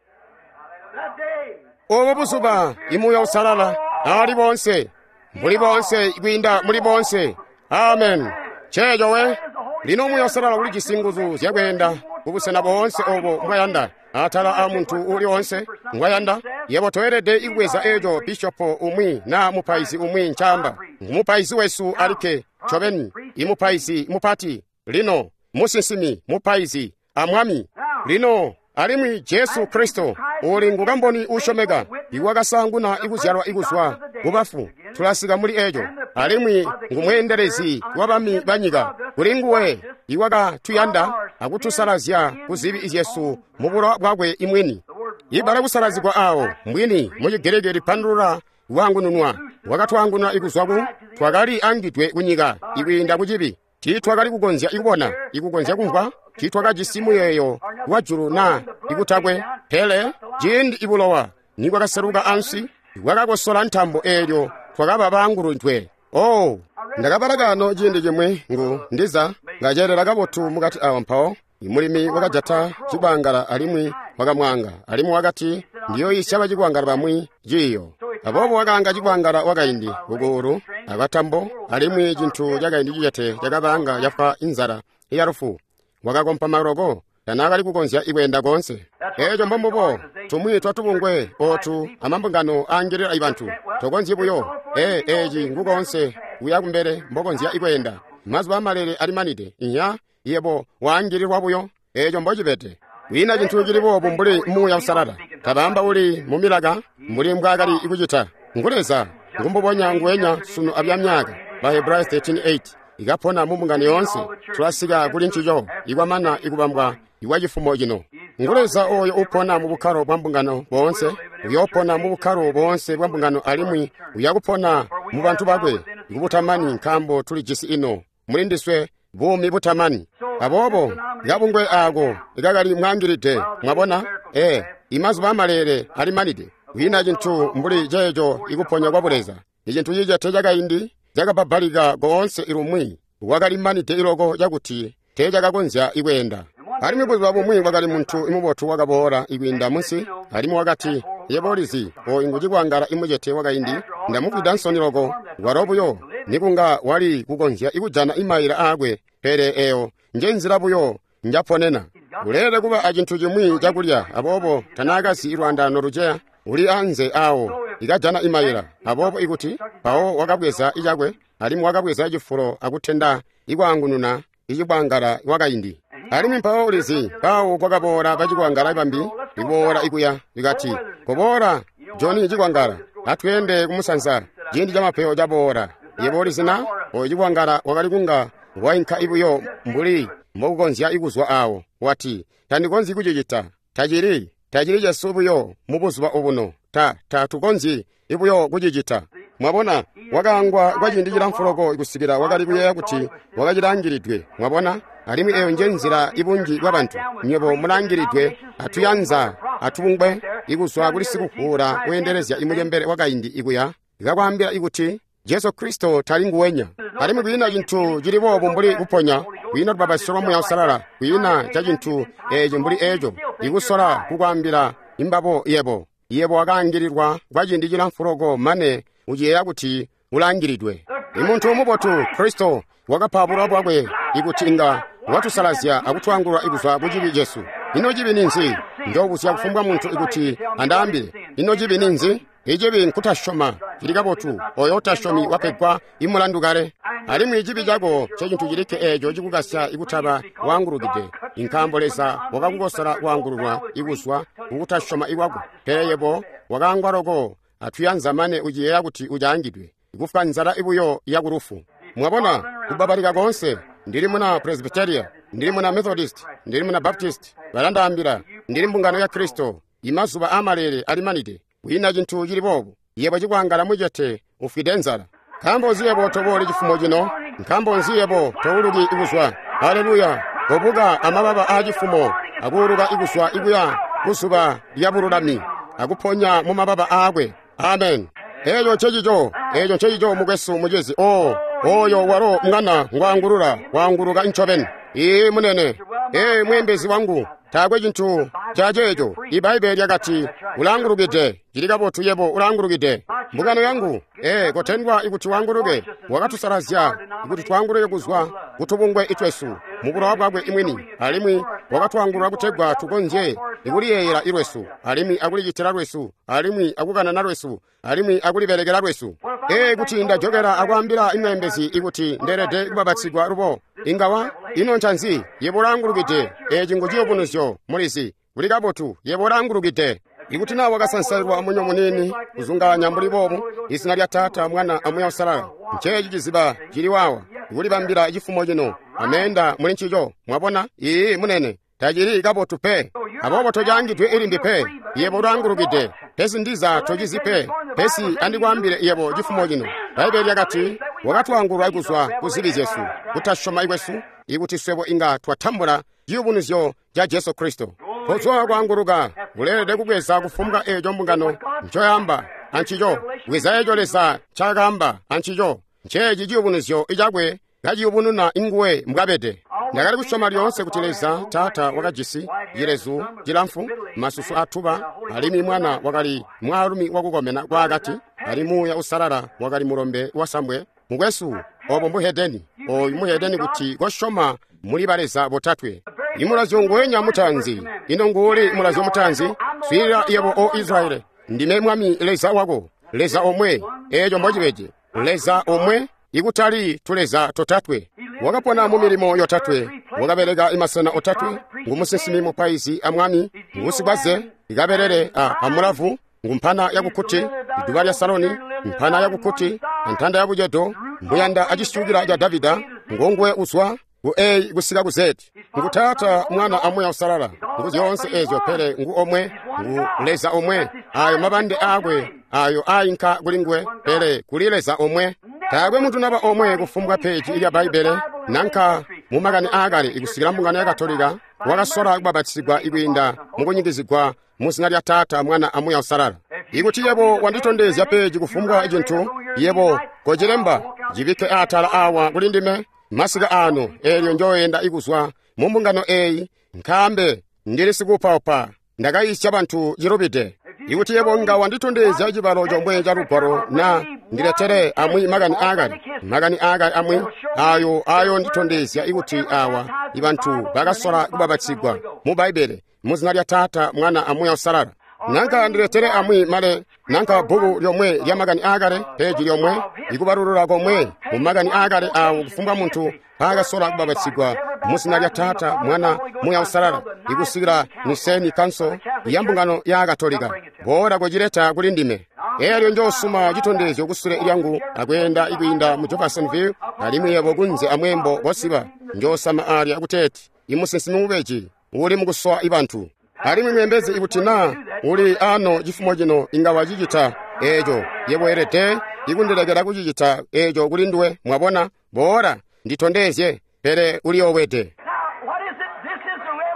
Obo buzuba imuuya Uusalala ali bonse, muli bonse, kwiinda muli bonse. Amen. Ceeco we. Lino Muuya Uusalala ulijisi nguzu zyakweenda kubusena boonse obo mbwayanda, atala a muntu uli onse ngwayanda. Yebo toelede ikubweza eco bishopo umwi na mupaizi umwi ncaamba. Ngumupaizi wesu alikke ncobeni, imupaizi mupati, lino musinsimi, mupaizi amwami. Lino alimwi Jesu Kristo uli ngukamboni uusyomeka, iwakasaanguna ikuzyalwa ikuzwa kubafu. Tulasika muli eco. Alimwi ngumweendelezi wabami banyika. Kuli nguwe iwakatuyanda akutusalazya kuzibi zyesu mubulowa bwakwe imwini. Ibala kusalazigwa awo mbwini mu Chigiriki lipandulula kuangununwa. Wakatwaangununa ikuzwa ku twakali angidwe kunyika ikwiinda kucibi. Tiitwakali kukonzya ikubona, ikukonzya kumvwa, tiitwakajisi muyeeyo wa julu na ikutakwe. Pele ciindi ibulowa nibwakaseluka ansi, bwakakosola ntambo eelyo twakaba baanguludwe. Oh, ndakabala kano ciindi cimwi ngu ndiza ngaceelela kabotu mukati awa mpawo. Imulimi wakajata cikwangala alimwi wakamwaanga, alimwi wakati, ndiyoyisya bacikwangala bamwi ciiyo. Aboobo wakaanga cikwangala wakaindi kukuulu akatambo, alimwi cintu cakaindi cicete cakabaanga cafwa inzala yalufu. Wakakompa maloko, tanaakali kukonzya ikweenda koonse. Eeco mbombubo tumwi twatubungwe ootu amambungano aangilila ibantu. Tokonzyi buyo ee eeci ngukoonse kuya kumbele mbokonzya ikweenda. Mazuba amalele alimanide. Inya yebo waangililwa buyo. Eeco mbocibede. Kwiina cintu cili boobu mbuli Muuya Uusalala. Tabaamba uli mumilaka mbuli mbwaakali ikucita. Ngu Leza ngumbubonya nguwenya sunu abyamyaka. Bahebrayo thirteen eight ikapona mu mbungano yoonse. Tulasika kuli ncico ikwamana ikubambwa ikwa cifumo cino. Ngu Leza oyo upona mu bukkalo bwa mbungano boonse, uyoopona mu bukkalo boonse bwa mbungano alimwi uyakupona mu bantu bakwe kubutamani, nkaambo tulijisi ino muli ndiswe buumi butamani. Aboobo kabungwe aako kakali mwaangilide, mwabona? Ee, imazuba amalele alimanide. Kwiina cintu mbuli ceeco ikuponya kwa Buleza. Icintu cicete cakaindi cakabbabalika koonse ilumwi, wakalimanide iloko cakuti teecakakonzya ikweenda. Alimwi buzuba bumwi kwakali muntu imubotu wakaboola ikwiinda munsi, alimwi wakati, yebo ulizi, oyu ngucikwangala imucete wakaindi, ndamufwida nsoni loko, walo buyo nikunga wali kukonzya ikujana imayila aakwe, pele eyo njenzila buyo njaponena. Uleelede kuba acintu cimwi cakulya, aboobo tanaakazi ilwaandaano luceya uli anze awo ikajana imayila. Aboobo ikuti mpawo wakabweza icakwe, alimwi wakabweza cifulo akutenda ikwaangununa icikwangala wakaindi. Alimwi mpawo ulizi, mpawo kwakaboola bacikwangala bambi iboola ikuya, ikati, koboola Joni cikwangala, atweende kumusanza, ciindi camapeyo caboola. Yebo ulizi na oyo cikwangala wakali kunga wainka ibuyo mbuli mbokukonzya ikuzwa awo. Wati, tandikonzyi kucicita, tacili tacili cesu buyo mu buzuba obuno, ta tatukonzyi ibuyo kucicita. Mwabona, wakaangwa kwa ciindi cilamfu loko kusikila wakali kuyeeya kuti wakacilangilidwe. Mwabona, alimwi eyo nje nzila ibunji bwa bantu. Nywebo mulangilidwe atuyanza atubungwe ikuzwa kuli sikuvuula weendelezya imucembele wakaindi ikuya ikakwaambila ikuti Jesu Kristo tali nguwenya. Alimwi kwiina cintu cili boobu mbuli kuponya, kwiina lubapatizyo lwa Muuya Uusalala, kwiina ca cintu eeci mbuli eco, ikusola kukwaambila imbabo yebo. Yebo wakaangililwa kwa ciindi cilamfu loko mane uciyeeya kuti ulangilidwe. Imuntu mubotu Kristo wakapa bulowa bwakwe ikuti inga watusalazya akutwaangulula ikuzwa ku cibi cesu. Ino cibi ninzi? Njoobuzya kufumbwa muntu ikuti andaambile. Ino cibi ninzi? Icibi nkutasyoma. Cili kabotu, oyo utasyomi wapegwa imulandu kale. Alimwi cibi cako ncecintu cilikke eeco cikukasya ikutaba waangulukide, nkaambo Leza wakakukosola kwaangululwa ikuzwa kukutasyoma ikwako. Pele yebo wakaangwa loko atuyanza mane uciyeeya kuti ucaangidwe, ikufwa nzala ibuyo yakulufu. Mwabona, kubabalika koonse. Ndili muna Presbyteria, ndili muna Methodist, ndili muna Baptist, balandaambila, ndili mbungano ya Kristo. Imazuba amalele alimanide. Kwiina cintu cili boobu. Yebo cikwangala mucete ufwide nzala. Nkaambo nzi yebo tobooli cifumo cino? Nkaambo nzi yebo touluki ikuzwa? Haleluya! Kobuka amababa aa cifumo akuuluka ikuzwa ikuya kuzuba lya bululami akuponya mu mababa aakwe. Amen. Eeco ncecico, eeco ncecico mukwesu mucizi. Oh, oyo walo mwana ngwaangulula, waanguluka ncobeni. Ee munene, ee mweembezi wangu, taakwe cintu ca ceeco. Ibbaibbele lyakati ulaangulukide. Cili kabotu, yebo ulaangulukide. Mbungano yangu, ee kotendwa ikuti waanguluke. Wakatusalazya ikuti twaanguluke kuzwa kutubungwe itwesu mu bulowa bwakwe imwini, alimwi wakatwaangulula kutegwa tukonzye ikuliyeeyela ilwesu, alimwi akulicitila lwesu, alimwi akukanana lwesu, alimwi akulibelekela lwesu. Ee kuti ndajokela akwaambila imweembezi ikuti ndeelede kubabatsigwa lubo, ingawa ino ncanzi? Yebo ulaangulukide. Eeci ngu ciyubunuzyo, mulizi. Kuli kabotu, yebo ulaangulukide. Ikuti naa wakasansailwa munyo muniini kuzungaanya mbuli boobu, izina lya Taata, Mwana a Muuya Uusalala, nceeci ciziba cili waawa, ikulibambila cifumo cino, ameenda muli ncico. Mwabona? Ii munene, tacili kabotu pe. Aboobo tocaangidwe ilimbi pe. Yebo ulaangulukide. Pesi ndiza tocizi pe. Pesi andikwaambile yebo cifumo cino. Bbaibbele lyakati wakatwaangulula kuzwa ku zibi zyesu, kutasyoma kwesu, ikuti swebo inga twatambula ciyubunuzyo ca Jesu Kristo. Kozwa kwaanguluka, uleelede kubweza kufumbwa eeco mbungano ncoyamba ancico. Bweza eeco Leza ncaakaamba ancico. Nceeci ciyubunuzyo icakwe kaciyubununa inguwe mbwabede. Ndakali kusyoma lyoonse kuti Leza Taata wakajisi cilezu cilamfu, masusu atuba, alimwi Mwana wakali mwaalumi wakukomena kwaakati, alimwi Muuya Uusalala wakali mulombe wasambwe. Mukwesu, obo mbuhedeni. Oyu muhedeni kuti kosyoma muli baleza botatwe. Imulazyo nguwenya mutaanzi. Ino nguuli mulazyo mutaanzi? Swiilila yebo o Israeli, ndime Mwami Leza wako, Leza omwe. Eeco mbocibede, Leza omwe, ikutali tuleza totatwe. Wakapona mu milimo yotatwe, wakabeleka imasena otatwe, ngumusinsimi mupaizi a mwami, ngusikwaze, ikabelele a amulavu, ngumpana yakukuti, iduba lya Saloni, mpana yakukuti, antanda yabucedo, mbuyanda acisyukila ca Davida, ngonguwe uzwa ku A kusika ku Z. Ngu Taata, Mwana a Muuya Uusalala. Ngu zyoonse eezyo, pele ngu omwe, ngu Leza omwe. Ayo mabande aakwe ayo ainka kuli nguwe, pele kuli Leza omwe. Taakwe muntu naba omwe kufumbwa peji lya Bbaibbele nanka mu makani aakale ikusikila mbungano ya Katolika wakasola kubabatizigwa ikwiinda mukunyikizigwa mu zina lya Taata, Mwana a Muuya Uusalala. Ikuti yebo wanditondezya peji kufumbwa cintu, yebo kocilemba, cibikke atala awa kuli ndime masika ano, eelyo njoyenda ikuzwa mu mbungano eeyi, nkambe ndili sikuupaupa, ndakayisya bantu cilubide. Ikuti yebo nga wanditondezya cibalo comwe ca lugwalo na ndiletere amwi makani aakale, makani aakale amwi ayo ayo nditondezya ikuti awa ibantu bakasola kubabatsigwa mu Bbaibbele mu zina lya Taata, Mwana a Muuya Uusalala. Nanka ndiletere amwi male, nanka bbuku lyomwe lya makani aakale, peji lyomwe, ikubalulula komwe mu makani aakale awo kufumbwa muntu paakasola kubabatsigwa mu zina lya Taata, Mwana, Muuya Uusalala, ikusikila Nicene Council ya mbungano ya Katolika. Boola kucileta kuli ndime. Eelyo njoosuma citondezyo kusule lyangu akweenda ikwiinda mu Jeffersonville, alimwi yebo kunze amweembo kosiba njoosama alya kuteeti imusinsimi mubeji uli mukusowa ibantu. Alimwi mweembezi ikuti naa uli ano cifumo cino inga wacicita eeco, yebo weelede ikundilekela kucicita eeco kuli nduwe. Mwabona? Boola nditondezye, pele uliyoowede.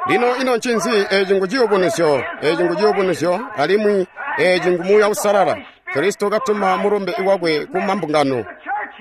Lino ino ncinzi? Eeci ngu ciyubunuzyo, eeci ngu ciyubunuzyo, alimwi eeci ngu Muuya Uusalala. Kristo katuma mulumbe wakwe ku mambungano.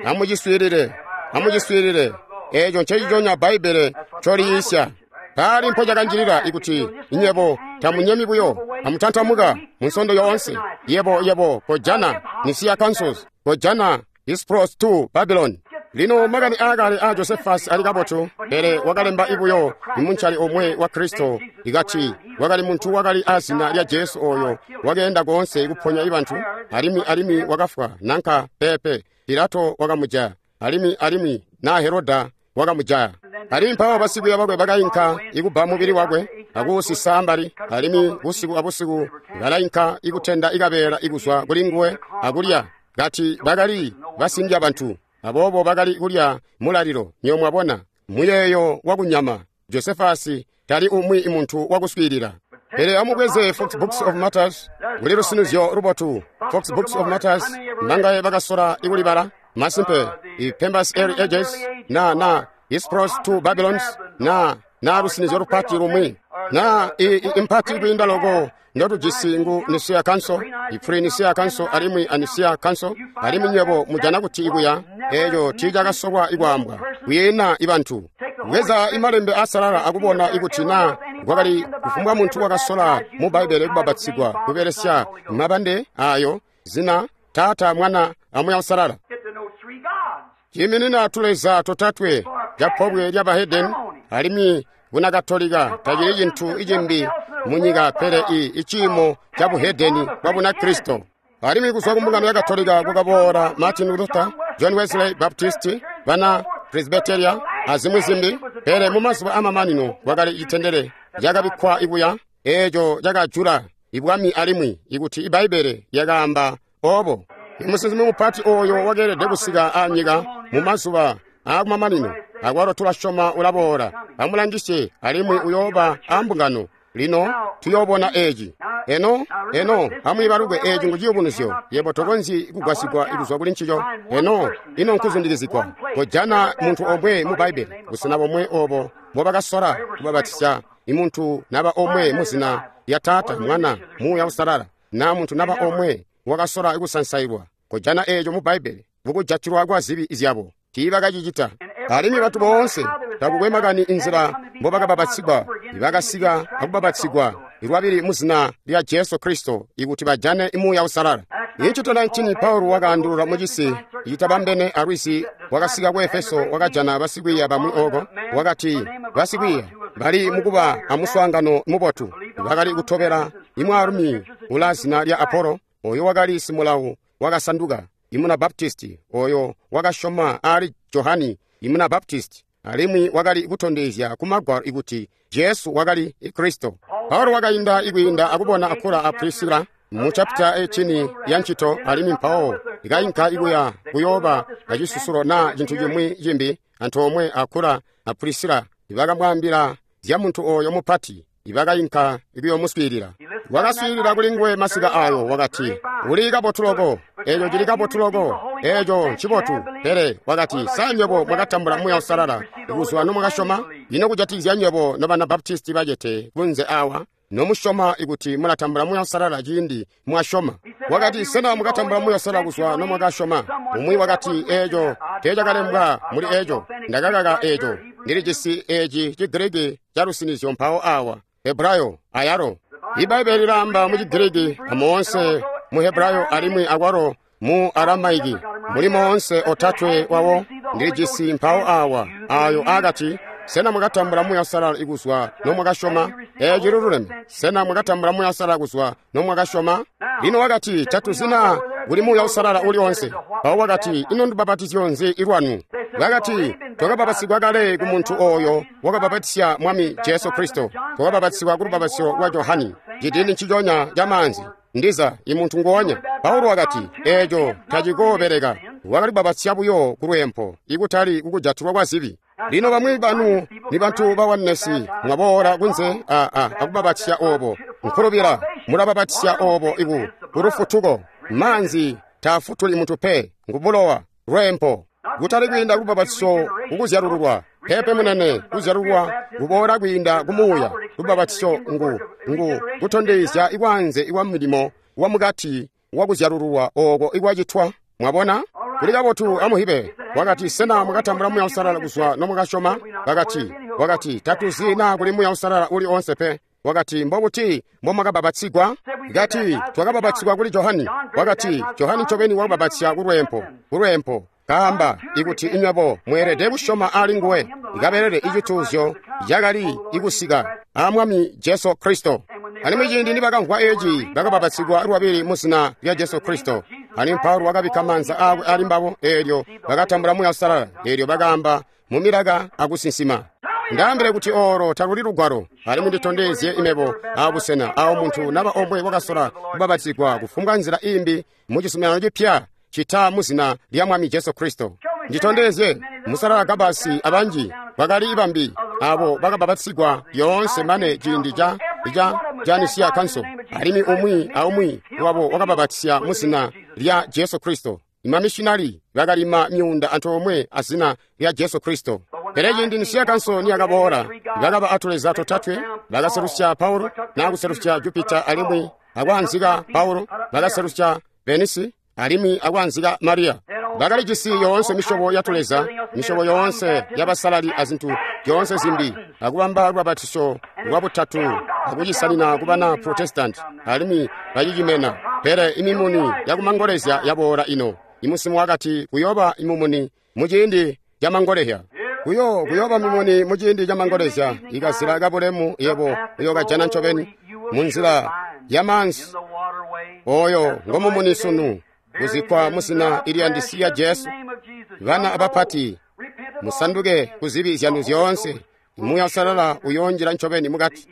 Amuciswiilile, amuciswiilile. Eeco nceciconya Bbaibbele ncoliyiisya. Paali mpo cakanjilila ikuti inyebo tamunyemi buyo, amutantamuka munsondo yoonse. Yebo yebo kojana Nicaea Councils, kojana Hispros two Babylon. Lino makani aakale a Josephus ali kabotu, pele wakalemba ibuyo imuncali omwe wa Kristo ikati wakali muntu wakali azina lya Jesu oyo wakeenda koonse kuponya ibantu, alimwi alimwi wakafwa nanka pepe Pilato wakamujaya, alimwi alimwi na Heroda wakamujaya. Alimwi mpawo basikwiiya bakwe bakainka ikubba mubili wakwe akuusisa ambali, alimwi busiku abusiku balainka ikutenda ikabeela ikuzwa kuli nguwe akulya, kati bakali basindya bantu. Aboobo bakali kulya mulalilo. Nyo mwabona muyeeyo wakunyama. Josefasi tali umwi muntu wakuswiilila. Pele amubweze Fox Books of Martyrs, kuli lusinizyo lubotu. Fox Books of Martyrs, nangaye bakasola ikulibala masimpe i Pembas Early Ages na na Hispros two Babylons na na lusinizyo lupati lumwi na i, i impati kwiinda loko ndotujisi ngu Nicea Council, i Pre-Nicea Council alimwi a Nicea Council, alimwi nywebo mujana kuti ikuya eeco tiicakasolwa ikwaambwa kuyena ibantu. Bweza imalembe asalala akubona ikuti na kwakali kufumbwa muntu wakasola mu Bbaibbele kubapatizigwa kubelesya mabande ayo zina Taata, Mwana a Muuya Uusalala. Ciiminina tuleza totatwe ca pobwe lya bahedeni alimwi bunakatolika tacili cintu icimbi munyika pele i iciimo ca buhedeni bwa Bunakristo. Alimwi kuzwa ku mbungano ya Katolika kukaboola Martin Luther, John Wesley Baptist, bana Presbyteria azimwi zimbi, pele mumazuba amamanino kwakali itendele lyakabikkwa ikuya eeco cakajula ibwami alimwi ikuti Ibbaibbele lyakaamba obo. Imusinsimi mupati oyo wakeelede kusika anyika mumazuba aakumamanino, akwalo tulasyoma ulaboola. Amulangisye alimwi uyooba ambungano. Lino tuyoobona eeci. Eno, eno, amwiibalukwe eeci ngu ciyubunuzyo. Yebo tokonzyi kugwasigwa kuzwa kuli ncico. Eno, ino nkuzundikizigwa. Kojana muntu omwe mu Bbaibbele, busena bomwe obo mbobakasola kubabatizya imuntu naba omwe muzina lya Taata, Mwana, Muuya Uusalala, na muntu naba omwe wakasola kusansailwa. Kojana eeco mu Bbaibbele, mukujatilwa kwa zibi zyabo. Tiibakacicita. Alimwi bantu boonse takukwe makani inzila mbobakabapatizigwa, ibakasika akubapatizigwa lwabili muzina lya Jesu Kristo ikuti bajane Muuya Uusalala. Incito nineteen Paulo wakaandulula mucisi citabambene alwizi, wakasika ku Efeso, wakajana basikwiiya bamwi oko. Wakati basikwiiya bali mukuba amuswaangano mubotu, bakali kutobela imwaalumi ula zina lya Apolo, oyo wakali simulawu wakasanduka imuna Baptisti, oyo wakasyoma ali Johani imuna Baptisti, alimwi wakali kutondezya ku Magwalo ikuti Jesu wakali Kristo. Paulo wakainda ikwiinda akubona Akula a Prisila mu chapita eighteen ya ncito, alimwi mpawo ikainka ikuya kuyooba acisusulo na cintu cimwi cimbi antoomwe Akula a Prisila ibakamwaambila zya muntu oyo mupati, ibakainka ikuyomuswiilila. Wakaswiilila kuli nguwe masika ayo, wakati, uli kabotu loko, eeco cili kabotu loko, eeco ncibotu. Pele wakati, sa nywebo mwakatambula Muuya Uusalala kuzwa nomwakasyoma? Ino kujatikizya nywebo nobana Baptisti bacete kunze awa, nomusyoma ikuti mulatambula Muuya Uusalala ciindi mwasyoma? Wakati, sena mwakatambula Muuya Uusalala kuzwa nomwakasyoma? Umwi wakati, eeco teecakalembwa muli eeco, ndakakaka eeco, ndilijisi eeci Chigiriki ca lusinizyo mpawo awa, Hebrayo ayalo. Ibbaibbele lilaamba mu Chigiriki amoonse mu Hebrayo alimwi akwalo mu Aramaiki, muli moonse otatwe wawo ndilijisi mpawo awa ayo akati, sena mwakatambula Muuya Uusalala kuzwa nomwakasyoma? Eeci lululeme. Sena mwakatambula Muuya Uusalala kuzwa nomwakasyoma? Lino wakati, tatuzina kuli Muuya Uusalala uli onse. Mpawo wakati, ino ndubapatizyo nzi ilwanu? Bakati, twakabapatizigwa kale ku muntu oyo wakabapatizya Mwami Jesu Kristo. Twakabapatizigwa ku lubapatizyo lwa Johani, cidindi nciconya ca maanzi, ndiza imuntu nguonya. Paulo wakati, eeco tacikoobeleka. Wakali kubapatizya buyo ku lweempo, ikutali kukujatilwa kwa zibi. Lino bamwi banu ni bantu ba Oneness mwaboola kunze a a akubapatizya obo nkulubila, mulabapatizya obo iku kulufutuko. Maanzi taafutuli muntu pe, ngubulowa lweempo, kutali kwiinda kulubapatizyo kukuzyalululwa. Pepe munene, kuzyalulwa kuboola kwiinda kumuuya. Lubapatizyo ngu ngu kutondezya ikwanze ikwa milimo wa mukati wa kuzyalululwa oko ikwacitwa. Mwabona? Kuli kabotu amuhibe. Wakati, sena mwakatambula Muuya Uusalala kuzwa nomwakasyoma? Wakati, wakati tatuzi na kuli Muuya Uusalala uli onse pe. Wakati, mbobuti mbomwakabapatizigwa? Kati, twakabapatizigwa kuli Johani. Wakati, Johani ncobeni wakabapatizya ku lweempo, ku lweempo. Kaamba ikuti inywebo mweelede kusyoma ali nguwe, ikabelele icituuzyo cakali ikusika a Mwami Jesu Kristo. Alimwi ciindi nibakamvwa eeci, bakabapatizigwa lwabili muzina lya Jesu Kristo. Alimwi Paulo wakabikka maanza aakwe ali mbabo, eelyo bakatambula Muuya Uusalala, eelyo bakaamba mu milaka akusinsima. Ndaambile kuti olo taluli lugwalo, alimwi nditondezye imebo abusena awo muntu naba omwe wakasola kubapatizigwa kufumbwa nzila imbi mu cizuminano cipya cita muzina lya Mwami Jesu Kristo. Nditondezye musalala Gabasi abanji bakali bambi abo bakabapatizigwa lyoonse mane ciindi ca ca ca Nicea Council, alimwi umwi aumwi wabo wakabapatizya muzina lya Jesu Kristo. Imamishinali bakalima myuunda antoomwe azina lya Jesu Kristo. Pele ciindi Nicea Council niyakaboola, bakaba atuleza totatwe, bakaselusya Paulo, nakuselusya Jupiter alimwi akwaanzika Paulo, bakaselusya Venisi alimwi akwaanzika Maria. Bakalijisi yoonse misyobo ya tuleza, misyobo yoonse yabasalali azintu zyoonse zimbi, akubamba lubapatizo lwa butatu akucisanina kubana Protestant alimwi bacicimena. Pele imimuni yakumangolezya yaboola ino. Imusimu wakati kuyooba imumuni muciindi camangolezya. Kuyo kuyooba mimuni muciindi camangolezya, ikazila kabulemu yebo uyookajana ncobeni munzila yamanzi. Oyo ngomumuni sunu kuzikwa muzina iliyandisiya Jesu. Bana abapati, musanduke kuzibi zyanu zyoonse. Muuya Uusalala uyoonjila ncobeni mukati.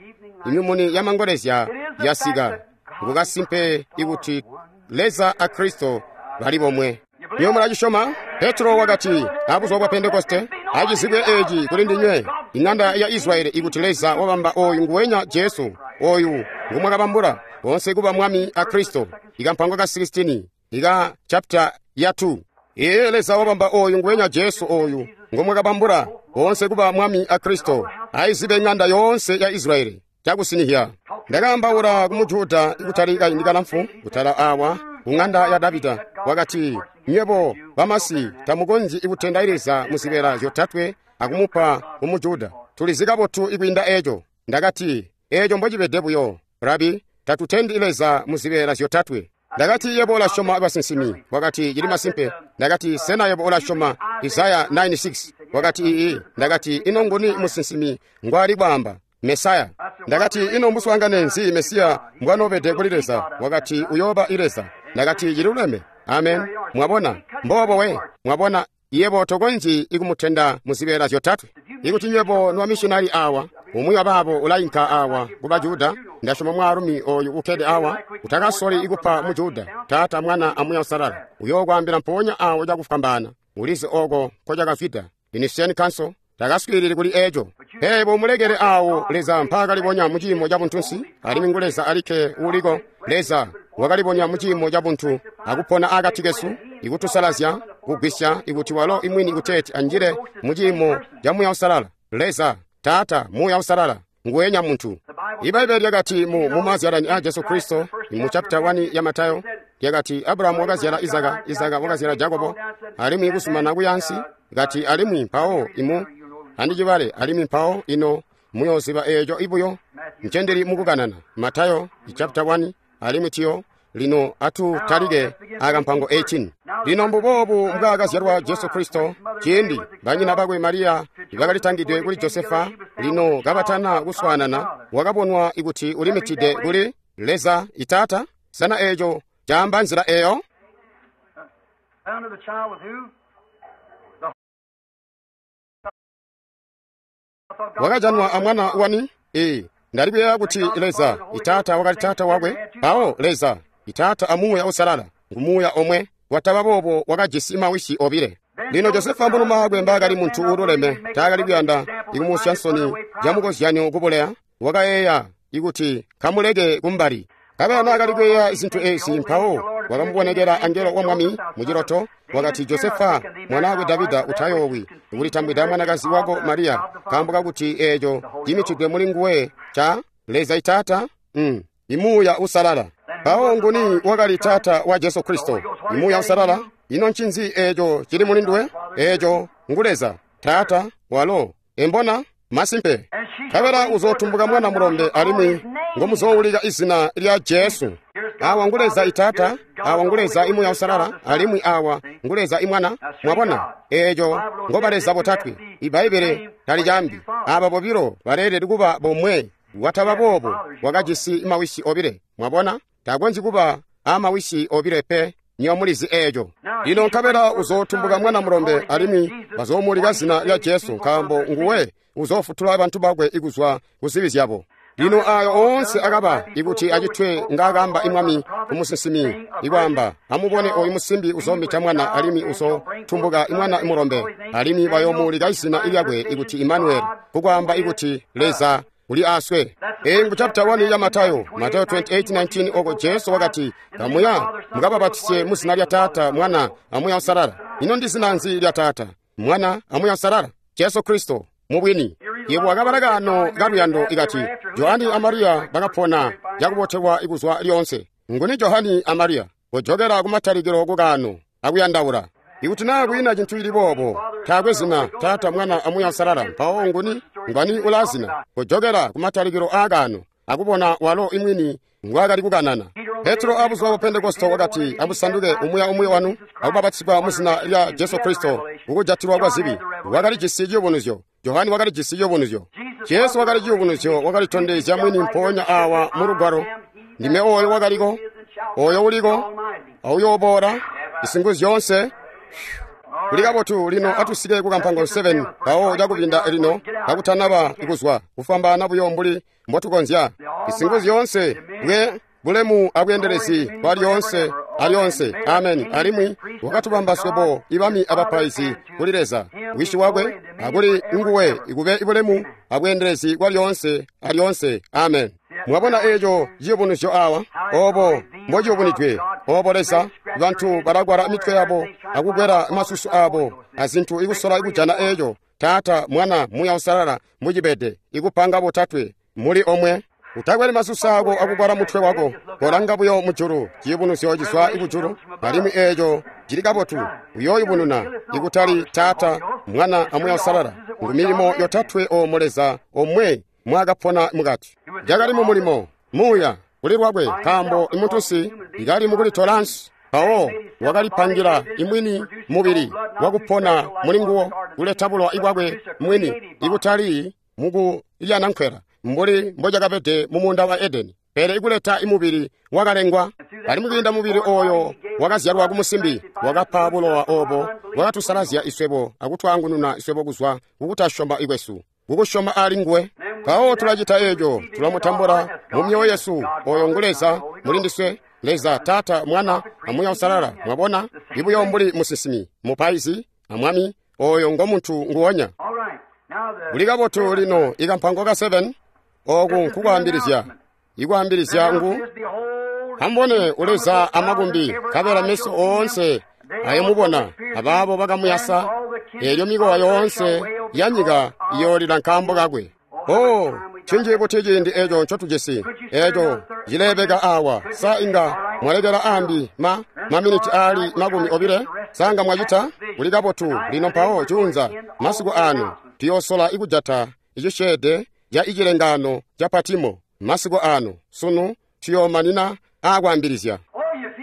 Imimuni yamangolezya yasika. Ngukasimpe ikuti Leza a Kristo bali bomwe. Niyo mulacisyoma? Petro wakati abuzuba bwa Pentekoste, acizibwe eeci kuli ndinywe, ing'anda ya Israeli, ikuti Leza wabamba oyu nguwenya Jesu, oyu ngumwakabambula bonse kuba Mwami a Kristo. Ikampango ka sixteen ika chapter ya two. Iye Leza wabamba oyu nguwenya Jesu oyu ngumwakabambula bonse kuba Mwami a Kristo, aizibe ng'anda yoonse ya Israeli cakusinihya. Ndakaambaula ku Mujuda ikutali kaindi kalamfu kutala awa ku ng'anda ya Davida, wakati nywebo bamasi tamukonzyi ikutenda Leza muzibeela zyotatwe akumupa ku Mujuda. Tulizi kabotu ikwiinda eeco. Ndakati eeco mbocibede buyo, Rabi, tatutendi Leza muzibeela zyotatwe. Ndakati yebo ulasyoma basinsimi. Wakati cili masimpe. Ndakati sena yebo ulasyoma Isaya nine six? Wakati ii. Ndakati ino nguni musinsimi ngwali kwaamba? Mesaya. Ndakati ino mbuswaangane nzi Mesiya mbwanoobede kuli Leza? Wakati uyooba i Leza. Ndakati ciluleme. Amen. Mwabona mbobo we. Mwabona yebo tokonzyi ikumutenda muzibeela zyotatwe. Ikuti nywebo nwamishinali awa, umwi wabaabo ulainka awa kuba Juda, ndasyoma mwaalumi oyu ukkede awa, utakasoli ikupa mu Juda, Taata, Mwana a Muuya Uusalala. Uyookwaambila mpoonya awo cakufwambaana. Ulizi oko nkocakafwida. Nicene Council takaswiilili kuli eeco. Pele mulekele awo Leza mpaakalibonya mu ciimo ca buntunsi, alimwi ngu Leza alikke uuliko. Leza wakalibonya mu ciimo ca buntu akupona akati kesu, ikutusalazya, kugwisya ikuti walo imwini kuteeti anjile mu ciimo ca Muuya Uusalala. Leza, Taata, Muuya Uusalala, nguwenya muntu. Ibaibbele lyakati mu mumazyalani a Jesu Kristo, mu chapter one ya Matayo, lyakati Abrahamu wakazyala Izaka, Izaka wakazyala Jakobo, alimwi kusumana kuyansi, kati alimwi mpawo imu andicibale alimwi mpawo ino muyooziba eeco ibuyo ncendili mukukanana. Matayo chapter one alimwi tiyo lino atutalike akampango eighteen. Lino mbuboobu mbwaakazyalwa Jesu Kristo, ciindi banyina bakwe Mariya bakalitangidwe kuli Josefa, lino kabatana kuswaanana, wakabonwa ikuti ulimitide kuli Leza Itaata. Sana eeco caamba nzila eeyo? Wakajanwa amwana wani? Ee, ndalikuyeeya kuti Leza Itaata wakali Taata wakwe, mpawo Leza Itaata a Muuya Uusalala ngu Muuya omwe. Wataba boobo wakajisi mawisi obile. Lino Josefa mbulumaakwe mbaakali muntu uululeme, taakali kuyanda ikumusya nsoni camukozyanyo kubuleya, wakayeeya ikuti kamuleke kumbali. Kabela naakali kuyeeya zintu eezi, mpawo wakamubonekela angelo wa Mwami muciloto, wakati Josefa mwanaakwe Davida, utayoowi kulitambwida mwanakazi wako Mariya, nkaambo kakuti eeco cimitidwe muli nguwe ca Leza Itaata, mm, imuuya Uusalala. Mpawo nguni wakali Taata wa Jesu Kristo? Imuuya Uusalala. Ino ncinzi eeco cili muli nduwe? Eeco ngu Leza Taata walo embona masimpe. Kabela uzootumbuka mwana mulombe alimwi ngomuzoowulika izina lya Jesu. Awa ngu Leza Itaata, awa ngu Leza Imuuya Uusalala, alimwi awa ngu Leza Imwana. Mwabona eeco ngoba Leza botatwe. Ibaibbele talicambi aba bobilo baleelede kuba bomwe. Wataba boobo wakajisi mawisi obile. Mwabona takonzyi kuba amawisi obile pe. Niyo mulizi eeco. Lino nkabela uzootumbuka mwana mulombe alimwi bazoomulika zina lya Jesu, nkaambo nguwe uzoofutula bantu bakwe ikuzwa ku zibi zyabo. Lino ayo oonse akaba ikuti acitwe ngaakamba imwami kumusinsimi, ikwaamba amubone oyu musimbi uzoomita mwana alimwi uzotumbuka imwana mulombe, alimwi bayoomuulika izina lyakwe ikuti Imanueli, kukwaamba ikuti Leza uli aswe. Eyi ngu chapter one ya Matayo, Matayo twenty-eight nineteen, oko Jesu wakati, kamuya mukababatise mu zina lya Taata, Mwana, amuya Usalala. Ino ndi zina nzi lya Taata, Mwana, amuya Usalala? Jesu Kristo mubwini. Yebo akabala kano kaluyando ikati Johani a Mariya bakapona cakubotelwa ikuzwa lyonse. Nguni Johani a Mariya? Kujokera kumatalikilo kukano akuyandaula. Ikuti naa kwiina cintu ili boobo, taakwe zina Taata, Mwana, amuya Usalala, mpawo nguni ngwani ulazina? Kujokera kumatalikilo aakano akubona walo imwini ngwakali kukanana. Petro abuzuba bwa Pentekosto wakati, amusanduke umuya umwi wanu akubabatizigwa mu zina lya Jesu Kristo kukujatilwa kwa zibi. Wakalijisi ciyubunuzyo. Johani wakalijisi ciyubunuzyo. Jesu wakali ciyubunuzyo, wakalitondezya mwini mpoonya awa mu lugwalo. Ndime oyo wakaliko, oyo uliko, auyooboola, isingu zyoonse. Kuli kabotu lino atusike ku kampango seven mpawo cakubinda lino kakutanaba ikuzwa kufwambaana buyo mbuli mbotukonzya. Isingu zyoonse bwe bulemu abweendelezi bwa lyoonse alyonse. Amen. Alimwi wakatubamba swebo ibami abapaizi kuli Leza wisi wakwe akuli nguwe ikube ibulemu abweendelezi bwa lyoonse alyonse. Amen. Mwabona eeco ciyubunuzyo awa, obo mbociyubunidwe, obo Leza, bantu balagwala mitwe yabo akukwela masusu abo azintu ikusola ikujana eeco Taata, Mwana, Muya Usalala mucibede ikupanga botatwe muli omwe. Utakweli masusu ako akukwala mutwe wako, kolanga buyo mujulu. Ciyubunuzyo cizwa ikujulu, alimwi eeco cili kabotu. Uyooyubununa ikutali Taata, Mwana, amuya Usalala. Ngu milimo yotatwe omo Leza omwe mwakapona mukati. Jakali mu mulimo muuya kuli lwakwe, nkaambo imuntunsi ikali mukulitolansi. Mpawo wakalipangira imwini mubili wakupona muli nguwo, kuleta bulowa ibwakwe mwini, ikutali mukulyana nkwela mbuli mbocakabede mu muunda wa Edeni, pele ikuleta imubili wakalengwa. Alimwi kwiinda mubili oyo wakazyalwa kumusimbi, wakapa bulowa obo wakatusalazya iswebo akutwaangununa iswebo kuzwa kukutasyoma ikwesu, kukusyoma ali nguwe. Mpawo tulacita eeco, tulamutambula mu myoyo yesu. Oyo ngu Leza muli ndiswe, Leza Taata, Mwana, amuya Usalala. Mwabona, ibuyo mbuli musinsimi, mupaizi, amwami, oyo ngo muntu nguwonya. Kuli kabotu lino ikampango ka seven, oku nkukwaambilizya. Ikwaambilizya ngu amubone uleza amakumbi, nkabela meso oonse ayomubona, abaabo bakamuyasa, eelyo mikowa yoonse ya nyika iyoolila nkaambo kakwe. Oh, cinji buti ciindi eeco ncotujisi, eeco cileebeka awa. Sa inga mwalekela ambi ma maminiti aali makumi obile? Sa nga mwacita? Kuli kabotu lino mpawo cuunza masiku ano tuyoosola ikujata icisyeede ca icilengano ca Patimo. Masiku ano sunu tuyoomanina aakwaambilizya.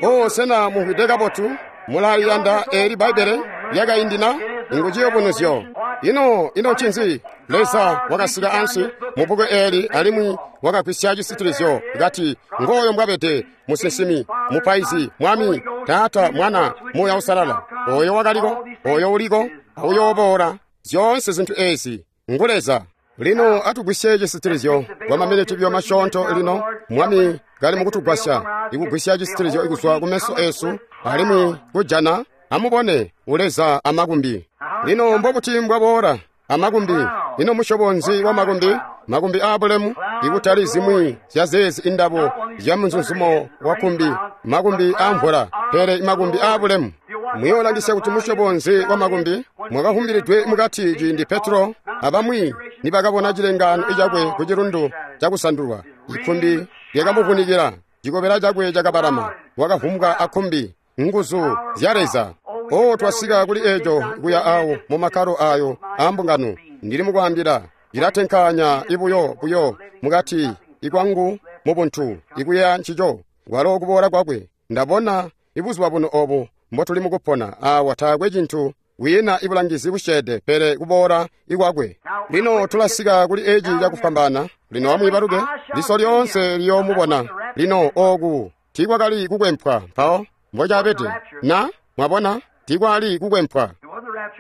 Oh, sena mumvwide kabotu? Mulaliyanda eeli Bbaibbele lyakaindi na? Ngu ciyubunuzyo. Ino ino ncinzi? Leza wakasika ansi mu bbuku eeli alimwi wakagwisya cisitilizyo kati ngooyo mbwabede musinsimi, mupaizi, mwami, Taata, Mwana, Muuya Usalala. Oyo wakaliko, oyo uliko, auyooboola. Zyoonse zintu eezi ngu Leza. Lino atugwisye cisitilizyo kwa maminiti buyo masyoonto lino. Mwami kali mukutugwasya ikugwisya cisitilizyo ikuzwa kumeso esu alimwi kujana amubone uleza amakumbi. Lino mbobuti mbwaboola amakumbi? Ino musyobo nzi wa makumbi? Makumbi aabulemu, ikutali zimwi zya zeezi indabo zya munzunzumo wa kumbi, makumbi aamvula, pele makumbi aabulemu. Muyoolangisya kuti musyobo nzi wa makumbi mwakahumbilidwe mukati ciindi Petro abamwi nibakabona cilengaano cakwe ku cilundu cakusandulwa. Ikumbi lyakamuvunikila, cikobela cakwe cakabalama, wakavumbwa akumbi, nguzu zya Leza. Oh, twasika kuli eeco kuya awo mu makkalo ayo aambungano. Ndili mukwaambila, cilatenkaanya ibuyo buyo mukati ikwangu mubuntu ikuya ncico kwalo kuboola kwakwe. Ndabona ibuzuba buno obu mbotuli mukupona awa, taakwe cintu kwiina ibulangizi busyeede pele kuboola ikwakwe. Lino tulasika kuli eeci cakufwambaana. Lino amwiibaluke, liso lyoonse liyoomubona. Lino ooku tiikwakali kukwempwa mpawo mbocabede na mwabona, tiikwali kukwempwa,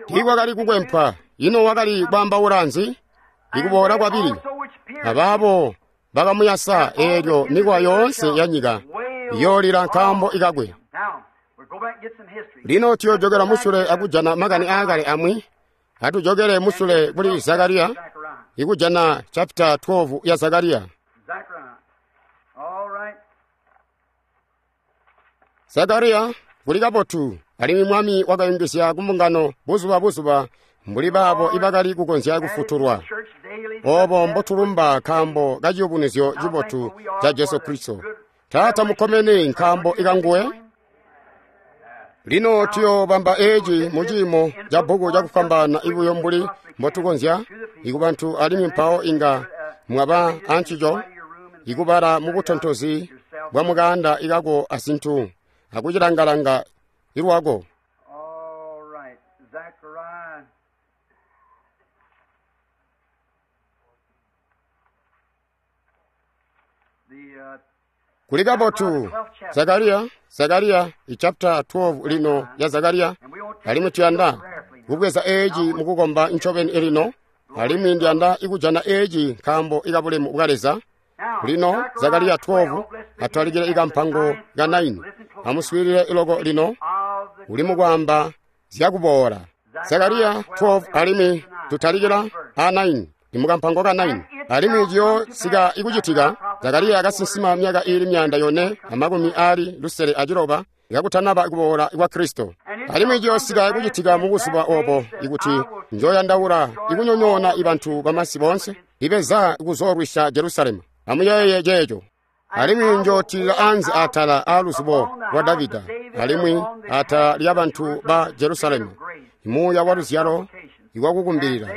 tiikwakali kukwempwa. Ino wakali kwaambaula nzi? Ikuboola kwabili. Abaabo bakamuyasa, eelyo mikowa yoonse ya nyika iyoolila nkaambo ikakwe. Lino tuyoojokela musule akujana makani aakale amwi. Atujokele musule kuli Zakariya ikujana chapter twelve ya Zakariya. Zechariah. All right. Zakariya kuli kabotu alimwi mwami wakayungizya kumbungano buzuba buzuba mbuli baabo ibakali kukonzya kufutulwa. Obo mbotulumba nkaambo ka ciyubunuzyo cibotu ca Jesu Kristo. Taata mukomene nkaambo ikanguwe. Lino tuyobamba eeci mu ciimo ca bbuku cakufwambaana ibuyo mbuli mbotukonzya ikubantu alimwi mpawo inga mwaba ancico ikubala mu butontozi bwa mukaanda ikako azintu akucilangalanga ilwako. All right. Zechariah. The, uh, Kuli kabotu Zakariya, Zakariya i chapter twelve lino ya Zakariya alimwi tuyanda kubweza eeci mukukomba ncobeni lino alimwi ndiyanda ikujana eeci nkaambo ikabulemu bwa Leza. Lino Zakariya twelve atwalikile ikampango ka nine. Amuswiilile iloko lino uli mukwaamba zyakuboola. Zakariya twelve alimwi tutalikila a nine imukampango ka nine. Alimwi ciyosika ikucitika Zakariya akasinsima myaka iili myanda yone amakumi aali lusele aciloba kakutanaba kuboola kwa Kristo. Alimwi ciyosika ikucitika mubuzuba obo ikuti njoyandaula ikunyonyoona ibantu bamasi boonse ibeza kuzoolwisya Jerusalemu. Amuyeeye ceeco. Alimwi njootilila anze atala aaluzubo lwa Davida alimwi atala lyabantu ba Jerusalemu muuya wa luzyalo iwakukumbilila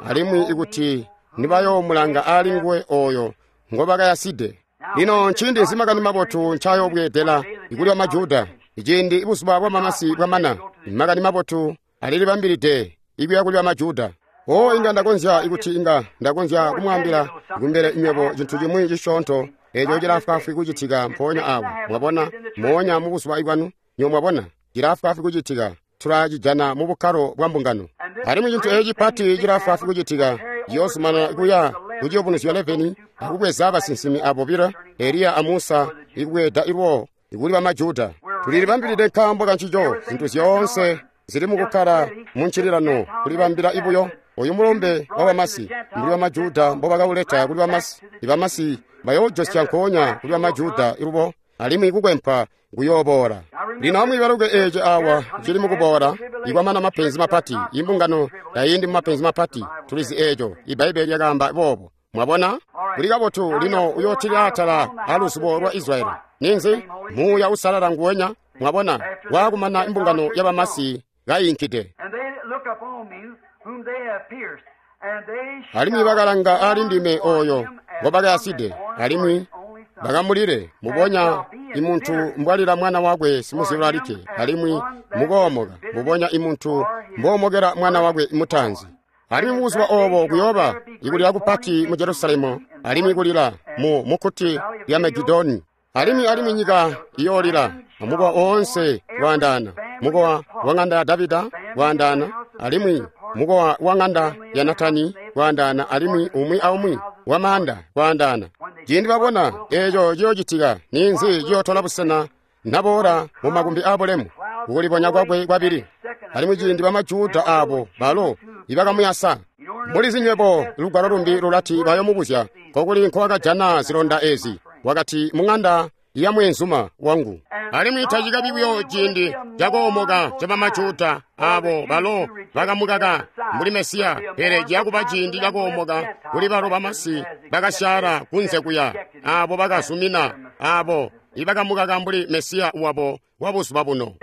alimwi ikuti nibayoomulanga aali nguwe ooyo ngobakayaside. Lino nciindi nzi makani mabotu ncayobweedela ikuli bamajuda iciindi ibuzuba bwamamasi bwamana makani mabotu alilibambilide ikuya kuli bamajuda. O inga ndakonzya ikuti inga ndakonzya kumwaambila kumbele nywebo cintu cimwi cisyoonto eeco cilaafwaafwi kucitika mpoonya awo. Mwabona, moonya mubuzuba bwanu nywebo mwabona cilaafwaafwi kucitika. Tulacijana mu bukkalo bwa mbungano. Alimwi cintu eeci cipati cilaafwaafwi kucitika ciyoozumanana kuya ku ciyubunuzyo eleven akubweza basinsimi abo bobilo Eliya a Musa ikubweeda ilwo ikuli bamajuda. Tulilibambilide nkaambo kancico zintu zyoonse zili mukukkala mu ncililano kulibambila ibuyo oyu mulumbe wa bamasi mbuli bamajuda mbobakauleta kuli bamasi. Ibamasi bayoojosya nkoonya kuli bamajuda ilubo alimwi kukwempa kuyooboola. Lino amwiibaluke eeci awa cili mukuboola ikwamana mapenzi mapati. Imbungano tayindi mumapenzi mapati, tulizi eeco Ibbaibeli lyakaamba boobo. Mwabona kuli kabotu. Lino uyootilila atala aluzubo lwa Israyeli. Ninzi muuya usalala nguwenya. Mwabona waakumana imbungano yabamasi kayinkide. And they look upon me whom they have pierced, and they Alimwi shall bakalanga aali ndime mourn oyo him as ngobakayaside one that mourneth alimwi for his only son. bakamulile mubonya imuntu mbwalila mwana wakwe simuzyalwa alikke alimwi mukoomoka mubonya imuntu mboomokela mwana wakwe mutanzi. Alimwi mubuzuba obo kuyooba ikulila kupati mu Jerusalemu alimwi kulila mu mukkuti lya Megidoni. Alimwi alimwi nyika iyoolila amukowa oonse waandaana, mukowa wa ng'anda ya Davida waandaana, alimwi mukowa wa ng'anda ya Natani waandaana, alimwi umwi aumwi wa maanda waandaana. Ciindi babona eeco ciyoocitika, ninzi ciyootola busena naboola mu makumbi aabulemu kukulibonya kwakwe kwabili. Alimwi ciindi bamajuda aabo balo ibakamuyasa. Mulizi nywebo lugwalo lumbi lulati bayomubuzya kokuli nkowakajana zilonda ezi. Wakati mung'anda ya mweenzuma wangu. Alimwi tacikabi buyo ciindi cakoomoka ca bamajuda aabo balo bakamukaka mbuli Mesiya, pele ciyakuba ciindi cakoomoka kuli balo bamasi bakasyaala kunze kuya aabo bakazumina aabo ibakamukaka mbuli Mesiya wabo wa buzuba buno.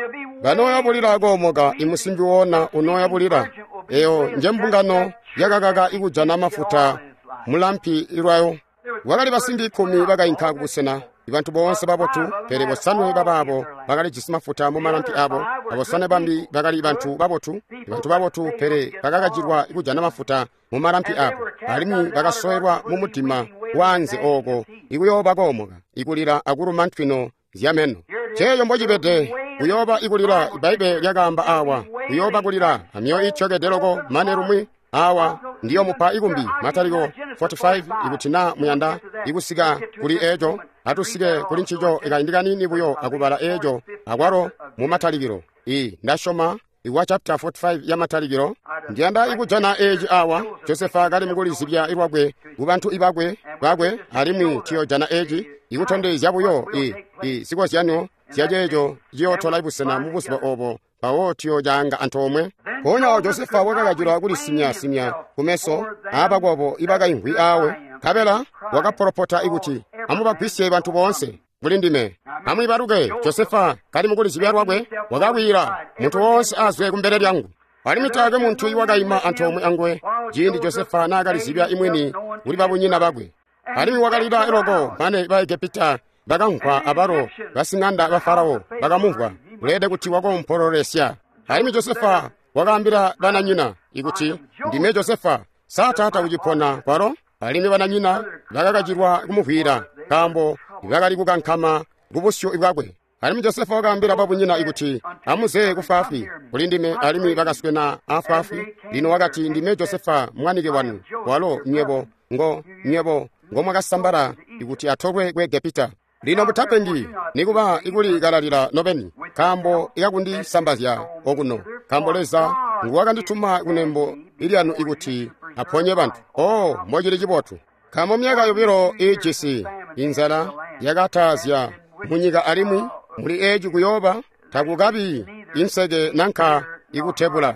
Banooyabulila koomoka imusimbi woona unooyabulila. Eyo nje mbungano yakakaka ikujana mafuta mulampi ilwayo. Wakali basimbi ikkumi bakainka kubusena ibantu boonse babotu, pele bosanwe babaabo bakalijisi mafuta mu malampi abo. Abosanwe bambi bakali bantu babotu, bantu babotu, pele bakakacilwa ikujana mafuta mu malampi abo, alimwi bakasoelwa mu mudima waanze ooko ikuyooba koomoka, ikulila akuluma ntwino zyameno. Ceeyo mbocibede kuyooba ikulila. Ibbaibeli lyakaamba awa kuyooba kulila amyoyo ityokede loko mane lumwi awa ndiyomupa ikumbi. Mataliko forty-five ikuti na muyanda ikusika kuli eeco atusike kuli ncico ikaindi kanini buyo akubala eeco akwalo mu Matalikilo. I ndasyoma wa chapter forty-five ya Matalikilo. Ndiyanda ikujana eeci awa Josefa kali mukulizibya lwakwe kubantu ibakwe bakwe, alimwi tuyojana eeci ikutondezya buyo i i zikozyanyo zyaceeco ciyootola busena mu buzuba obo, mpawo tuyocaanga antoomwe. Mpoonya Josefa wakakacilwa kulisimya-simya kumeso aabakwabo ibakaimvwi awe, nkabela wakapolopota kuti, amubagwisye bantu boonse kuli ndime. Amwiibaluke, Josefa kali mukulizibya lwakwe wakakwiila, muntu woonse azwe kumbele lyangu. Alimwi taakwe muntu iwakaima antoomwe anguwe ciindi Josefa naakalizibya imwini kuli babunyina bakwe. Alimwi wakalila loko mane Baegepita bakamvwa, abalo basiŋanda ba Farao bakamumvwa, kuleede kuti wakompololesya. Alimwi Josefa wakaambila bananyina ikuti, ndime Josefa, sa taata ucipona kwalo? Alimwi bananyina bakakacilwa kumuvwiila, nkaambo bakali kukankama kubusyu bwakwe. Alimwi Josefa wakaambila babunyina ikuti, amuze kufwaafwi kuli ndime. Alimwi bakaswena afwaafwi. Lino wakati, ndime Josefa mwanike wanu, walo nywebo ngo nywebo ngomwakasambala ikuti atolwe ku Egepita. Lino mutapengi nikuba ikulikalalila nobeni, nkaambo ikakundisambazya okuno, nkaambo Leza nguwakandituma kunembo ilyanu ikuti aponye bantu. Oh, mbocili cibotu! Nkaambo myaka yobilo iijisi inzala yakatazya munyika, alimwi muli eeci kuyooba takukabi inseke nanka ikutebula.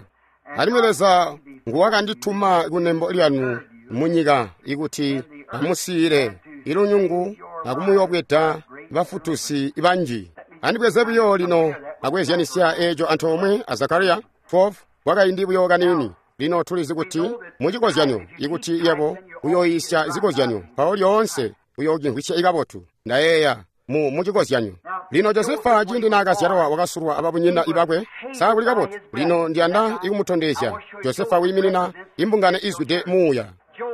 Alimwi Leza nguwakandituma kunembo lyanu munyika ikuti amusiile ilunyungu akumuyobweda bafutusi banji. Andibweze buyo lino akwezyanisya eeco antoomwe a Zakariya twelve kwakaindi buyo kaniini. Lino tulizi kuti mucikozyanyo ikuti yebo uyoyisya zikozyanyo, mpawo lyoonse uyoocimvwisya ikabotu. Ndayeeya mu mucikozyanyo. Lino Josefa ciindi naakazyalwa wakasulwa ababunyina ibakwe. Sa kuli kabotu? Lino ndiyanda ikumutondezya Josefa wiiminina imbungano izwide muuya.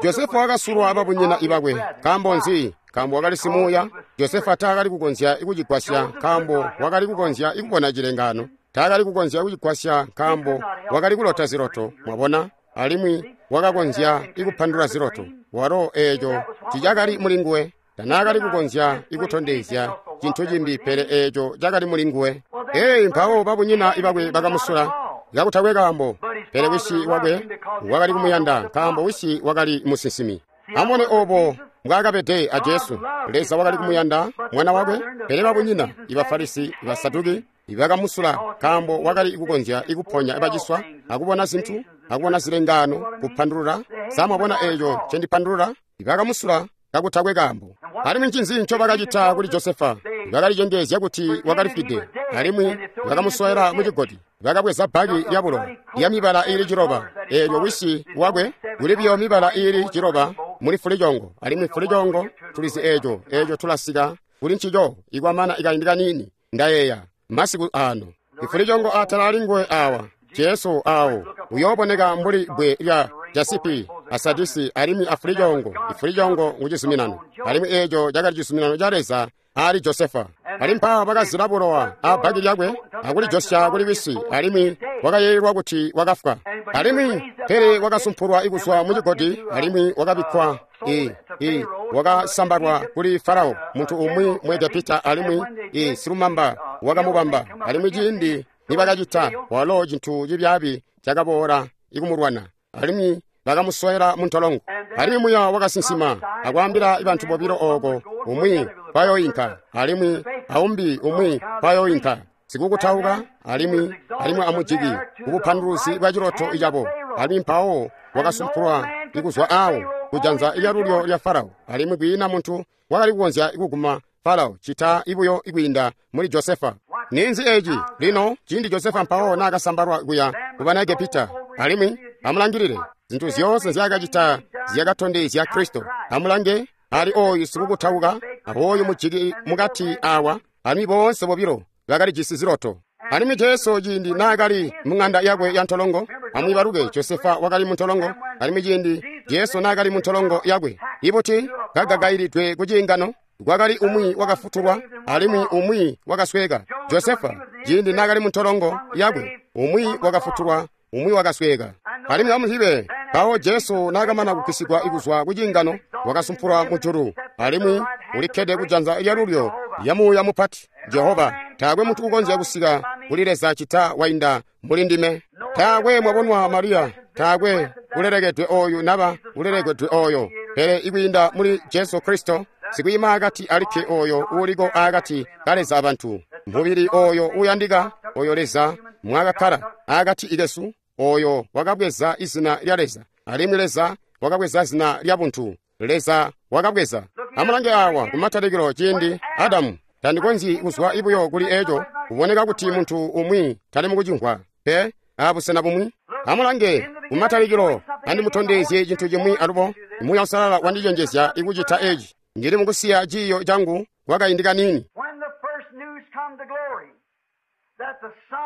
Josefa wakasulwa ababunyina ibakwe. Nkaambo nzi? Nkaambo wakali simuuya. Josefa taakali kukonzya kucigwasya nkaambo wakali kukonzya ikubona cilengano. Taakali kukonzya kucigwasya nkaambo wakali kulota ziloto, mwabona, alimwi wakakonzya ikupandula ziloto. Walo eeco ticakali mulinguwe. Tanaakali kukonzya ikutondezya cintu cimbi pele eeco cakali mulinguwe. Ee, mpawo babunyina ibakwe bakamusula kakutakwe kaambo, pele wisi wakwe wakali kumuyanda nkaambo wisi wakali musinsimi. Amubone oobo mbwaakabede a Jesu. Leza wakali kumuyanda mwana wakwe, pele babunyina ibafarisi ibasaduki bakamusula nkaambo wakali kukonzya ikuponya baciswa akubona zintu akubona zilengano kupandulula. Sa mwabona eeco ncendipandulula? Bakamusula kakutakwe kaambo. Alimwi ncinzi ncobakacita kuli Josefa? Bakalicengeezya kuti wakalifwide, alimwi bakamusowela mucigodi. Bakabweza bbaki lyabulowa lyamibala iili ciloba, eelyo wisi wakwe kuli buyo mibala iili ciloba muli fulicongo, alimwi fulicongo tulizi eeco eeco tulasika kuli ncico ikwamana ikaindi kaniini. Ndayeeya masiku ano ifulicongo atala alinguwe awa Jesu awo uyooboneka mbuli bbwe lya jasipi asadisi alimwi afulicongo. Ifulicongo ngucizuminano, alimwi eeco cakali cizuminano ca Leza ali Josefa. Ali mpawo bakazila bulowa abbaki lyakwe akulijosya kuli wisi, alimwi wakayeeyelwa kuti wakafwa. Alimwi pele wakasumpulwa ikuzwa mucigodi, alimwi wakabikkwa i i wakasambalwa kuli Farao, muntu umwi mu Egepita, alimwi i silumamba wakamubamba. Alimwi ciindi nibakacita, walo cintu cibyaabi cakaboola ikumulwana, alimwi bakamusowela muntolongo. Alimwi muya wakasinsima akwaambila bantu bobilo ooko, umwi kwayoinka alimwi aumbi umwi kwayoinka, sikukutauka alimwi alimwi amujiki kubupanduluzi bwa ciloto cabo. Alimwi mpawo wakasumpulwa ikuzwa awo kujanza lyalulyo lya Farao, alimwi kwiina muntu wakali kukonzya kuguma Farao cita ibuyo ikwiinda muli Josefa. Ninzi eeci? Lino ciindi Josefa mpawo naakasambalwa kuya kubana Egepita, alimwi amulangilile zintu zyoonse nzyaakacita zyakatondezya Kristo. Amulange ali ooyu sikukutauka awooyu mujiki mukati awa, alimwi boonse bobilo bakalijisi ziloto. Alimwi Jesu ciindi naakali mung'anda yakwe ya ntolongo, amwiibaluke Josefa wakali muntolongo. Alimwi ciindi Jesu naakali muntolongo yakwe, ibuti kagagailidwe ku ciingano, kwakali umwi wakafutulwa alimwi umwi wakasweka. Josefa ciindi naakali muntolongo yakwe, umwi wakafutulwa umwi wakasweka. Alimwi amuzibe mpawo Jesu naakamana kugwisigwa kuzwa ku ciingano, wakasumpulwa mujulu, alimwi ulikkede kujanza lyalulyo lya Muuya Mupati, Jehova Taakwe muntu ukonzya kusika kuli Leza cita wainda muli ndime. Taakwe mwabonwa Mariya, taakwe ulelekedwe oyu naba ulelekedwe oyo, pele ikwiinda muli Jesu Kristo, sikwiima akati alikke oyo uuliko akati ka Leza abantu. Mubili oyo uyandika, oyo Leza mwakakkala akati ikesu, oyo wakabweza izina lya Leza, alimwi Leza wakabweza zina lya buntu. Leza wakabweza. Amulange awa kumatalikilo ciindi Adamu tandikonzyi kuzwa ibuyo kuli eco, kuboneka kuti muntu umwi tali mukucimvwa pe abusena bumwi. Amulange kumatalikilo, andimutondezye cintu cimwi alubo. Muuya Uusalala wandicenjezya ikucita eci. Ndili mukusiya ciiyo changu kwakaindi kanini.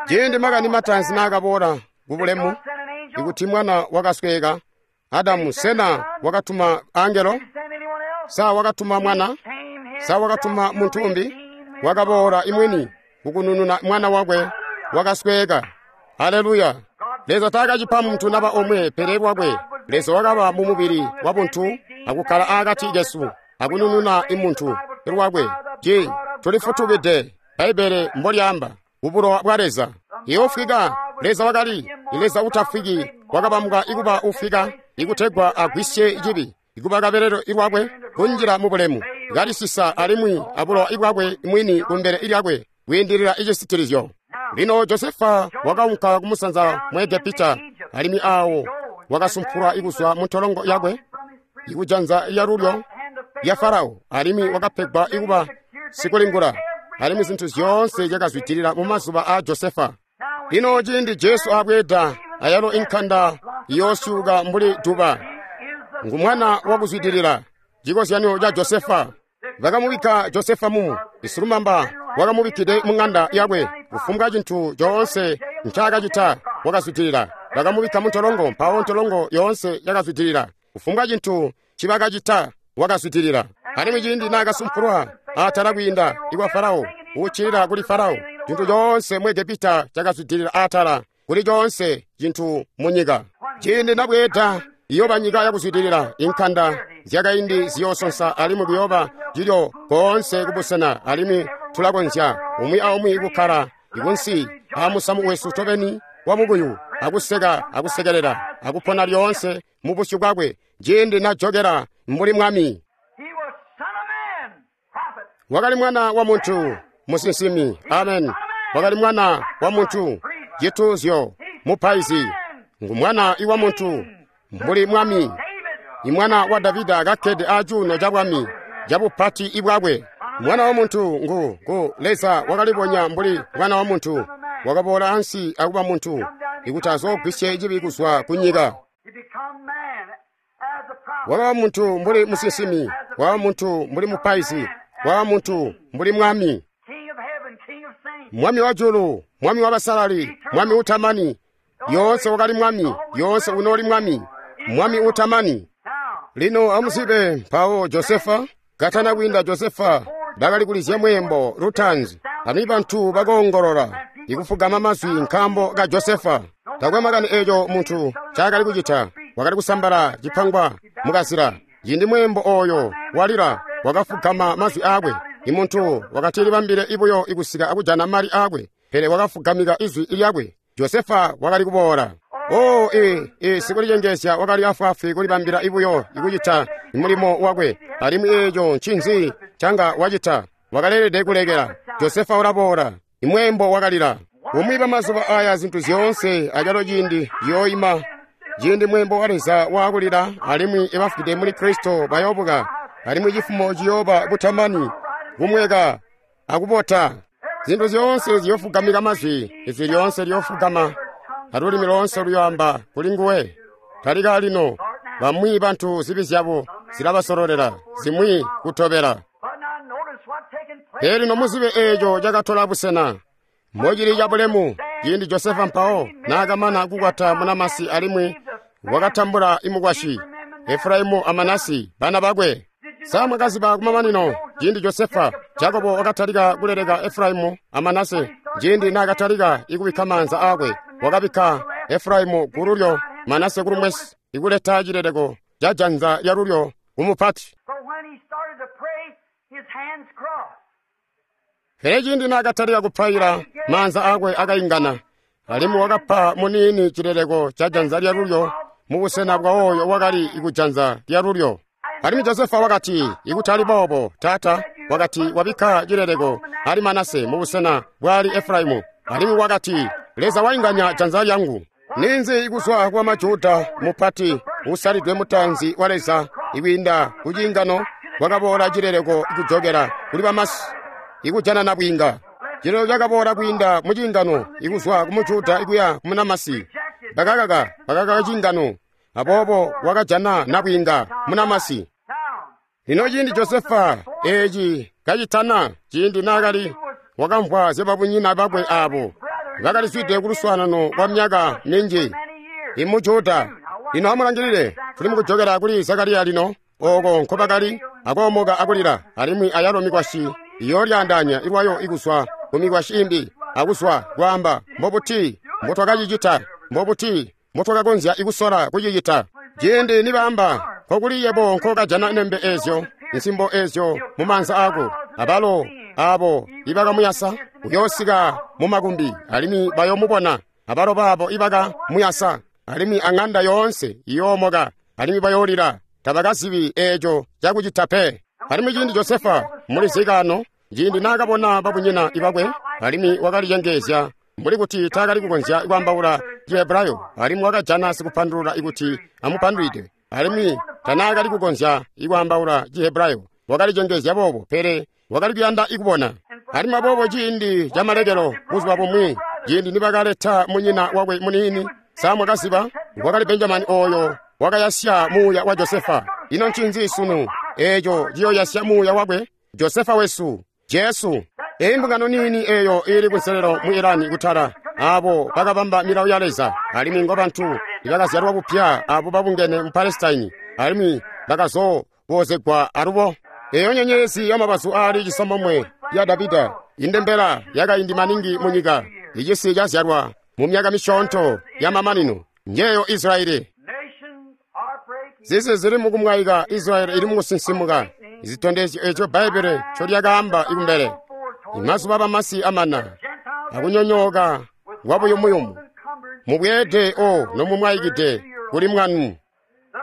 Ciindi makani mataanzi naakaboola kubulemu ikuti mwana wakasweka, Adamu sena wakatuma angelo? Sa wakatuma mwana? Sa wakatuma muntu umbi? Wakaboola imwini kukunununa mwana wakwe wakasweka. Haleluya! Leza taakacipa muntu naba omwe pele lwakwe. Leza wakaba mu mubili wa buntu akukkala akati kesu akunununa imuntu lwakwe. Ci tulifutukide Bbaibele mbolyaamba kubulowa bwa Leza. Iwofwika Leza wakali Leza utafwiki wakabambwa ikuba ufwika ikutegwa agwisye cibi ikuba kabelelo ilwakwe kunjila mu bulemu kalisisa alimwi abulowa ibwakwe mwini kumbele ilyakwe kwiindilila icisitilizyo. Lino Josefa wakaunka kumusanza mu Egepita alimwi awo wakasumpulwa ikuzwa mu ntolongo yakwe ikujanza lyalulyo lya Farao alimwi wakapegwa ikuba sikulingula alimwi zintu zyoonse zyakazwidilila mu mazuba a Josefa. Lino ciindi Jesu abweeda ayalo inkanda iyoosyuka mbuli duba. Ngu mwana wakuzwidilila, cikozyanyo ca Josefa. Bakamubikka Josefa mumu isilumamba wakamubikkide mu ŋanda yakwe. Kufumbwa cintu coonse ncaakacita wakazwidilila. Bakamubikka mu ntolongo, mpawo ntolongo yoonse yakazwidilila. Kufumbwa cintu ncibakacita wakazwidilila. Alimwi ciindi naakasumpulwa atala kwiinda ikwa Farao, uccilila kuli Farao, cintu coonse mu Egepita cakazwidilila atala kuli coonse cintu mu nyika. Ciindi nabweeda iyooba nyika yakuzwidilila, inkanda zyakaindi ziyoosonsa alimwi kuyooba cilyo koonse kubusena, alimwi tulakonzya umwi aumwi kukkala ikunsi aamusamu wesu tobeni wa mukuyu akuseka akusekelela akupona lyoonse mu busyu bwakwe ciindi najokela mbuli mwami. Wakali mwana wa muntu, musinsimi. Amen. Wakali mwana wa muntu, cituuzyo, mupaizi. Ngu mwana iwa muntu, mbuli mwami. Imwana wa Davida kakkede acuuno ca bwami cabupati ibwakwe. Mwana wa muntu ngu ngu Leza wakalibonya mbuli mwana wa muntu, wakaboola ansi akuba muntu ikuti azoogwisye cibi kuzwa ku nyika. Wakaba muntu mbuli musinsimi, wakaba muntu mbuli mupaizi, wakaba muntu mbuli mwami. Mwami wa julu, mwami wa basalali, mwami utamani. Yoonse wakali mwami, yoonse unooli mwami, mwami utamani. Lino amuzibe mpawo Josefa, katana kwiinda Josefa, bakali kulizya mweembo lutaanzi, alimwi bantu bakoongolola ikufugama mazwi nkaambo ka Josefa. Takwe makani eeco muntu ncaakali kucita, wakali kusambala cipangwa mukazila. Ciindi mweembo ooyo walila, wakafugama mazwi aakwe. Imuntu wakati libambile ibuyo ikusika akujana mali aakwe, pele wakafugamika izwi lyakwe. Josefa wakali kuboola. Oh, ee, ee, sikulicengeezya wakali afwaafwi kulibambila ibuyo ikucita mulimo wakwe, alimwi eeco ncinzi canga wacita. Wakaleelede kulekela. Josefa ulaboola. Imweembo wakalila. Umwi bamazuba aya zintu zyoonse acalo ciindi ciyooima. Ciindi mweembo wa Leza waakulila, alimwi ibafwide muli Kristo bayoobuka, alimwi cifumo ciyooba butamani, kumweka akubota. Zintu zyoonse ziyofugamika mazwi, izwi lyoonse liyofugama, alulimi loonse luyoamba kuli nguwe. Talika lino, bamwi bantu zibi zyabo zilabasololela, zimwi kutobela. Pele lino muzibe eeco cakatola busena. Mocili cabulemu, ciindi Josefa mpawo naakamana kukwata munamasi alimwi wakatambula imukwasyi, Efraimu a Manase bana bakwe. Sa mwakaziba kumamanino, ciindi Josefa, Jakobo wakatalika kuleleka Efraimu a Manase. Ciindi naakatalika ikubikka maanza aakwe, wakabikka Efraimu kululyo, Manase kulumwesi, ikuleta cileleko ca janza lyalulyo kumupati. Pele ciindi naakatalika kupaila, maanza aakwe akaingana, alimwi wakapa muniini cileleko ca janza lyalulyo mubusena bwa oyo wakali kujanza lyalulyo. Alimwi Josefa wakati, ikutali boobo, taata, wakati wabikka cileleko ali Manase mubusena bwali Efraimu. Alimwi wakati, Leza wainganya janza lyangu. Ninzi ikuzwa kwa Majuda mupati usalidwe mutanzi wa Leza ikwiinda kuciingano kwakaboola cileleko ikujokela kuli bamasi ikujana nabwiinga. Cileleko cakaboola kwiinda muciingano ikuzwa ku Mujuda ikuya ku munamasi. Bakakaka bakakaka ciingano, aboobo wakajana nabwiinga munamasi. Lino ciindi Josefa eeci kacitana, ciindi naakali wakamvwa zyababunyina bakwe aabo bakalizwide kuluswaanano kwa myaka minji imujuda. Lino amulangilile, tuli mukujokela kuli Zakariya lino, ooko nkobakali akoomoka akulila, alimwi ayalo mikwasyi iyoolyaandaanya ilwayo ikuzwa ku mikwasyi imbi akuzwa kwaamba mbobuti mbotwakacicita, mbobuti mbotwakakonzya ikusola kucicita. Ciindi nibaamba nkokuli yebo nkokajana nembe eezyo, nsimbo eezyo mumaanza aako, abalo aabo ibakamuyasa uyoosika mumakumbi, alimwi bayoomubona, abalo baabo ibakamuyasa, alimwi aŋanda yoonse iyoomoka, alimwi bayoolila, tabakazibi eeco cakucita pe. Alimwi ciindi Josefa mulizikaano, ciindi naakabona babunyina ibakwe, alimwi wakalicengeezya mbuli kuti taakali kukonzya kwaambaula Cihebrayo, alimwi wakajana sikupandulula ikuti amupandulwide, alimwi tanaakali kukonzya ikwaambaula Cihebrayo, wakalicengeezya boobo, pele wakali kuyanda ikubona. Alimwi aboobo ciindi camalekelo buzuba bumwi, ciindi nibakaleta munyina wakwe muniini, samwakaziba wakali Benjamini ooyo wakayasya muuya wa Josefa. Ino ncinzi sunu eeco ciyoyasya muuya wakwe? Josefa wesu, Jesu. Eyi mbungano niini eeyo iili kunselelo mu Irani kutala, aabo bakabamba milawo ya Leza, alimwi ngobantu ibakazyalwa bupya abo babungene mu Palestine, alimwi bakazoobozegwa alubo. Eyo nyenyezi yamabazu aali cisambomwe ya Davida, indembela yakaindi maningi munyika, icisi cazyalwa mu myaka misyoonto yamamanino, njeyo Israeli. Zisi zili mukumwaika, Israeli ili mukusinsimuka. Zitondezyo eco Bbaibbele ncolyakaamba ikumbele. Imazuba bamasi amana, akunyonyooka kwabuyumuyumu. Mubweede o nomumwaikide kuli mwanu.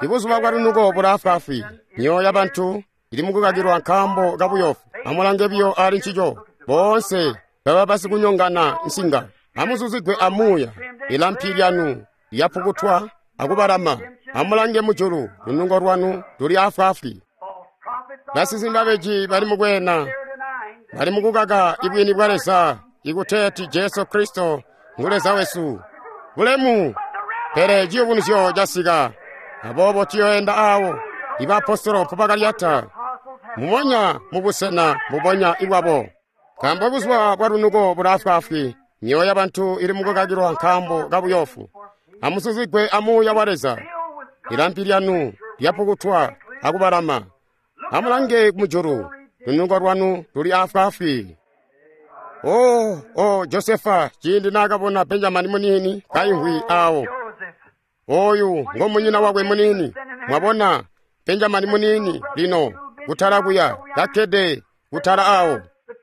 Ibuzuba bwalunuko bulaafwaafwi, myoyo yabantu ili mukukakilwa nkaambo kabuyofu. Amulange biyo ali ncico, boonse baba basikunyongana nsinga. Amuzuzigwe amuuya, ilampi lyanu lyapukutwa akubalama. Amulange mujulu, lunungo lwanu luli afwaafwi. Basinsimi babeji bali mukweena, bali mukukaka ibwini bwa Leza, ikuteeti Jesu Kristo ngu Leza wesu. Bulemu! Pele ciyubunuzyo casika, aboobo tuyoenda aawo ibaapostolo mpobakalyata, mumonya mubusena mbubonya ibwabo. Nkaambo buzuba bwalunuko bulaafwaafwi, myoyo yabantu ili mukukakilwa nkaambo kabuyofu. Amuzuzigwe amuuya wa Leza, ilampi lyanu lyapukutwa akubalama. Amulange mujulu, lunuko lwanu luli afwaafwi. Oh, oh, Josefa, ciindi naakabona Benjamini muniini kaimvwi aawo, oyu ngomunyina wakwe muniini. Mwabona Benjamini muniini lino kutala kuya kakkede kutala aawo.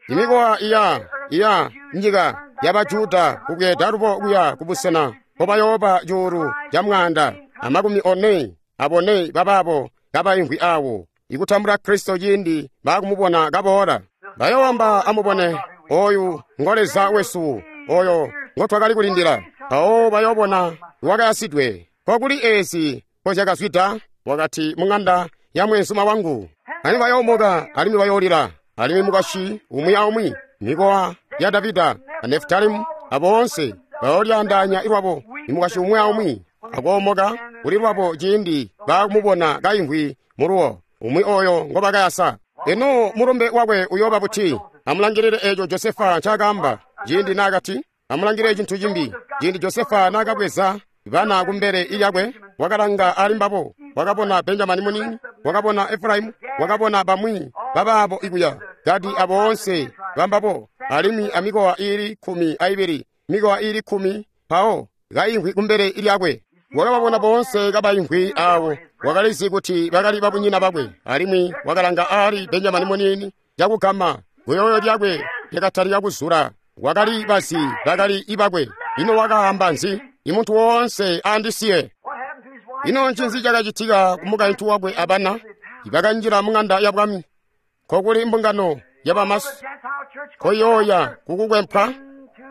Imikowa iya iya nyika yabajuda kubweeda lubo kuya kubusena mpobayooba cuulu ca mwaanda amakumi one abone babaabo kabaimvwi aawo ikutambula Kristo ciindi baakumubona kaboola. Bayoowamba amubone, oyu ngo Leza wesu, oyo ngotwakali kulindila. Mpawo bayoobona wakayasidwe. Kokuli eezi nkozyakazwida, wakati muŋanda ya mweenzuma wangu. Alimwi bayoomoka, alimwi bayoolila, alimwi mukwasyi umwi aumwi, mikowa ya Davida a Nefutalimu aboonse bayoolyaandaanya lwabo, imukwasyi umwi aumwi akoomoka kuli lwabo ciindi baakumubona kaimvwi muluwo, umwi oyo ngobakayasa. Ino mulumbe wakwe uyooba buti? Amulangilile eeco Josefa ncaakaamba ciindi naakati, amulangilile cintu cimbi. Ciindi Josefa naakabweza bana kumbele lyakwe, wakalanga ali mbabo, wakabona Benjamini muniini, wakabona Efraimu, wakabona bamwi babaabo ikuya, Gadi aboonse bambabo, alimwi amikowa iili kkumi aibili, mikowa iili kkumi, mpawo kaimvwi kumbele lyakwe. Wakababona boonse kabaimvwi aawo, wakalizi kuti bakali babunyina bakwe, alimwi wakalanga ali Benjamini muniini cakugama kuyoyo lyakwe yakatalika kuzula. Wakali bazi bakali ibakwe. Ino wakaamba nzi? Imuntu woonse andisiye. Ino ncinzi cakacitika ku mukaintu wakwe abana ibakanjila mung'anda ya bwami? Nkokuli mbungano ya bamasi koyoya kukukwempwa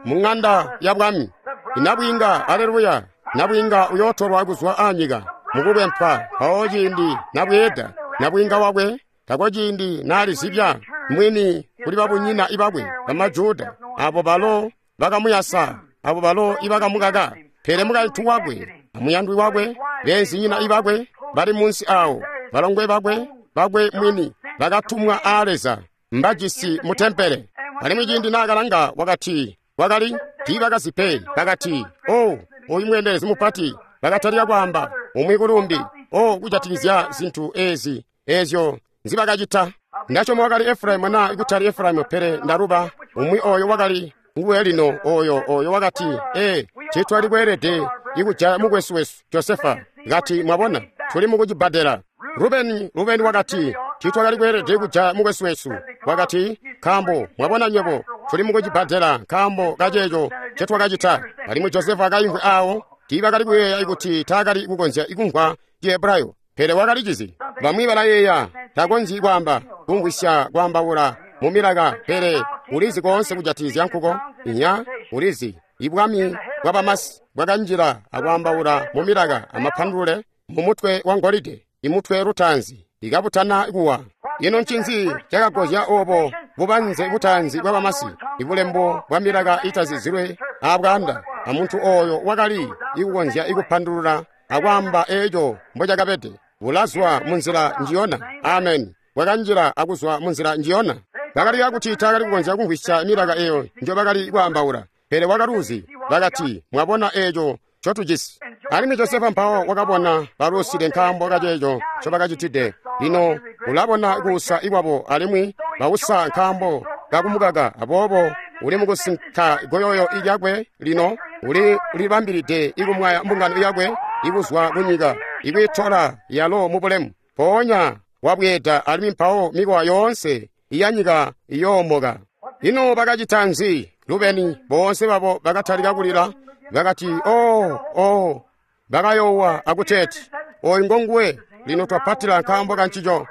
mung'anda ya bwami. Inabwinga, aleluya, nabwinga uyotolwa kuzwa anyika mukukwempwa. Mpawo ciindi nabweeda nabwinga wakwe tako ciindi nalizibya mwini kuli babunyina ibakwe bamajuda abo balo bakamuyasa, abo balo ibakamukaka. Pele mukaintu wakwe amuyandwi wakwe beenzinyina ibakwe bali munsi awo, balongwe bakwe bakwe mwini bakatumwa a Leza mbajisi mu tempele. Alimwi ciindi naakalanga wakati wakali tiibakazi pe. Bakati, o oyu mweendelezi mupati. Bakatalika kwaamba umwi kulumbi, o kujatikizya zintu ezi ezyo nzibakacita. Ndasyoma wakali Efraimu na kutali Efraimu, pele ndaluba umwi oyo wakali nguwe lino oyo oyo wakati, ee, citwali kweelede ikujaya mukwesu wesu Josefa. Kati, mwabona, tuli mukucibbadela. Rubeni, Rubeni wakati, titwakali kweelede kujaya mukwesu wesu. Wakati, nkaambo mwabona nywebo tuli mukucibbadela nkaambo kaceeco ncetwakacita. Alimwi Josefa akaimvwi awo, tiibakali kuyeeya kuti taakali kukonzya ikumvwa Cihebrayo, pele wakalicizi. Bamwi balayeeya takonzyi kwaamba kumvwisya kwaambaula mu milaka, pele ulizi koonse kujatikizya nkuko. Inya, ulizi ibwami bwa bamasi bwakanjila akwaambaula mu milaka amapandule mu mutwe wa ngolide, imutwe lutaanzi ikabutana kuwa. Ino ncinzi cakagozya obo bubanze butaanzi bwa bamasi? Ibulembo bwa milaka itazizilwe abwaanda, amuntu oyo wakali ikukonzya ikupandulula akwaamba eeco mbocakabede. Bulazwa munzila njiyona. Amen. Bwakanjila akuzwa munzila njiyona. Bakali kuti taakali kukonzya kumvwisya milaka eyo njobakali kwaambaula, pele wakaluzi. Bakati, mwabona eeco ncotujisi. Alimwi Josefa mpawo wakabona balusile nkaambo kaceeco ncobakacitide. Lino ulabona kuusa ikwabo, alimwi bausa nkaambo kakumukaka. Aboobo uli mukusinka goyoyo ilyakwe lino, uli libambilide ikumwaya mbungano yakwe ikuzwa kunyika, ikwiitola yalo mubulemu. Mpoonya wabweeda, alimwi mpawo mikowa yoonse iyanyika iyoomoka. Ino bakacita nzi? Rubeni boonse babo bakatalika kulila. Bakati, o o, bakayoowa akuteeti, oyu ngonguwe, lino twapatila nkaambo kancico,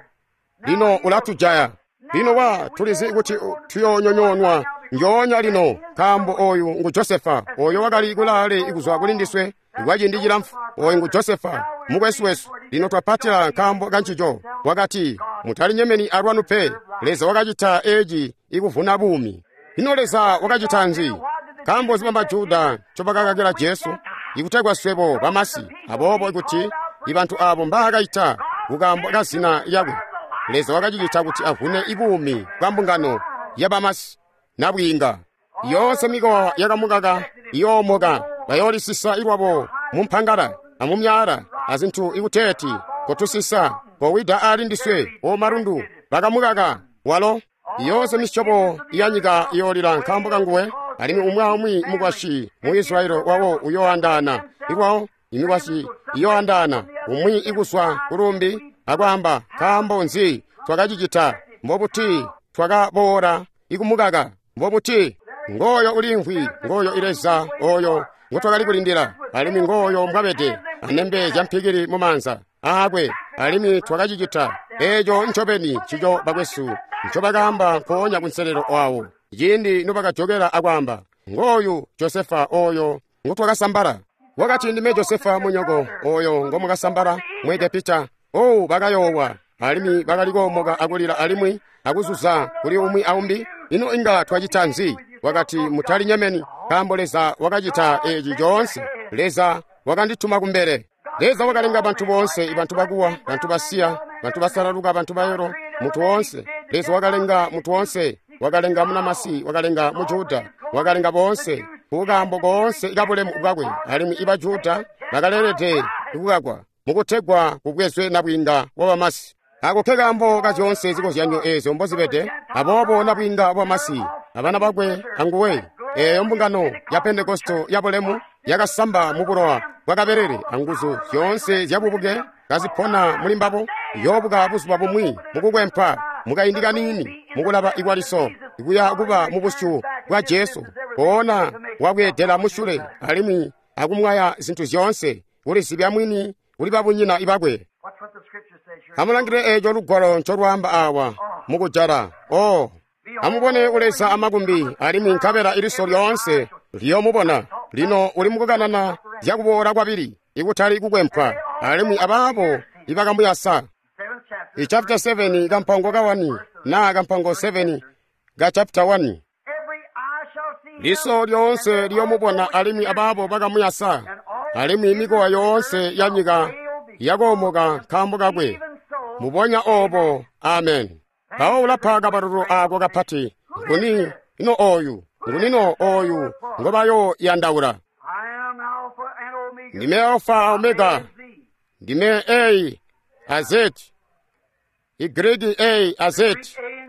lino ulatujaya. Lino wa tulizi kuti tuyoonyonyoonwa njoonya lino, nkaambo oyu ngu Josefa, oyo wakali kulaale ikuzwa kuli ndiswe kwa ciindi cilamfu. Oyu ngu Josefa mukwesu wesu, lino twapatila nkaambo kancico. Wakati, mutalinyemeni alwanu pe, Leza wakacita eci ikuvuna buumi. Ino Leza wakacita nzi? Nkaambo nzi bamajuda ncobakakakila Jesu? Ikutegwa swebo bamasi, aboobo ikuti ibantu abo mbaakaita kukaambo kazina lyakwe. Leza wakacicita kuti avune ibuumi bwa mbungano ya bamasi nabwiinga. Yoonse mikowa yakamukaka iyoomoka, bayoolisisa ilwabo mumpangala amumyaala azintu ikuteeti kotusisa kowida ali ndiswe omalundu. Bakamukaka walo. Yoonse misyobo yanyika iyoolila nkaambo kanguwe, alimwi umwi aumwi mukwasyi mu Israeli wawo uyoandaana ilwawo, imikwasyi iyoandaana umwi ikuswa kulumbi akwaamba, nkaambo nzi twakacicita? Mbobuti twakaboola ikumukaka? Mbobuti? Ngooyo ulimvwi, ngooyo ileza oyo ngotwakali kulindila, alimwi ngooyo mbwabede anembe zyampikili mumaanza aakwe, alimwi twakacicita eeco ncobeni ncico bakwesu ncobakaamba nkoonya kunselelo wawo ciindi nobakajokela akwaamba, ngooyu Josefa oyo ngotwakasambala. Wakati, ndime Josefa munyoko oyo ngomukasambala mu Egepita. Oh, bakayoowa alimwi bakali koomoka akulila alimwi akuzuza kuli umwi aumbi. Ino inga twacita nzi? Wakati, mutalinyemeni, nkaambo Leza wakacita eci coonse. Leza wakandituma kumbele. Leza wakalenga bantu boonse, bantu bakuwa, bantu basiya, bantu basalaluka, bantu bayolo, mutu woonse. Leza wakalenga mutu woonse, wakalenga munamasi, wakalenga mujuda, wakalenga boonse kukaambo koonse kabulemu bwakwe. Alimwi ibajuda bakaleelede kukakwa mukutegwa kubwezwe nabwiinga wa bamasi. Ako ke kaambo ka zyoonse zikozyanyo eezyo mbozibede. Aboobo nabwiinga wa bamasi abana bakwe anguwe, eeyo mbungano ya Pentekosto ya bulemu yakasamba mu bulowa bwakabelele anguzu zyoonse zyabubuke kazipona muli mbabo, yoobuka buzuba bumwi mukukwempwa Mukaindi kaniini mukulaba ikwaliso ikuya kuba mubusyu bwa Jesu poona wabweedela musyule alimwi akumwaya zintu zyoonse kulizibya mwini kuli babunyina ibakwe. Amulangile eeco lugwalo ncolwaamba awa mukujala. Oh, amubone uleza amakumbi alimwi nkabela iliso lyoonse liyomubona. Lino uli mukukanana zyakuboola kwabili ikutali kukwempwa alimwi abaabo ibakamuyasa. I chapter seven kampango ka one na kampango seven ka chapter one. Liso lyoonse liyomubona alimwi abaabo bakamuyasa alimwi mikowa yoonse ya nyika yakoomoka nkaambo kakwe. Mubonya obo. Amen. Mpawo ulapa kabalulu ako kapati. Nguni ino oyu? Nguni oyu ngobayoyandaula? Ndime Alpha a Omega, ndime A a Z, Y A a Z,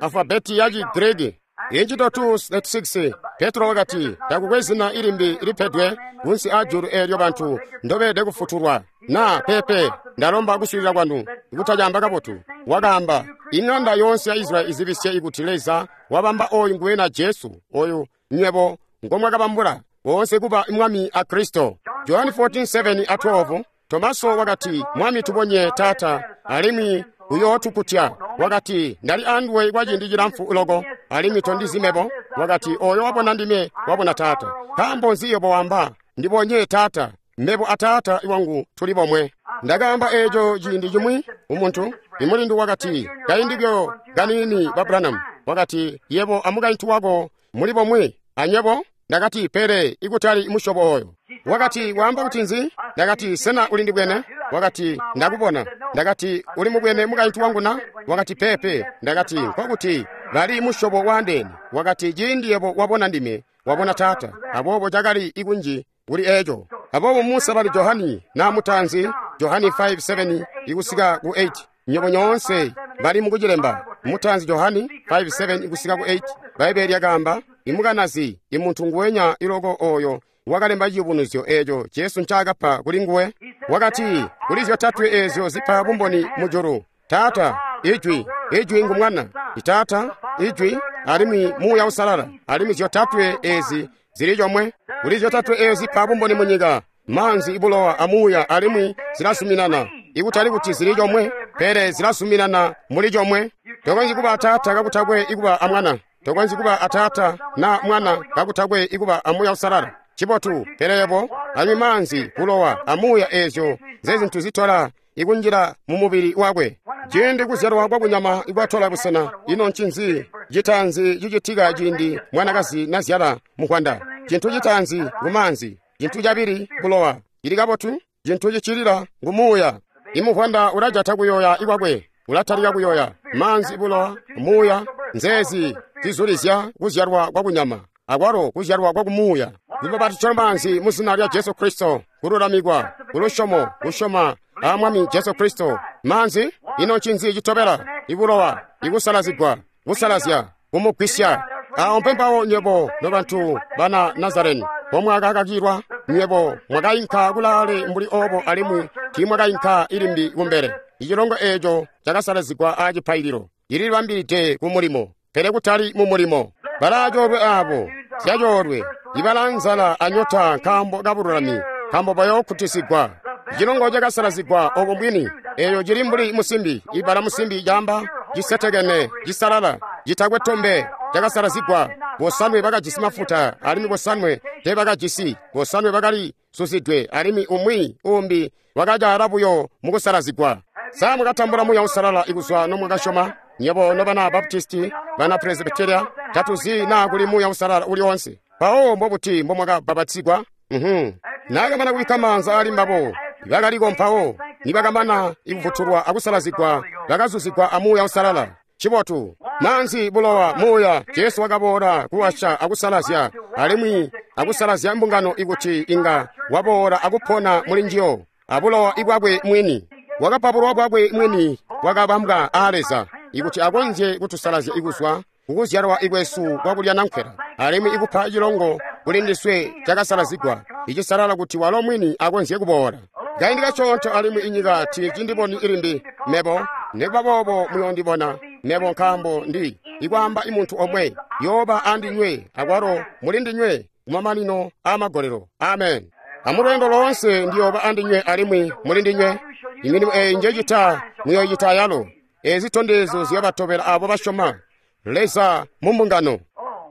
alfabeti ya Chigriki. Inchito two six Petro wakati takukwe zina ilimbi lipedwe kunsi a julu eelyo bantu ndobede kufutulwa. Na pepe ndalomba kuswilila kwanu ikutayamba kabotu. Wakaamba ing'anda yonse ya Israeli izibisye ikuti Leza wabamba oyu nguwena Jesu oyu nywebo ngomwakabambula wonse kuba mwami a Kristo. John fourteen seven a twelve Tomaso wakati mwami tubonye tata alimwi uyootukutya. Wakati ndali anduwe kwa ciindi cilamfu loko alimwi tondizimebo. Wakati oyo wabona ndime wabona tata. Nkaambo nzi yobo wamba ndibonye tata? Mebo a tata iwangu tuli bomwe. Ndakaamba eeco ciindi cimwi umuntu imulindu wakati kaindikyo kanini ba Branham. Wakati yebo amukaintu wako muli bomwe anyebo. Ndakati pele ikutali musyobo oyo. Wakati waamba kuti nzi? Ndakati sena uli ndibwene? Wakati ndakubona. Ndakati uli mubwene mukaintu wangu na? Wakati pepe. Ndakati nkokuti bali musyobo waandeene. Wakati ciindi yebo wabona ndime wabona tata. Aboobo cakali ikunji kuli eeco. Aboobo Musa bali Johani na mutanzi Johani five seven ikusika ku eight. Nyobo nyoonse bali mukucilemba. Mutanzi Johani five seven ikusika ku eight. Baibulo lyakaamba imukanazi imuntu nguwenya iloko oyo wakalemba ciyubunuzyo eeco Jesu ncaakapa kuli nguwe. Wakati kuli zyotatwe eezyo zipa bumboni mujulu: Taata, Ijwi, Ijwi ngu Mwana, Taata, Ijwi alimwi Muuya Usalala. Alimwi zyotatwe eezi zili comwe. Kuli zyotatwe eezyo zipa bumboni munyika: maanzi, ibulowa amuuya, alimwi zilasuminana. Ikutali kuti zili comwe, pele zilasuminana muli comwe. Tokonzyi kuba Taata kakutakwe ikuba amwana. Tokonzyi kuba atata na mwana kakutakwe ikuba amuuya usalala. Cibotu, pele yebo anywi maanzi, bulowa amuuya eezyo nzezintu zitola ikunjila mu mubili wakwe. Ciindi kuzyalwa kwakunyama ikwatola busena, ino ncinzi citaanzi cicitika ciindi mwanakazi nazyala mukwanda? Cintu citaanzi ngumaanzi, cintu cabili bulowa. Cili kabotu, cintu cicilila ngumuuya. Imukwanda ulajata kuyoya ikwakwe, ulatalika kuyoya maanzi, bulowa, muuya. Nzeezi zizulizya kuzyalwa kwakunyama akwalo kuzyalwa kwakumuuya. Lubapatizo maanzi mu zina lya Jesu Kristo, kululamikwa kulusyomo, kusyoma a Mwami Jesu Kristo. Maanzi, ino ncinzi citobela? Ibulowa, ikusalazigwa, kusalazya, kumugwisya. Awo mpempawo nywebo nobantu bana Nazareni pomwakakakilwa, nywebo mwakainka kulaale mbuli obo alimwi tiimwakainka ilimbi kumbele. Icilongo eeco cakasalazigwa a cipaililo, cililibambilide ku mulimo, pele kutali mu mulimo. Balaacoolwe aabo zyacoolwe ibalanzala anyota nkaambo kabululami, nkaambo bayookutisigwa. Icilongo cakasalazigwa obo mbwini, eeyo cili mbuli musimbi. Ibala musimbi caamba cisetekene, cisalala, citakwe tombe, cakasalazigwa. Bosanwe bakajisi mafuta alimwi bosanwe teebakajisi. Bosanwe bakali suzidwe alimwi umwi umbi wakacaala buyo mukusalazigwa. Sa mwakatambula Muuya Usalala ikuzwa nomwakasyoma? Nyebo nobana Baptisti, bana Presbyteria, tatuzi naa kuli Muuya Usalala uli onse. Mpawo mbobuti mbomwakabapatizigwa? Mhm. Naakamana kubikka maanza ali mbabo, bakaliko mpawo nibakamana ikufutulwa akusalazigwa, bakazuzigwa a Muuya Usalala. Cibotu, maanzi, bulowa, muuya. Jesu wakaboola kuwasha akusalazya alimwi akusalazya mbungano ikuti inga waboola akupona muli njiyo abulowa ibwakwe mwini. Wakapa bulowa bwakwe mwini bwakabambwa a Leza ikuti akonzye kutusalazya ikuzwa kukuzyalwa ikwesu kwakulya nankwela, alimwi ikupa cilongo kuli ndiswe cakasalazigwa icisalala kuti walo mwini akonzye kuboola. Kaindi kacoonto alimwi inyika tiicindiboni ilimbi mebo, nikuba boobo muyondibona, Mebo nkaambo ndi ikwaamba imuntu omwe yooba andinywe akwalo muli ndinywe kumamanino amagolelo. Amen. Amulweendo loonse ndiyooba andinywe alimwi muli ndinywe. Imilimo eyi njecita muyoyita yalo. Ezi zitondezyo ziyobatobela abo basyoma. Leza mu mbungano.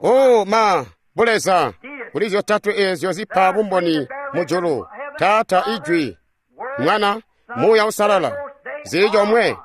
Oh ma buleza kuli zyotatwe ezyo zipa bumboni mujulu. Taata Ijwi, Mwana, Muuya Usalala zili chomwe.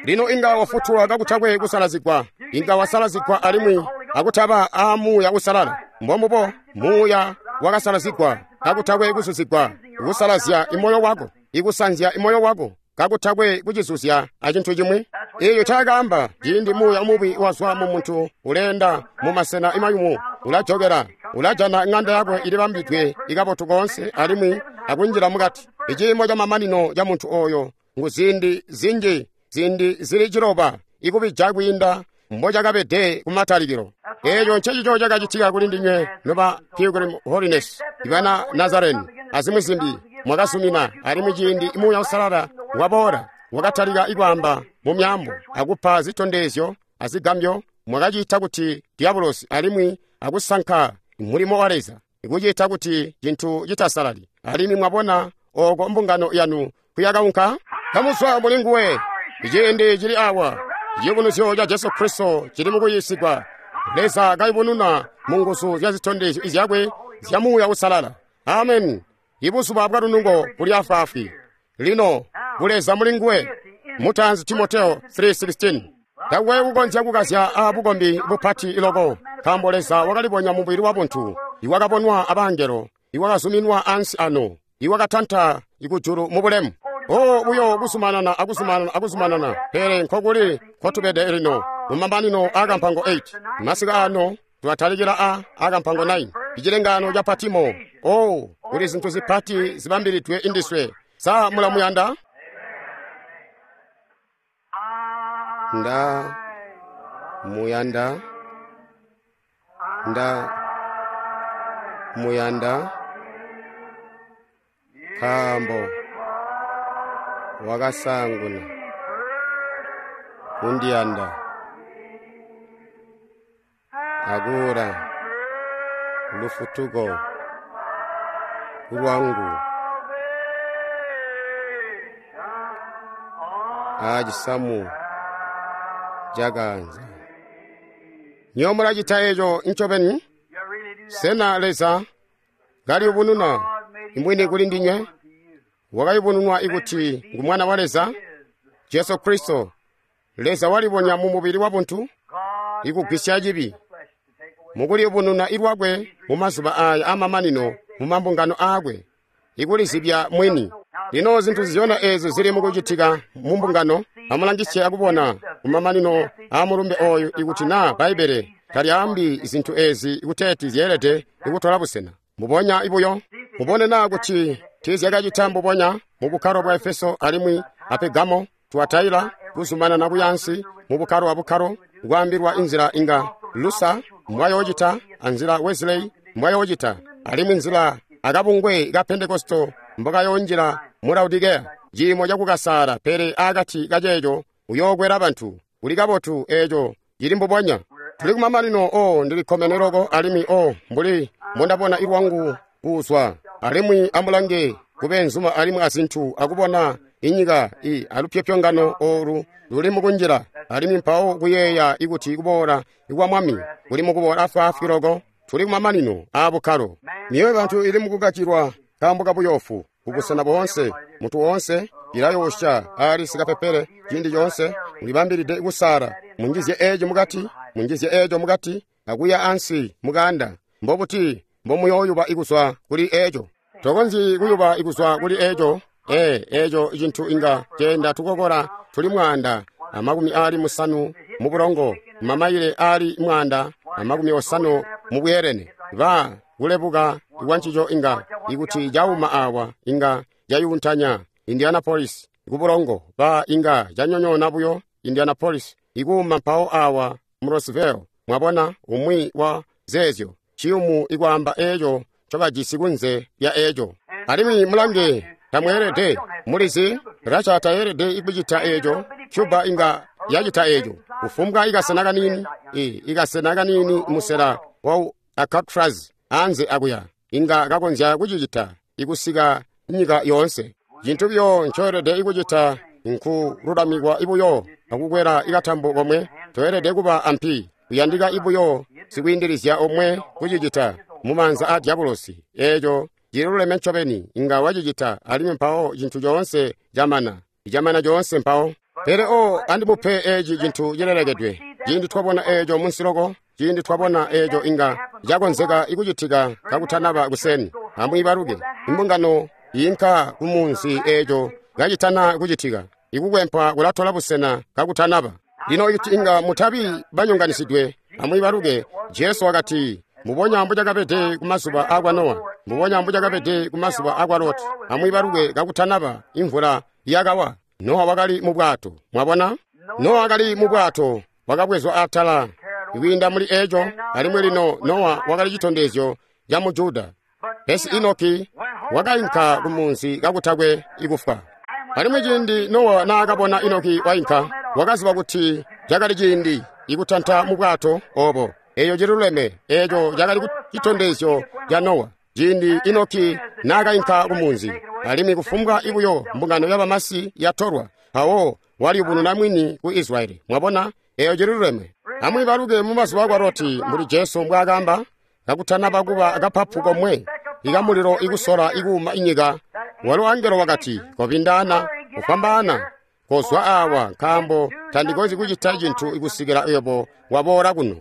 Lino inga wafutulwa kakutakwe kusalazigwa, inga wasalazigwa alimwi akutaba a Muuya Usalala. Mbombubo Muuya wakasalazigwa kakutakwe kuzuzigwa, kusalazya imoyo wako, ikusanzya imoyo wako kakutakwe kucizuzya acintu cimwi. Eeyo cakaamba ciindi muuya mubi wazwa mu muntu uleenda mu masena imayumu, ulajokera, ulajana ng'anda yakwe ilibambidwe ikabotu koonse alimwi akunjila mukati. Iciimo ca mamanino ca muntu oyo ngu ziindi zinji, ziindi zili ciloba ikubija kwiinda mbocakabede kumatalikilo. Eeco ncecico cakacitika kuli ndinywe noba Pilgrim Holiness, ibana Nazareni azimwi zimbi. Mwakazumina alimwi ciindi Muuya Usalala waboola wakatalika ikwaamba mu myaambo akupa zitondezyo azigambyo. Mwakacita kuti diabulosi alimwi akusanka mulimo wa Leza, ikucita kuti cintu citasalali. Alimwi mwabona oko mbungano yanu kuyakaunka kamuzwa muli nguwe. Iciindi cili awa, ciyubunuzyo ca Jesu Kristo cili mukuyiisigwa. Leza kayubununa mu nguzu zya zitondezyo izyakwe zya Muuya Usalala. Amen. Ibuzuba bwa lunungo buli afwaafwi. Lino buleza muli nguwe. Mutanzi Timoteo three sixteen. Takwe kukonzya kukazya a bukombi bupati iloko, nkaambo Leza wakalibonya mubili wa buntu, iwakabonwa abangelo, iwakazuminwa ansi ano, iwakatanta ikujulu mu bulemu. O buyo kuzumanana akuzumanana akuzumanana, pele nkokuli nkotubede lino mumamanino akampango eight. Masiku ano tulatalikila a akampango nine. Icilengano ca Patimo. O kuli zinthu zipati zibambilidwe indiswe. Sa mulamuyanda? Nda muyanda, nda muyanda, nkaambo wakasanguna kundiyanda akula lufutuko lwangu acisamu cakanza. Nyo mulacita eco ncobeni? Sena Leza kaliyubununa imwini kuli ndinywe? Wakayubununwa ikuti ngu Mwana wa Leza, Jesu Kristo. Leza walibonya mu mubili wa buntu ikugwisya cibi, mukuliyubununa ilwakwe mu mazuba aya amamanino mu mambungano aakwe, ikulizibya mwini. Lino zinthu ziyona ezo zili mukucitika mu mbungano. Amulangisye akubona kumamanino a mulumbe oyu ikuti na Bbaibele talyaambi zinthu ezi kuteeti zyeelede ikutola busena. Mbubonya ibuyo mubone na kuti tiizyakacita mbubonya mu bukkalo bwa Efeso alimwi a Pegamo, Tuataila, kuzumanana kuyansi mu bukkalo abukkalo, kwaambilwa inzila inga Lusa mbwayoocita anzila Wesley mbwayoocita, alimwi nzila akabungwe ka Pentekosto mbokayonjila mu Laodikea. Ciimo cakukasaala, pele akati kaceeco uyookwela bantu. Kuli kabotu, eeco cili mbubonya. Tuli kumamanino. O ndilikkomene loko alimwi o mbuli mbondabona ilwangu kuzwa. Alimwi amulange kubenzuma alimwi azinthu akubona inyika i alupyopyongano olu luli mukunjila, alimwi mpawo kuyeeya ikuti kuboola ikwa Mwami kuli mukuboola afwaafwi loko. Tuli kumamanino a bukkalo. Myoyo bantu ili mukukacilwa nkaambo kabuyofu kubusena boonse. Muntu woonse ilayosha ali sikapepele ciindi coonse. Mulibambilide kusala, munjizye eco mukati, munjizye eco mukati, akuya ansi mukanda. Mbobuti mbomuyooyuba ikuzwa kuli eco? Tokonzyi kuyuba ikuzwa kuli eco. Ee, eco cintu inga ceenda tukokola tuli mwaanda amakumi aali musanu mu bulongo, mamayile aali mwaanda amakumi osanu mu bweelene. Ba kulebuka ikwancico inga ikuti cauma awa inga cayuntanya Indianapolis kubulongo. Ba inga canyonyoona buyo Indianapolis ikuuma mpawo awa mu Roseville. Mwabona umwi wa zeezyo ciyumu ikwaamba eco ncobajisi kunze lya eco. Alimwi mulange, tamweelede mulizi Russia tayelede ikucita eco, Cuba inga yacita eco. Kufumbwa ikasena kaniini, i ikasena kaniini musela wa Alcatraz anze akuya, inga kakonzya kucicita ikusika nyika yoonse. Cintu buyo ncoelede ikucita nkululamikwa ibuyo akukwela ikatambo komwe. Toelede kuba ampi, kuyandika ibuyo sikwiindilizya omwe kucicita mumaanza a dyabulosi. Eeco cililuleme ncobeni, inga wacicita, alimwi mpawo cintu coonse camana, icamana coonse mpawo. Pele o andimupe eci cintu cilelekedwe. Ciindi twabona eeco munsiloko, ciindi twabona eeco inga cakonzeka ikucitika kakutanaba kuseni. Amwiibaluke, imbungano yinka kumunzi eeco kacitana kucitika. Ikukwempwa kulatola busena kakutanaba. Lino ikuti inga mutabi banyonganisidwe, amwiibaluke, Jesu wakati, mubonya mbucakabede kumazuba akwa Nowa, mubonya mbucakabede kumazuba akwa Loti. Amwiibaluke, kakutanaba imvula yakawa, Nowa wakali mu bwato. Mwabona? Nowa wakali mu bwato, wakabwezwa atala kwiinda muli eco, alimwi lino Nowa wakali citondezyo ca mu Juda. Pesi Enoki wakainka kumunzi kakutakwe ikufwa. Alimwi ciindi Nowa naakabona Enoki wainka, wakaziba kuti cakali ciindi ikutanta mu bwato obo. Eeyo cililuleme, eeco cakali citondezyo ca Nowa. Ciindi Enoki naakainka kumunzi, alimwi kufumbwa ibuyo mbungano yabamasi yatolwa, mpawo waliyubununa mwini ku Israyeli. Mwabona? Eeyo cililuleme. Amwiibaluke mumazuba akwa Loti, mbuli Jesu mbwaakamba, kakutanaba kuba kapapu komwe ikamulilo ikusola ikuuma inyika, walo angelo wakati, kobindaana, kufwambaana, kozwa awa, nkaambo tandikonzyi kucita cintu ikusikila yebo waboola kuno.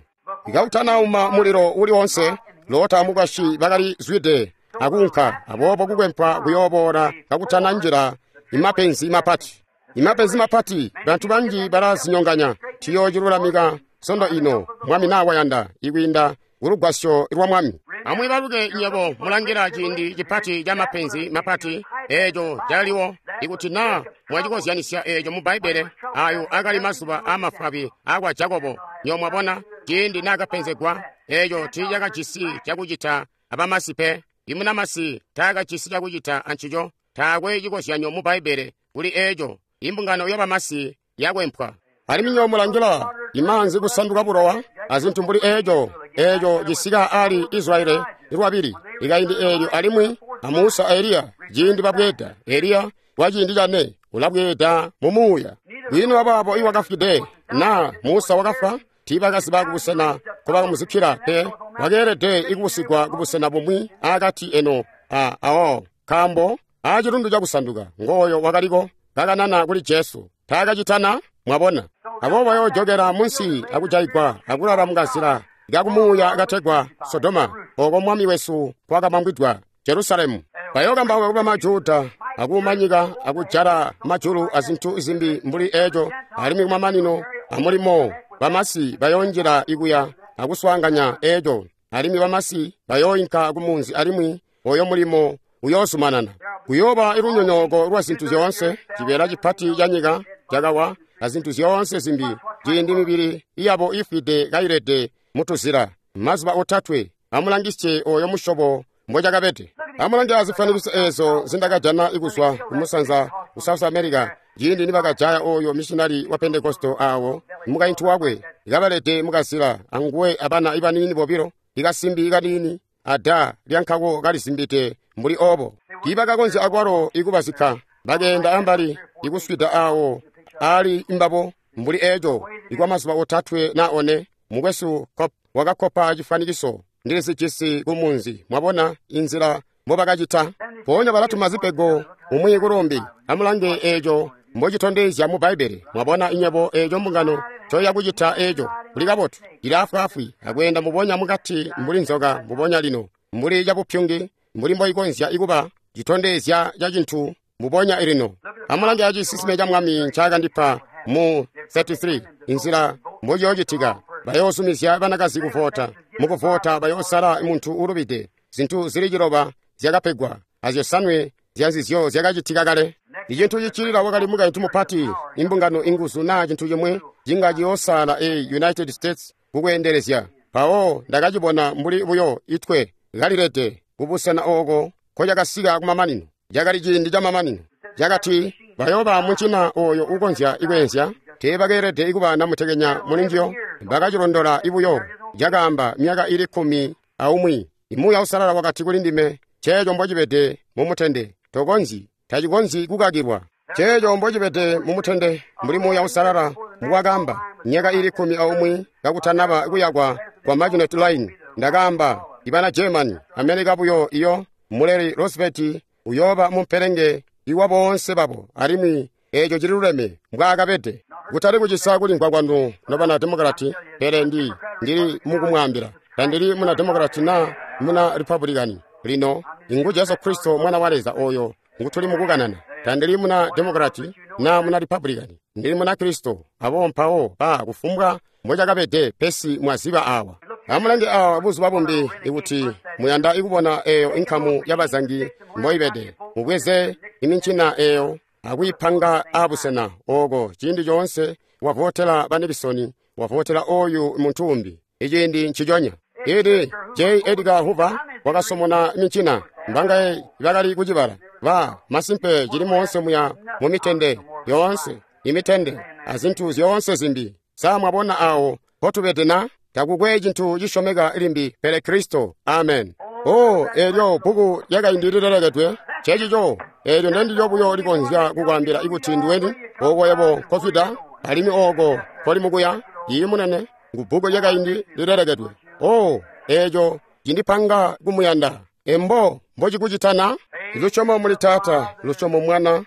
Ikakutanauma mulilo uli onse, Lota amukwasyi bakali zwide akuunka, aboobo kukwempwa kuyooboola kakutananjila imapenzi mapati. Imapenzi mapati, bantu banji balazinyonganya. Tuyoocilulamika sondo ino, Mwami nawayanda, ikwiinda kulugwasyo lwa Mwami. Amwiibaluke nywebo mulangila ciindi cipati ca mapenzi mapati, eeco caliwo. Ikuti naa mwacikozyanisya eeco mu Bbaibbele, ayo akali mazuba aamafwabi akwa Jakobo. Nywebo mwabona, ciindi naakapenzegwa, eeco tiicakajisi cakucita abamasi pe. Imunamasi taakajisi cakucita ancico. Taakwe cikozyanyo mu Bbaibbele kuli eeco. Imbungano yabamasi yakwempwa. Alimwi nywebo mulangila imaanzi kusanduka bulowa azintu mbuli eeco, eeco cisika ali Israyeli lwabili ikaindi eelyo, alimwi a Musa a Eliya ciindi babweeda. Eliya wa ciindi cane ulabweeda mu muuya. Bwino wabaabo iwakafwide na Musa wakafwa, tiibakaziba kubusena nkobakamuzikkila pe. Wakeelede ikubusigwa kubusena bumwi akati eno a awo, nkaambo aacilundu cakusanduka ngooyo wakaliko kakanana kuli Jesu. Taakacitana, mwabona. Aboobo bayoojokela munsi akujayigwa akulala mukazila kakumuuya kategwa Sodoma, oko Mwami wesu kwakamangwidwa Jerusalemu. Bayookambauka kuba Majuda akuuma nyika akujala majulu azintu zimbi mbuli eeco, alimwi kumamanino amulimo bamasi bayoonjila ikuya akuswaanganya eeco, alimwi bamasi bayooinka kumunzi, alimwi oyo mulimo uyoozumanana. Kuyooba ilunyonyooko lwa zintu zyoonse, cibeela cipati ca nyika cakawa azintu zyoonse zimbi, ciindi mibili yabo ifwide kailede mutuzila mazuba otatwe. Amulangisye oyo musyobo mbocakabede. Amulange azifwanikiso eezo zindakajana ikuzwa kumusanza ku South America, ciindi nibakajaya oyo missionary wa Pentekosto awo mukaintu wakwe ikabalede mukazila anguwe abana ibaniini bobilo, ikasimbi ikaniini ada lyankako kalizimbide mbuli obo. Tiibakakonzya akwalo ikubazikka, bakeenda ambali ikuswida awo ali imbabo mbuli eeco ikwa mazuba otatwe na one. Mukwesu wakakkopa cifwanikiso ndilizijisi kumunzi. Mwabona inzila mbobakacita. Mpoonya balatuma zipego umwi kulumbi. Amulange eeco mbocitondezya mu Bbaibbele. Mwabona inyebo eeco mbungano ncoyakucita eeco kuli kabotu, ili afwaafwi akweenda mubonya mukati mbuli nzoka mbubonya lino, mbuli cabupyungi, mbuli mboikonzya ikuba citondezya ca cintu mbubonya lino. Amulange acisisime ca Mwami ncaakandipa mu thirty-three, inzila mbociyoocitika. Bayoozumizya banakazi kuvota. Mukuvota bayoosala muntu uulubide. Zintu zili ciloba zyakapegwa, azyosanwe zyanzizyo zyakacitika kale. Icintu cicilila wakali mukaintu mupati, imbungano inguzu naa cintu cimwe cinga ciyoosala e United States kukweendelezya. Mpawo ndakacibona mbuli buyo itwe kalilede kubusena ooko nkocakasika kumamanino. Cakali ciindi camamanino. Cakati bayooba muncina oyo ukonzya ikweenzya. Teebakeelede kuba namutekenya mulinjiyo. Bakacilondola buyo. Cakaamba myaka ili kkumi aumwi. Muuya Uusalala wakati kuli ndime, ceeco mbocibede mumutende. Tokonzyi, tacikonzyi kukakilwa. Ceeco mbocibede mumutende mbuli Muuya Uusalala mbwakaamba myaka ili kkumi aumwi kakutanaba kuyakwa kwa Maginot Line. Ndakaamba ibana Germany, America buyo iyo muleli Roosevelt uyooba mumpelenge iwa boonse babo, alimwi eeco cililuleme mbwaakabede. Kutali kucisa kulimvwa kwanu nobana Demokrati, pele ndi ndili mukumwaambila tandili muna Demokrati na muna Republican. Lino ingu Jesu Kristo mwana wa Leza oyo ngutuli mukukanana. Tandili muna Demokrati na muna Republican, ndili muna Kristo. Abo mpawo ba kufumbwa mbocakabede pesi mwaziba awa. Amulange awa buzuba bumbi ikuti muyanda ikubona eyo inkamu y'abazangi mboibede. Mubweze imincina eyo akuyipanga abusena oko ciindi coonse wavotela ba Nixon, wavotela oyu muntu umbi. Iciindi nciconya. Ili J. Edgar Hoover wakasomona mincina mbangaye bakali kucibala. Ba masimpe cili moonse muya mu mitende yoonse, imitende azintu zyoonse zimbi. Sa mwabona awo potubede na? Takukwe cintu cisyomeka limbi pele Kristo. Amen. Oh, eelyo bbuku lyakaindi lilelekedwe cecico. Eelyo ndendilyo buyo likonzya kukwaambila ikuti ndiweni ooko yebo nkozwida alimwi ooko koli mukuya. Iyi munene ngu bbuku lyakaindi lilelekedwe. Oh, eeco cindipanga kumuyanda. Embo mbocikucitana? Lusyomo muli Taata, lusyomo Mwana,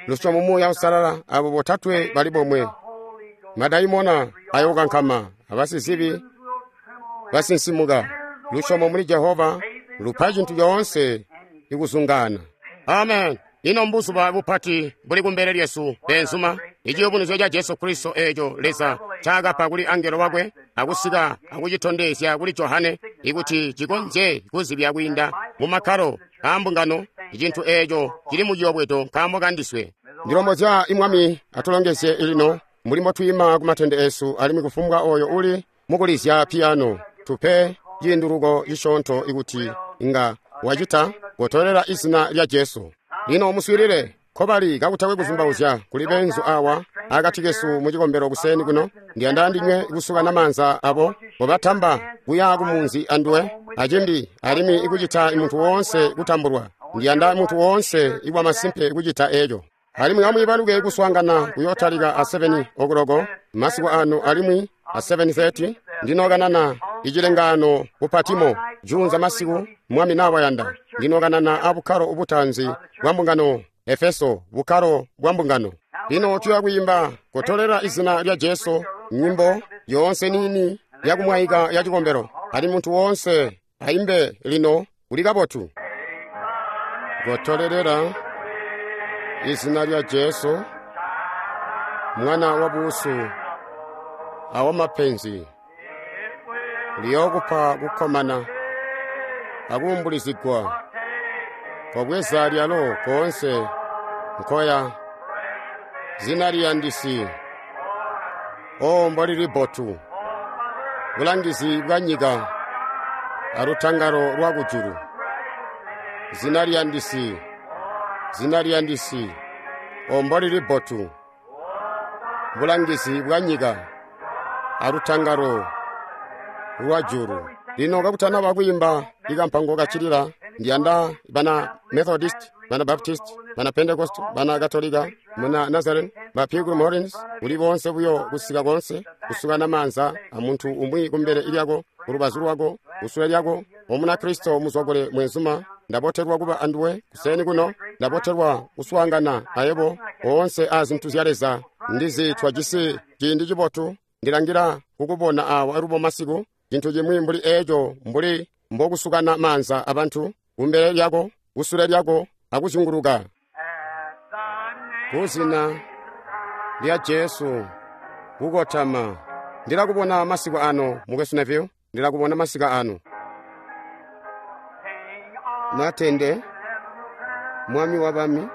lusyomo Muuya Uusalala, abo botatwe bali bomwe. Madaimona ayokankama, abasizibi basinsimuka. Lusyomo muli Jehova lupa cintu coonse ikuzungaana. Amen. Ino mbuzuba bupati buli kumbele lyesu beenzuma. Iciyubunuzyo ca Jesu Kristo eeco Leza ncaakapa kuli angelo wakwe akusika akucitondezya kuli Johane ikuti cikonzye kuzibya kwiinda mu makkalo aambungano icintu eeco cili mu ciyobwedo nkaambo kandiswe. Ndilombozya Mwami atulongezye lino mbuli mbotwiima kumatende esu alimwi kufumbwa oyo uli mukulizya piyano tupe ciinduluko cisyoonto ikuti inga wacita kotolela izina lya Jesu. Lino muswiilile nkobali kakutakwe kuzumbauzya kuli beenzu awa akati kesu mu cikombelo kuseni kuno. Ndiyanda ndinywe kusukana maanza abo kobatamba kuya kumunzi anduwe acimbi alimwi ikucita muntu woonse kutambulwa. Ndiyanda muntu woonse iwa masimpe kucita eco. Alimwi amwiibaluke kuswaangana kuyootalika a seven o'clock masiku ano alimwi a seven thirty ndinokanana icilengaano ku Patimo juunza masiku Mwami nawayanda. Ndinokanana abukkalo ubutanzi bwa mbungano Efeso, bukkalo bwa mbungano. Lino tuya kwiimba kotolela izina lya Jesu nyimbo yoonse nini yakumwaika ya cikombelo. Ali muntu woonse aimbe lino kuli kabotu. Kotolelela izina lya Jesu mwana wa busu awa mapenzi liyokupa kukkomana akuumbulizigwa kobweza lyalo koonse nkoya zina liyandisi. O mbolili bbotu bulangizi bwa nyika alutangalo lwa kujulu. Zina liyandisi, zina liyandisi, o mbolili bbotu bulangizi bwa nyika alutangalo lwa julu. Lino kakutanaba kwiimba ikampango kacilila, ndiyanda bana Methodist, bana Baptist, bana Pentecost, bana Katolika, muna Nazarene, ba Pilgrim Holiness, kuli bonse buyo kusika konse kusukana maanza amuntu umwi kumbele ilyako kulubazu lwako kusule lyako omuna Kristo muzwakule mwenzuma. Ndabotelwa kuba anduwe kuseni kuno, ndabotelwa kuswaangana ayebo oonse a zintu zya Leza. Ndizi twajisi ciindi cibotu, ndilangila kukubona awa alubo masiku cintu cimwi mbuli eeco mbuli mbokusukana maanza abantu kumbele lyako kusule lyako akuzyunguluka. Kuzina lya Jesu kukotama. Ndilakubona masiku ano mukwesu Neville, ndilakubona masiku ano. Matende mwami wa bami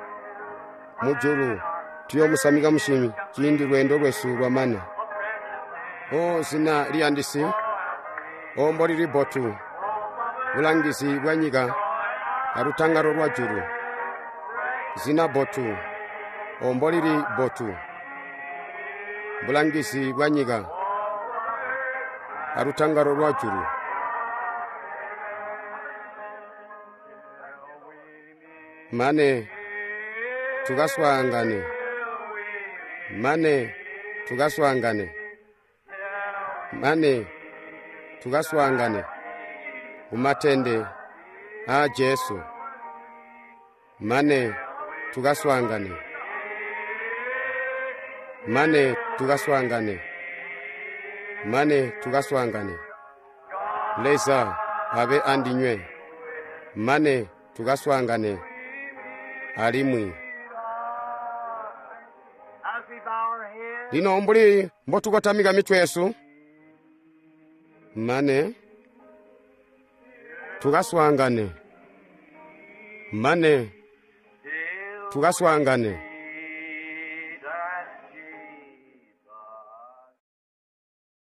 mujulu tuyomusamika mushimi ciindi lwendo lwesu lwamana. O zina liyandisi, o mbolili bbotu bulangizi bwa nyika alutangalo lwa julu. Zina bbotu, o mbolili bbotu Bulangizi bwa nyika alutangalo lwa julu. Mane tukaswaangane, mane tukaswaangane, mane tukaswaangane kumatende aa Jesu. Mane tukaswaangane, mane tukaswaangane, mane tukaswaangane. Leza abe andinywe, mane tukaswaangane alimwi. As we bow our heads, Lino mbuli mbotukotamika mitwe yesu, mane tukaswaangane, mane tukaswaangane.